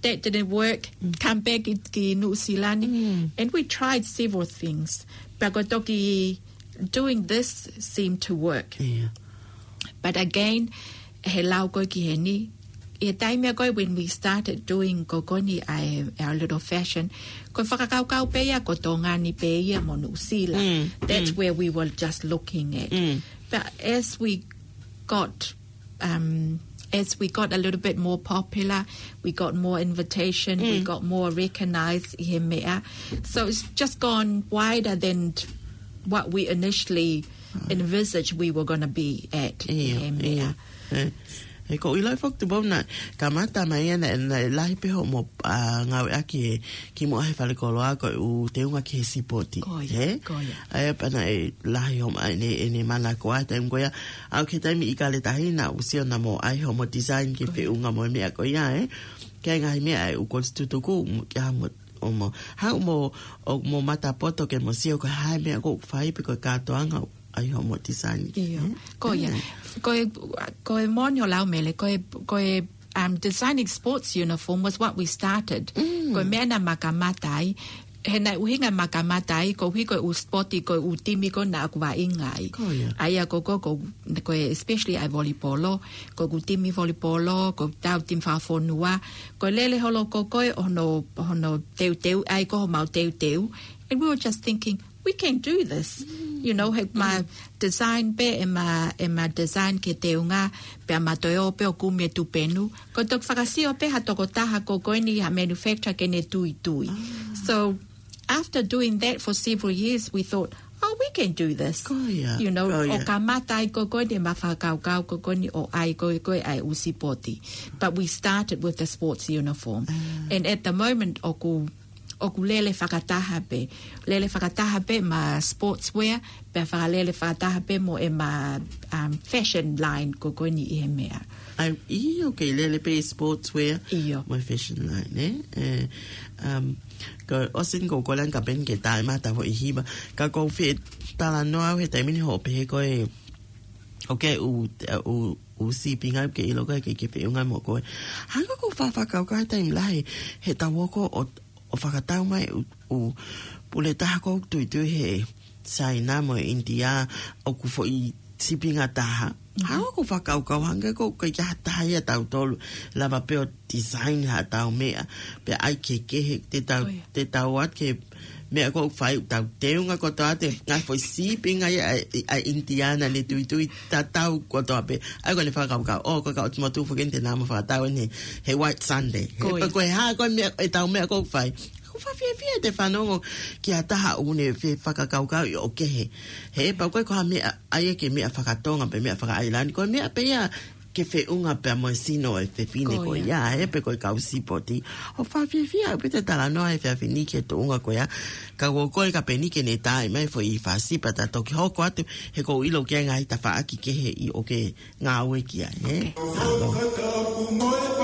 That didn't work. Mm. Come back ki, ki Nuʻusila ni. Mm. And we tried several things. But ko e toki doing this seemed to work. Yeah. But again, he lau ko ē ki heni, ʻi he taimi ko ē when we started doing ko eni ʻa e, our little fashion, ko e fakakaukau pē ia ko Tonga ni pē ia mo Nuʻusila. Mm, That's mm. where we were just looking at. Mm. But as we got, um, as we got a little bit more popular, we got more invitation, we Mm. got more recognized ʻi he meʻa. So it's just gone wider than what we initially envisaged we were gonna be at ʻi ʻIo, he meʻa. ʻio. ʻE, ʻe, ʻoku ou ʻilo foki Tupou naʻe kamata mai ia naʻe, naʻe lahi pē hoʻomo, ʻa, ngāueʻaki ʻe, kimuʻa he fale koloa ko e ʻū teunga ki he sipoti. Ko ia, He? ko ia. ʻA ia pea naʻe lahi hoʻomo ʻai ʻene, ʻene mana ko ē taimi ko ia. ʻAu ki he taimi ʻi Kaletahi naʻa ku sio naʻa mo ʻai hoʻomo design ke feʻunga mo e meʻa ko ia, ē. Ki he ngaahi meʻa ʻa e ʻū kolisi tutuku, mo, ki ha mo, ʻo mo, hau mo, ʻo mo mata poto ke mo sio ko e hā e meʻa ʻoku fai pe ko e kātoanga ʻai hoʻomo design. ʻIo. Mm. Ko ia. Mm. Ko e, ko e moʻoni hoʻo lau Mele, ko e, ko e, um, designing sports uniform was what we started. Mm. Ko e meʻa naʻa ma kamata ai. He naʻe ʻuhinga ma kamata ai, koeʻuhi ko e ʻū sipoti, ko e ʻū timi ko ē naʻa ku vaʻinga ai. Ko ia. ʻA ia ko, ko, ko, ko e especially ʻa e volipolo, ko ʻeku timi volipolo, ko ʻetau timi fakafonua, ko e lele holo ko ē ʻo hono, hono teuteu, ʻai ko homau teuteu. And we were just thinking, "We can do this." Mm. You know, he ma Mm. design pē, ʻe ma, ʻe ma design ki he teunga, pea ma toe ō pē ʻo kumi e tupenu. Ko e toki fakasio pē ha tokotaha ko ē ko eni ha manufacturer ke ne tuitui. Ah. So, after doing that for several years, we thought, "Oh, we can do this." Ko ia, You know, ko ia. ʻo kamata ai ko ē ko eni ʻe ma fakakaukau ko ē ko eni ʻo ʻai ko ē ko ē ʻa e ʻū sipoti. But we started with the sports uniform. Ah. And at the moment, ʻoku ʻoku lele fakataha pē. Lele fakataha pē ma sportswear, pea fakalele fakataha pē mo e ma, um, fashion line ko ē ko eni ʻi he meʻa. ʻAi, ʻio, ke lele pē sportswear ʻIo. mo e fashion line, ē? Ē, um, ko ʻosi eni ko e kole ange kapau eni ke taʻemata foʻi hiva. Ka ʻoku ou fie talanoa au he taimi ni hoʻo pehē ko e, ʻoku ke ʻū, ʻū, ʻū sīpinga ke ʻilo ko ē ke, ke feʻunga mo koe. Hangē ko ʻeku fakakaukau he taimi lahi, he tau ō ko ē ʻo ʻo fakatau mai ʻū, ʻū pule taha ko ē ʻoku tuitui he Saina mo e ʻInitia ʻoku foʻi sīpinga taha. Mhm. Hangē ko ʻeku fakakaukau hangē ko ē ʻoku ʻikai ha taha ia ʻia tautolu lava pē ʻo design haʻatau meʻa. Pea ʻai kehekehe te tau, ʻOi. te tau ō atu ki he meʻa ko ē ʻoku fai ʻoku tau teunga kotoa atu e ngaahi foʻi sīpinga ia ʻa, ʻa ʻInitia naʻa ne tuitui tatau kotoa pē. ʻA ia ko ʻene fakakaukau, ʻo, ko e kau ʻOtu Motu foki eni te nau ō ʻo fakatau eni he White Sunday. He Ko ia. pe ko e hā ko e meʻa, ʻetau meʻa ʻoku fai. ʻOku ou fakafiefia he te u fanongo ki ha taha ʻoku ne fie fakakaukauʻi ʻo kehe. He pau ko ē ko ha meʻa, ʻai ke meʻa fakatonga pe meʻa fakaʻailani. Ko e meʻa pē ia ke feʻunga pea mo e sino e fefine Ko ko ia. ia, he pe ko e kau sipoti. ʻOku ou fakafiefia ʻaupito e talanoa he efiafi ni ki he tuʻunga ko ia. Ka ʻoku ou kole kapau eni ke ne taʻe mai foʻi fasi pea ta toki hoko atu he ʻoku ou ʻilo ki he ngaahi tafaʻaki kehe ʻi ʻoku ke ngāue ki ai, ē? Ok.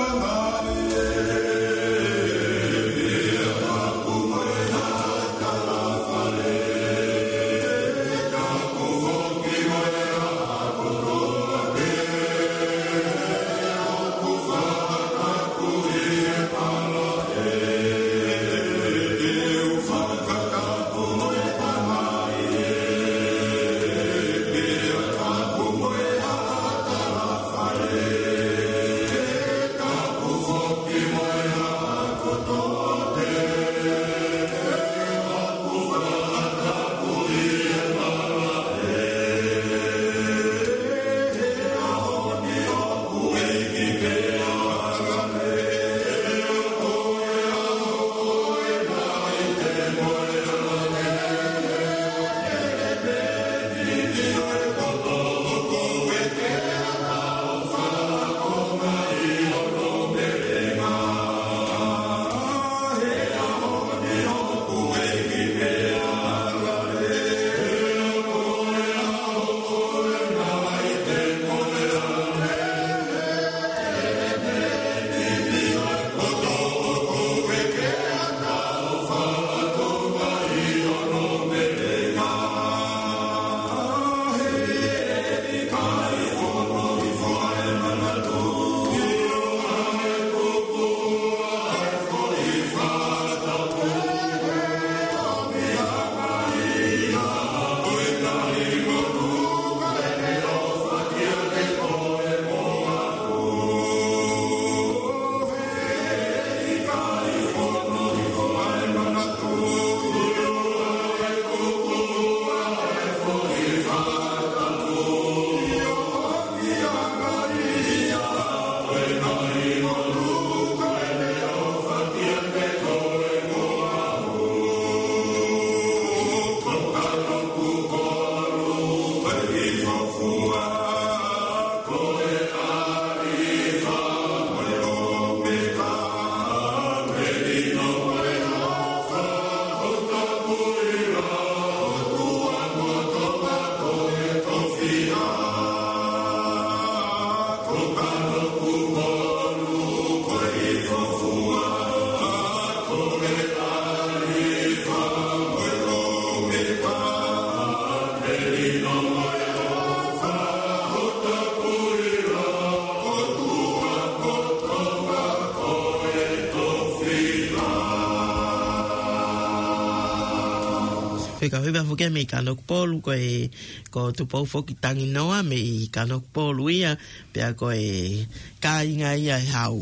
Pea ka hiva foki mei Kanokupolu, ko e, ko Tupou foki Tanginoa mei Kanokupolu ia, pea ko e kāinga ia e hau.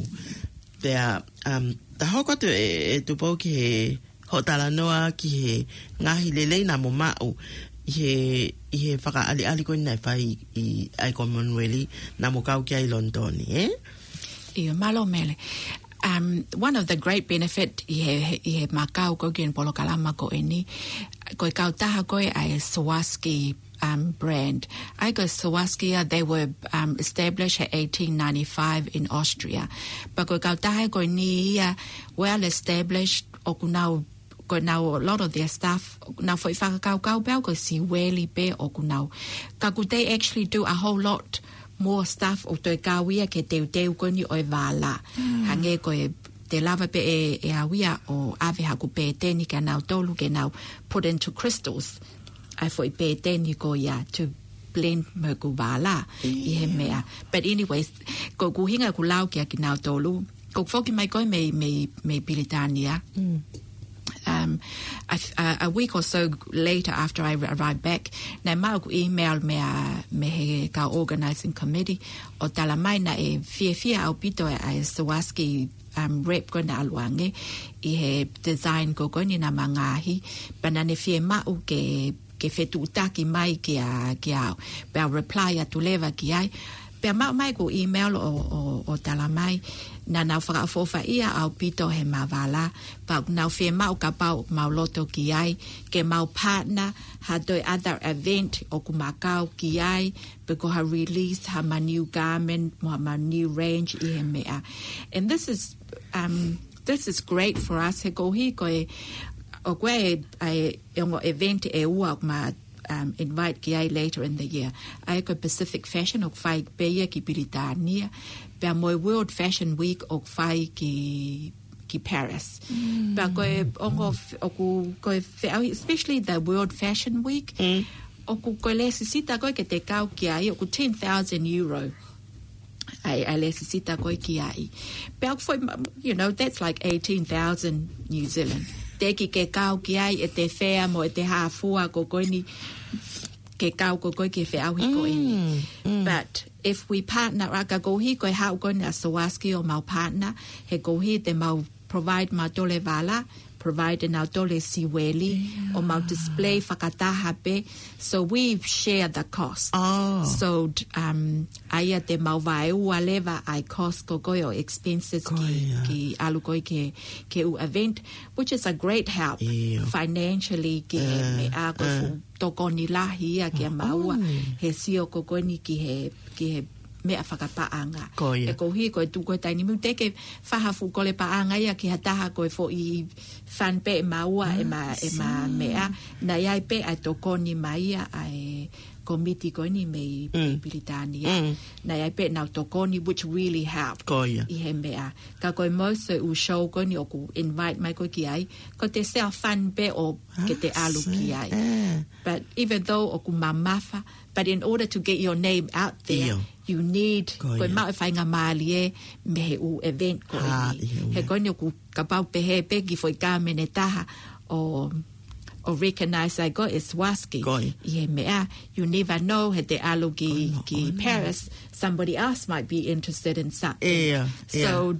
Pea, um, ta hoko atu e, e Tupou ki he hoʻo talanoa ki he ngaahi lelei naʻa mo maʻu ʻi he, ʻi he fakaʻaliʻali ko ē naʻe fai ʻi ai Commonwealth naʻa mo kau ki ai Lonitoni, ē? ʻIo, mālō Mele. Um, one of the great benefit ʻi he, he, ʻi he makau ko ē ki he polokalama ko eni, ko e kautaha ko ē ʻa e Swarovski, um, brand. ʻA ia ko e Swarovski ia, they were, um, established in eighteen ninety-five in Austria. Pea ko e kautaha ko eni ia, well established, ʻoku nau, ko ʻenau, a lot of their stuff, nau foʻi fakakaukau pē ʻoku siueli pē ʻoku nau. Ka ʻoku they actually do a whole lot more stuff ʻo toe kau ia ki he teuteu ko eni ʻo e vālā. Hangē ko e, te lava pē ʻe, ʻe au ia ʻo ʻave haku pēteni kia nautolu ke nau put into crystals. ʻA e foʻi pēteni ko ia to blend mo ʻeku vālā ʻi he meʻa. But anyways, ko ʻeku ʻuhinga ʻeku lau kia kinautolu, ko ʻeku foki mai ko ē mei, mei, mei Pilitānia. Um, a, a, a week or so later after I arrived back, naʻe maʻu ʻeku email mei a, mei he kau organizing committee ʻo talamai naʻe fiefia ʻaupito ʻa e Swarovski, um, rep ko ē naʻa ʻalu ange ʻi he design ko ē ko eni naʻa ma ngaahi, pea naʻa ne fiemaʻu ke, ke fetuʻutaki mai kia, kia au. Pea u reply atu leva ki ai. Pea maʻu mai ʻeku email ʻo, ʻo, ʻo talamai naʻa nau fakaʻofoʻofaʻia ʻaupito he ma vālā. Pea nau fiemaʻu kapau mau loto ki ai, ke mau partner ha toe other event ʻoku ma kau ki ai, pe ko ha release ha ma new garment, mo ha ma new range ʻi he meʻa. And this is, um, this is great for us. He koeʻuhi ko e, ʻoku ʻi ai e, e ongo event ʻe ua ʻoku ma, um, invite ki ai later in the year. ʻA ia ko e Pacific Fashion ʻoku fai pē ia ki Pilitānia. Pea mo e World Fashion Week ʻoku fai ki ki Paris. Pea ko e ongo f-, ʻoku, ko e feʻauhi, especially the World Fashion Week, ʻoku ko e lēsisita ko ē ke te kau ki ai, ʻoku ten thousand euro. ʻA e, ʻa e lēsisita ko ē ki ai. Pea ʻoku foʻi ma-, you know, that's like eighteen thousand New Zealand. Teʻeki ke kau ki ai ʻete fea mo ʻete hā fua ko ē ko eni ke kau ko ē ko ē ki he feʻauhi ko eni. But if we partner, ʻa ia ka koeʻuhi ko e haʻu ko eni ʻa Swarovski ʻo mau partner, he koeʻuhi te mau provide mautolu e vālā, provide nautolu e siueli, ʻo mau display fakataha pē. So we share the cost. So, um, ʻa ia te mau vaeua leva ʻa e cost ko ē ko ē ʻo expenses ki, ki ʻalu ko ē ki he, ki he ʻū event, which is a great help financially ki he meʻa ko e fuʻu tokoni lahi ia kia maua he sio ko ē ko eni ki he, ki he meʻa fakapaʻanga. Ko ia. He koeʻuhi ko e tuʻu ko ē taimi ni teʻeki ke fai ha fuʻu kole paʻanga ia ki ha taha ko e foʻi fund pē ʻe maua ʻe ma, ʻe ma meʻa. Naʻe ʻi ai pē ʻa e tokoni mai ia ʻa e komiti ko eni mei, mei Pilitānia. Naʻe ʻi ai pē ʻenau tokoni, which really helped. Ko ia. ʻI he meʻa. Ka ko e most ʻū show ko eni ʻoku invite mai koe ki ai, ko ʻete self fund pē ʻo ke te ʻalu ki ai. But even though ʻoku mamafa, but in order to get your name out there, you need, ko e maʻu e faingamālie mei he ʻū event ko eni. He ko eni ʻoku kapau pehē pē ki foʻi kāmene taha ʻo, ʻo recognize ai koe ʻe Swarovski. ʻI he meʻa, you never know, he te ʻalu ki, ki Paris, somebody else might be interested in something. So,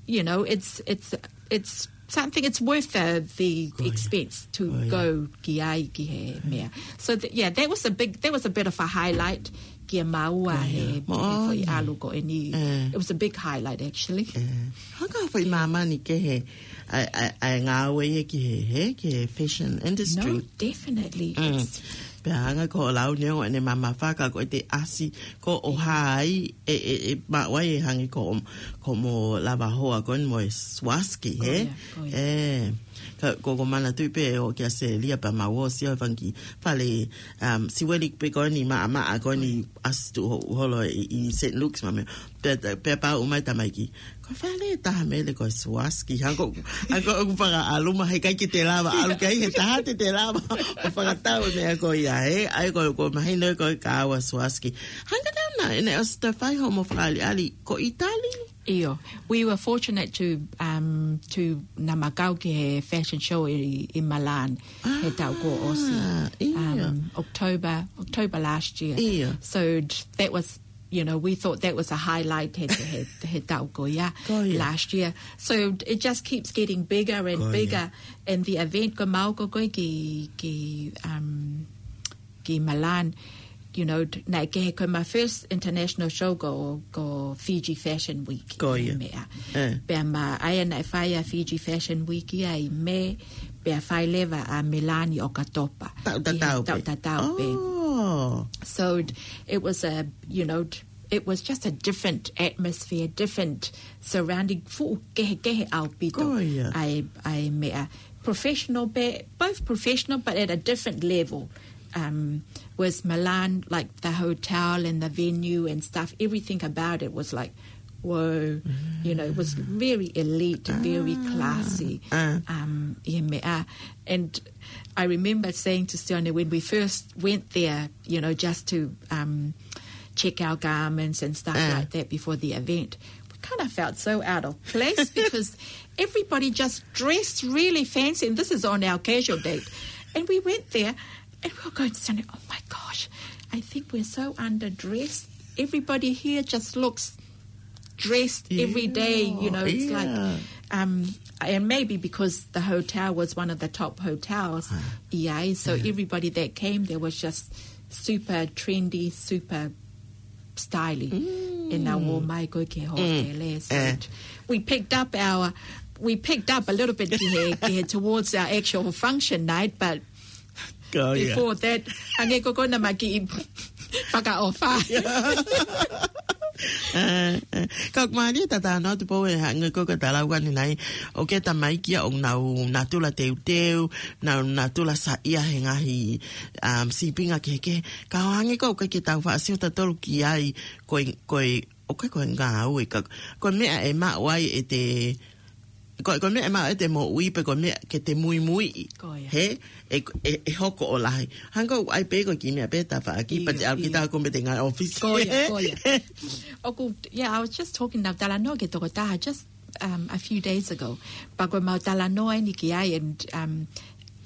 you know, it's, it's, it's something, it's worth the, the expense to go ki ai ki he meʻa. So, th-, yeah, that was a big, that was a bit of a highlight kia maua he, he foʻi ʻalu ko eni. It was a big highlight, actually. Hanga foʻi māmani ke he, ʻa e, ʻa e, ʻa e ngāue ia ki he, he, ki he fashion industry. No, definitely. It's Pea hanga ko e lau neongo ʻene mamafa ka ko ʻete ʻasi ko ē ʻo hā ai, ʻe, ʻe, ʻe maʻu ai ʻe hangē ko, ko hoʻomo lava hoa ko eni mo e Swarovski, he? Ka, ko, ko e manatuʻi pē ʻo kia Selia pea mau ō ʻo sio he fanga kiʻi fale, um, siueli pē ko eni maʻamaʻa ko eni ʻasi tuʻu ho-, holo ʻi, ʻi Saint Luke's ma meʻa. Pea, pea pau mai tamaiki. Ko e fale ʻe taha Mele ko e Swarovski. Hangē ko, hangē ko ʻeku fakaʻalu mai he ʻikai ke te lava ʻalu ki ai he taha te te lava ʻo fakatau e meʻa ko ia. ʻAe, ʻae, ko, ko mahino ko e ka ua Swarovski. Hanga tau na, ʻene ʻosi ta fai hoʻomo fakaʻaliʻali ko ʻItali. ʻIo, we were fortunate to, um, to naʻa mau kau ki he fashion show ʻi, ʻi Milan, he taʻu kuo ʻosi. Ah, ʻio. Um, October, October last year. ʻIo. So d-, that was, you know, we thought that was a highlight he, he, he taʻu ko ia. Ko ia. Last year. So it just keeps getting bigger and Ko ia. bigger. And the event ko mau ko ko ki, ki, um, ki Milan, you know, d-, naʻe kehe ko ʻema first international show ko, ko Fiji Fashion Week. Ko ia. Meʻa. Eh. Pea ma ʻai naʻe fai ʻa Fiji Fashion Week ia ʻi Mē, pea fai leva ʻa Milan ʻi ʻOkatopa. Taʻu tatau pē. Taʻu tatau pē. Oh. So d-, it was a, you know, d-, it was just a different atmosphere, different surrounding, fuʻu kehekehe ʻaupito. Ko ia. ʻAe, ʻae meʻa. Professional, be-, both professional, but at a different level. Um, was Milan, like, the hotel and the venue and stuff, everything about it was like, whoa, you know, it was very elite, very Ah. classy. Ah. Um, ʻi he meʻa. And I remember saying to Sione when we first went there, you know, just to, um, check our garments and stuff Ah. like that before the event, we kind of felt so out of place because everybody just dressed really fancy, and this is on our casual date. And we went there, and we were going to say, "Oh my gosh, I think we're so underdressed. Everybody here just looks dressed every day," you know, it's like, Yeah. um, and maybe because the hotel was one of the top hotels, Ah. ʻi ai, so Yeah. everybody that came there was just super trendy, super styly. Mm. ʻEna ō mai ko ē ki he Mm. hōtele, so Eh. it, we picked up our, we picked up a little bit ki he, ki he towards our actual function night, but Ko ia. before that, hangē ko ko naʻa mau kiʻi fakaʻofa. Eh, eh. Ka ʻoku mālie tatau atu pē ʻe hangē ko ko talau ʻanenai, ʻoku ʻi ai e tamaiki ia ʻoku nau natula teuteu, nau natula saiʻia he ngaahi, um, sīpinga kehekehe. Ka ʻo hangē ko ē ʻoku ʻikai ke tau faʻa sio tautolu ki ai, ko e, ko e, ʻoku ʻikai ko e ngāue ka, ko e meʻa ʻe maʻu ai ʻete, ko, ko e meʻa ʻe maʻu ʻete moʻui pe ko e meʻa ke te muimuiʻi. Ko ia. He, ʻe, ʻe, ʻe hoko ʻo lahi. Hangē ko e ʻai pē ko e kiʻi meʻa pē tafaʻaki, ʻIo, pea te ʻalu ki ʻio. taha ko e mete ngāue ʻōfisi. Ko ia, ko ia. ʻOku, yeah, I was just talking, naʻa ku talanoa ki he tokotaha just, um, a few days ago. Pea ko ʻemau talanoa eni ki ai, and, um,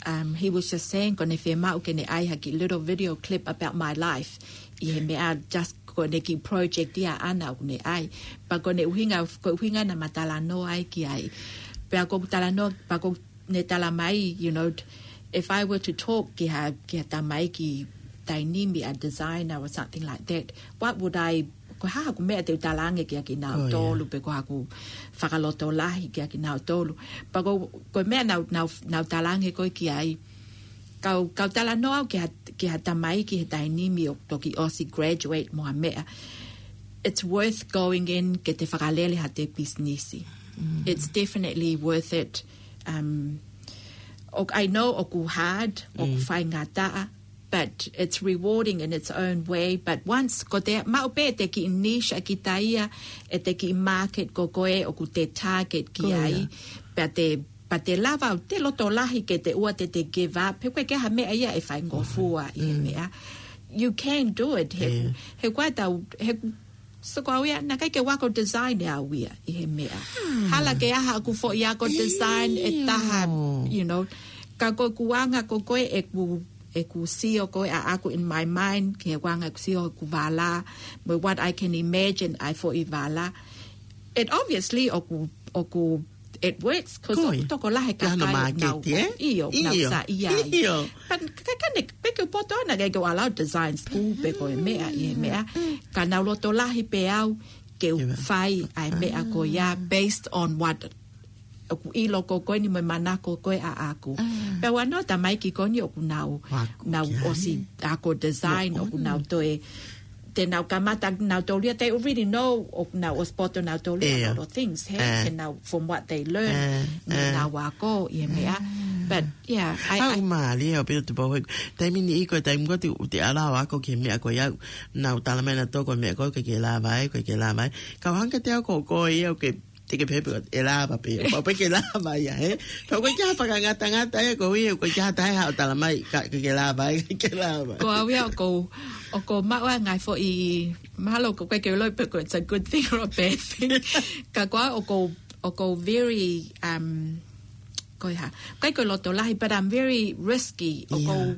um, he was just saying, ko ʻene fiemaʻu ke ne ʻai ha kiʻi little video clip about my life. ʻI he meʻa just ko ʻene kiʻi project ia ʻaʻana ʻoku ne ʻai. Pea ko ʻene ʻuhinga, ko e ʻuhinga naʻa mau talanoa ai ki ai. Pea ko ʻeku talanoa, pea ko ʻene tala mai, you know, if I were to talk ki ha, ki ha tamaiki taimi ni, a designer or something like that, what would I, ko e hā haʻaku meʻa te u talaange kia kinautolu, Ko ia. pe ko haʻaku fakalotolahi kia kinautolu. Pea ko, ko e meʻa naʻa ku, naʻa ku, naʻa ku talaange ko ē ki ai, kau, kau talanoa au ki ha, ki ha tamaiki he taimi ni ʻoku toki ʻosi graduate mo ha meʻa. It's worth going in ke te fakalele haʻate pisinisi. Mm. It's definitely worth it. Um, ʻoku, I know ʻoku hard, ʻoku Mm. faingataʻa, but it's rewarding in its own way. But once, ko te maʻu pē ʻete kiʻi niche ʻa kita ia, ʻete kiʻi market ko koe ʻoku te target ki Ko ia. ai, pea te, pea te lava ʻo te loto lahi ke te ʻoua te te give up. He ko e ke ha meʻa ia ʻe faingofua ʻi he Mm. meʻa. You can do it. He, Yeah. he ko e tau, he, so ko au ia, naʻe ʻikai ke u ako design ʻe au ia ʻi he meʻa. Hmm. Hala ke ʻi ai haʻaku foʻi ako design ʻe taha, ʻIo. you know. Ka ko ʻeku anga ko koe ʻeku, ʻeku sio ko ē ʻaʻaku in my mind, ki he anga ʻeku sio ʻeku vala, mo what I can imagine ʻa e foʻi vala. It obviously ʻoku, ʻoku, it works, 'cause Ko ʻoku ia. tokolahi e Ia, no kakai market, nau, eh? ʻio, nau Io. saiʻia ai. Io. But ka, ka ne, pe ke u poto ʻana ke ke ʻalu ʻo design school pe ko e meʻa ʻi he meʻa. Mm. Ka nau loto lahi pē au ke u Ia. fai ʻa e meʻa ko ia Ah. based on what ʻoku ʻilo ko koe ni mo e manako ko ē ʻaʻaku. Ah. Pea ʻoku ʻi ai e tamaiki ko eni ʻoku nau, Ako nau ki ai. ʻosi ako design, Mo-, ʻoku nau mm. toe, te nau kamata nautolu ia, they already know, ʻoku nau ʻosi poto nautolu ia ʻIo. a lot of things, he, Eh. he nau, from what they learn, Eh, mo eh. nau ako ʻi he meʻa. Eh. But, yeah, I, Haʻu I mālie ʻaupito Tupou he, taimi ni ʻi ko e taimi ko ē te, te ʻalu ʻo ako ki he meʻa ko ia, nau tala mai nautolu ko e meʻa ko ē ʻoku ʻikai ke lava ai, ʻoku ʻikai ke lava ai. Ka ʻoku hangē kiate au ko, ko ia ʻoku ke Te ke pehē pē ʻe lava pē, ʻoku pau pē ke lava ia, ē? Pea ʻoku ʻikai ke ʻi ai ha fakangatangata ia, ko ia, ʻoku ʻikai ke ʻi ai ha taha ʻe talamai, ka ke lava, ē, ke lava. Ko au ia, ʻoku ou, ʻoku ou maʻu ʻa e ngaahi foʻi, mahalo ʻoku ʻikai ke u ʻilo pe ko it's a good thing or a bad thing. Ka ko au, ʻoku ou, ʻoku ou very, um, ko e hā, ʻikai ko e loto lahi, but I'm very risky. ʻOku ou,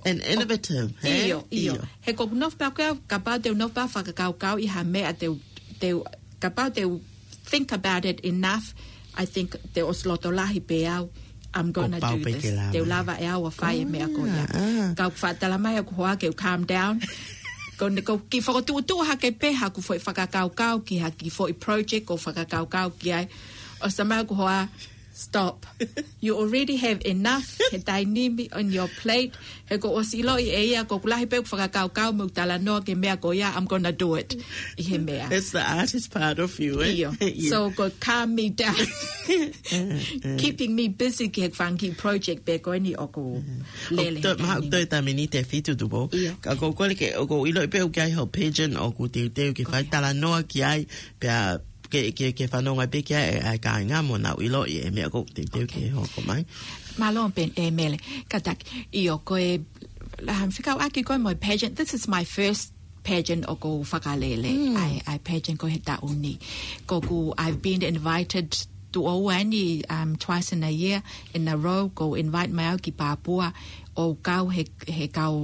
Yeah. And innovative, ē? ʻIo, ʻio. ʻIo. He ʻoku ou nofo pē au, kapau te u nofo pē au ʻo fakakaukau ʻi ha meʻa te u, te u, kapau te u think about it enough, I think te u ʻosi loto lahi pē au, I'm gonna Ko pau do pē this. ke lava. Te u lava ʻe au ʻo fai e meʻa ko ia. Ah, ah. Ka ʻoku faʻa talamai ʻe hoku hoa ke u calm down. Ko ne, ʻoku ou kiʻi fokotuʻutuʻu hake pē haʻaku foʻi fakakaukau ki ha kiʻi foʻi project ʻoku ou fakakaukau ki ai. ʻOsi talamai ʻe hoku hoa, stop. You already have enough he taimi ni on your plate. He ʻoku ou ʻosi ʻiloʻi ʻe ia, ʻoku lahi pē ʻeku fakakaukau mo ʻeku talanoa ki he meʻa ko ia, I'm gonna do it. ʻI he meʻa. That's the artist part of you, ē? ʻIo. ʻIo. So, ʻoku calm me down. Eh, eh. Keeping me busy ki he fanga kiʻi project pē ko eni ʻoku Mm. lele ʻOku toe, he mahalo taimi ʻoku toe ni. taimi ni te fitu Tupou. ʻIo. Ka ʻoku ou kole ke, ʻoku ou ʻiloʻi pē ʻoku ʻi ai hoʻo pageant ʻoku teuteu ke fai Ko ia. talanoa ki ai, pea ke, ke, ke fanongo pē ki ai ʻa e kāinga mo nau ʻiloʻi e meʻa ʻoku teuteu Okay. ke hoko mai. Mālō pē ē Mele, kātaki. ʻIo, ko e, la, fekauʻaki ko ē mo e pageant. This is my first pageant ʻoku ou fakalele. Mm. ʻA e, ʻa e pageant ko ē he taʻu ni. ʻOku ou, I've been invited to ʻoua eni, um, twice in a year, in a row, ʻoku invite mai au ki Papua, ʻo kau he, he kau,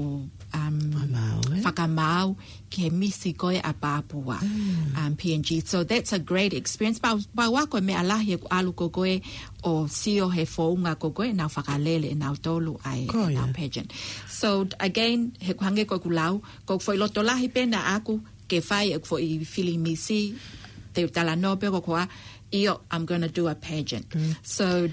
um, Fakamaau, ē? fakamaau, ki he misi ko ē ʻa Papua, Mm. um, P N G. So that's a great experience. Pau, pau ʻa ko e meʻa lahi ʻeku ʻalu ko ē ʻo sio he founga ko ē ʻenau fakalele ʻenau tolu ʻa e, Ko ia. ʻenau pageant. So again, he ʻoku hangē ko ʻeku lau, ʻoku ou foʻi loto lahi pē ʻaʻaku ke fai ʻeku foʻi fili misi, te u talanoa pē ʻe hoku hoa, ʻio, I'm gonna do a pageant. Mm. So,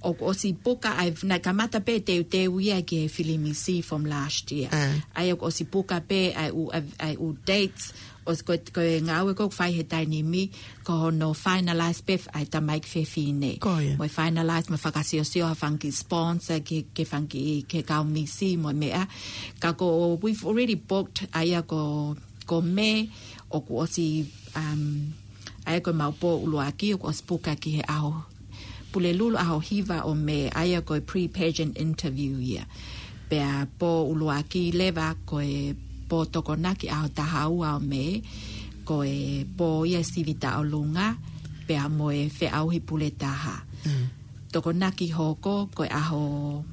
ʻoku ʻosi puka, ʻa e, naʻe kamata pē teuteu ia ki he fili misi from last year. Ah. ʻA ia ʻoku ʻosi puka pē ʻa e ʻū, ʻa e, ʻa e ʻū dates, ʻosi ko, ko e ngāue ʻoku fai he taimi ni, ko hono finalize pē ʻa e tamaiki fefine. Ko ia. Mo e finalize, mo e fakasiosio ha fanga kiʻi sponsor ki, ki he fanga kiʻi, ki he kau misi mo e meʻa. Ka ko, we've already booked, ʻa ia ko, ko Mē, ʻoku ʻosi, um, ʻa ia ko ʻemau pō ʻuluaki, ʻoku ʻosi puka ki he ʻaho, Pulelulu ʻaho hiva ʻo Mē, ʻa ia ko e pre-pageant interview ia. Pea pō ʻuluaki leva ko e pō Tokonaki ʻaho taha ua ʻo Mē, ko e pō ia sivi taʻolunga, pea mo e feʻauhi pule taha. Mm. Tokonaki hoko, ko e ʻaho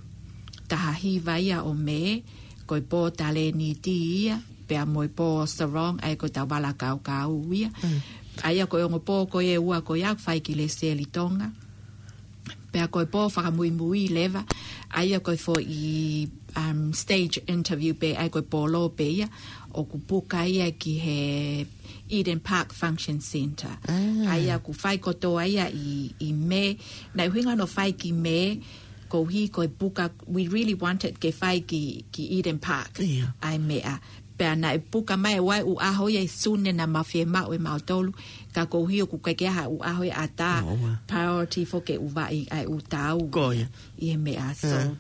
taha hiva ia ʻo Mē, ko e pō talēniti ia, pea mo e pō sarong, ʻa ia ko e tau vala kaukau ia. Mm. ʻA ia ko e ongo pō ko ē ʻe ua ko ia, fai ki Lesieli Tonga. Pea ko e pō fakamuimui leva, ʻa ia ko e foʻi, um, stage interview pē, ʻa ia ko e pō lō pē ia, ʻoku puka ia ki he Eden Park Function Centre. Ah. ʻA ia ʻoku fai kotoa ia ʻi, ʻi Mē, naʻe ʻuhinga hono fai ki Mē, koeʻuhi ko e puka, we really wanted ke fai ki, ki Eden Park. ʻIo. ʻA e meʻa. Pea naʻe puka mai ʻa e ʻū ʻaho ia ʻi Sune naʻa mau fiemaʻu ʻe mautolu, ka koeʻuhi ʻoku ʻikai ke ʻi ai ha ʻū ʻaho ia ʻatā, ʻOua. priority foki ke ʻuvaʻi ʻa e ʻū tau Ko ia. ʻi he meʻa. Ah. So,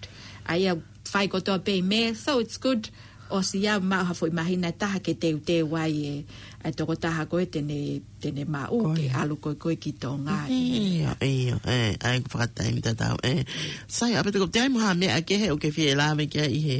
ʻa ia fai kotoa pē ʻi Mē, so it's good. ʻOsi ia maʻu ha foʻi māhina ʻe taha ke teuteu ai e, ʻa e tokotaha ko ē te ne, te ne maʻu Ko ke ia. ʻalu ko ē ko ē ki Tonga. ʻIo, ʻio, ē, ʻa ia ʻoku fakataimi tatau, ē. Sai, ʻa Pete, ʻoku ʻi ai mo ha meʻa kehe ʻoku ke fie lave ki ai ʻi he,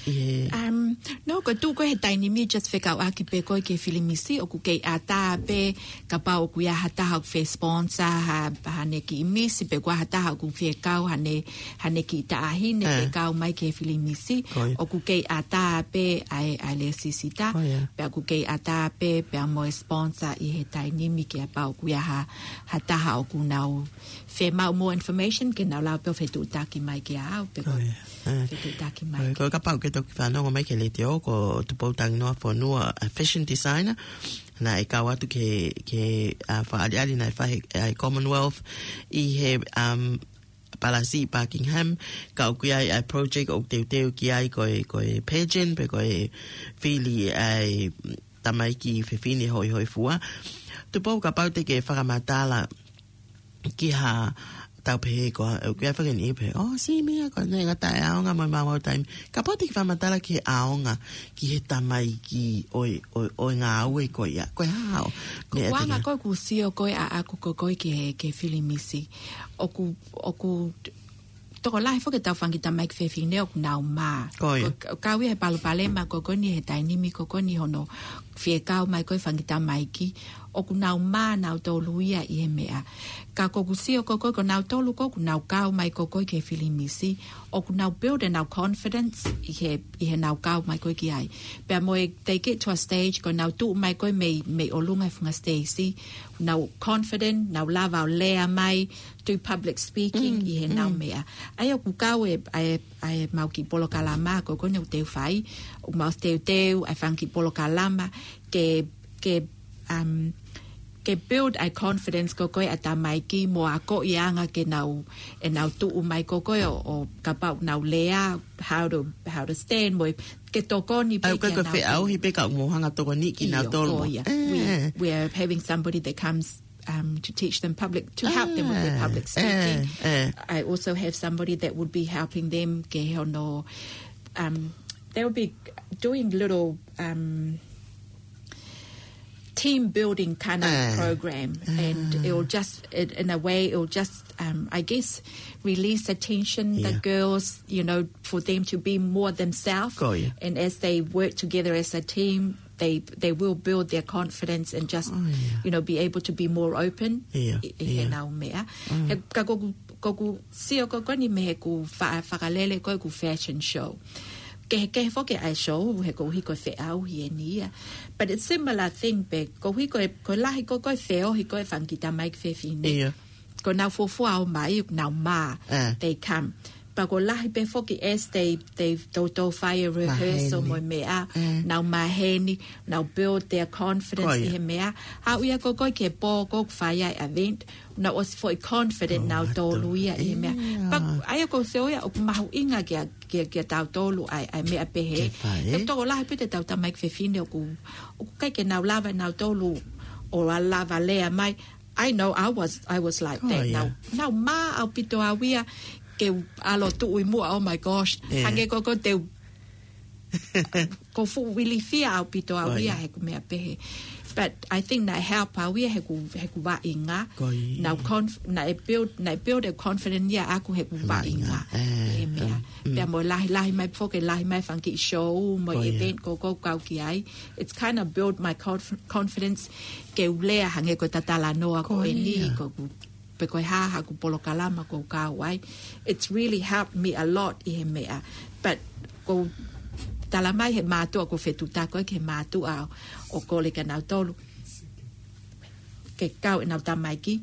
ʻi he Um, no, ko e tuʻu ko ē he taimi ni just fekauʻaki pē ko ē ki he fili misi, ʻoku kei ʻatā pē, kapau ʻoku ʻi ai ha taha ʻoku fie sponsor, ha, haʻane kiʻi misi, pe ko ha taha ʻoku fie kau, haʻane, haʻane kiʻi taʻahine, Eh. fie kau mai ki he fili misi, Ko ia. ʻoku kei ʻatā pē ʻa e, ʻa e lēsisita, Ko ia. pea ʻoku kei ʻatā pē, pea mo e sponsor ʻi he taimi ni kapau ʻoku ʻi ai ha, ha taha ʻoku nau fiemaʻu more information, ke nau lava pē ʻo fetuʻutaki mai kia au, pe ko Ko ia. Eh. fetuʻutaki mai Ko ia, kia ko e kapau ke toki fanongo mai ki he letiō, ko Tupou Tanginoa Fonua, a fashion designer, naʻe kau atu ki he, ki he, a, fakaʻaliʻali naʻe fai ʻe he Commonwealth ʻi he, um, Palasi ʻi Buckingham, ka ʻoku ʻi ai ʻa e project ʻoku teuteu ki ai ko e, ko e pageant, pe ko e fili ʻa e tamaiki fefine hoihoifua. Tupou, kapau te ke fakamatala ki ha tau pehē ko, ʻoku ʻi ai e faʻahinga niʻihi pehē, "Oh, sio mai ko e ngata e ʻaonga mo e maumau taimi." Kapau te ke fakamatala ki he ʻaonga, ki he tamaiki ʻo e, ʻo, ʻo e ngāue ko ia. Ko e hā hoʻo meʻa ʻoku anga ʻaku? Ko ʻeku sio ko ē ʻaʻaku ko ē ki he, ki he filimisi. ʻOku, ʻoku tokolahi foki ʻetau fanga kiʻi tamaiki fefine ʻoku nau mā. Ko ia. Ko, ko e kau ia he palopalema ko eni he taimi ni ko eni hono fie kau mai ko ē fanga kiʻi tamaiki. ʻOku nau mā nautolu ia ʻi he meʻa. Ka ko ʻeku sio ko ē, ko nautolu ko ē ʻoku nau kau mai ko ē ki he filimisi, ʻoku nau build ʻenau confidence ʻi he, ʻi heʻenau kau mai ko ē ki ai. Pea mo e, they get to a stage ko ʻenau tuʻu mai ko ē mei, mei ʻolunga he funga siteisi, nau confident, nau lava ʻo lea mai, do public speaking ʻi heʻenau meʻa. ʻA ia ʻoku kau e, ʻa e, ʻa e mau kiʻi polokalama ko ē ʻoku ou teuteu fai, ʻoku mau teuteu ʻa e fanga kiʻi polokalama ke, ke, um, ke build ʻa e confidence ko ē ʻa e tamaiki mo akoʻi e anga ke nau, ʻenau tuʻu mai ko ē ʻo, ʻo kapau nau lea, how to, how to stand, mo e ke tokoni pē ʻA ia ko e, kia ko e nautolu. Feʻauhi pē ka mou hanga tokoni ʻIo, kinautolu ko mo ia. We, we are having somebody that comes, um, to teach them public, to help them with their public speaking. I also have somebody that would be helping them ke hono, um, they will be doing little, um, team building kind of program, and it will just, it, in a way, it will just, um, I guess, release the tension, the girls, you know, for them to be more themselves. Ko ia. And as they work together as a team, they, they will build their confidence and just, you know, be able to be more open ʻi, ʻi heʻenau meʻa. He, ka ko ʻeku, ko ʻeku sio ko eni mei heʻeku fa-, fakalele ko ē ʻeku fashion show. Kehekehe foki ʻa e show, he koeʻuhi ko e feʻauhi eni ia. But it's similar thing pē, koeʻuhi ko e, ko e lahi ko ē ko e feohi ko ē fanga kiʻi tamaiki fefine. Ko ʻenau fuofua ō mai, nau mā, they come. Pea ko e lahi pē foki as they, they toutou fai e rehearsal mo e meʻa, nau maheni, nau build their confidence ʻi he meʻa. Haʻu ia ko ē ki he pō ko ē ʻoku fai ai e event, nau ʻosi foʻi confident nautolu ia ʻi he meʻa. Pea ʻa ia ʻoku ou sio ia ʻoku mahuʻinga kia, kia, kia tautolu ʻa e, ʻa e meʻa pehē. He tokolahi pē ʻetau tamaiki fefine ʻoku, ʻoku ʻikai ke nau lava nautolu ʻo lava lea mai. I know I was, I was like that. Nau, nau mā ʻaupito au ia ke u ʻalu ʻo tuʻu ʻi muʻa, oh my gosh. Hangē ko ʻeku te u, ʻoku ou fuʻu ilifia ʻaupito au ia heʻeku meʻa pehē. But I think naʻe help au ia heʻeku, heʻeku vaʻinga. Nau conf-, naʻe build, naʻe build e confidence ia ʻaʻaku heʻeku vaʻinga. He meʻa. Pea mo e lahi, lahi mai foki, lahi mai fanga kiʻi show, mo e event ko ē ʻoku ou kau ki ai. It's kind of build my conf-, confidence ke u lea hangē ko ʻeta talanoa ko eni, ko ʻeku, pe ko e hā haʻaku polokalama ʻoku ou kau ai. It's really helped me a lot ʻi he meʻa. But ʻoku ou tala mai he mātuʻa ʻoku ou fetuʻutaki ki he mātuʻa ʻo, ʻo kole kia nautolu ke kau ʻenau tamaiki,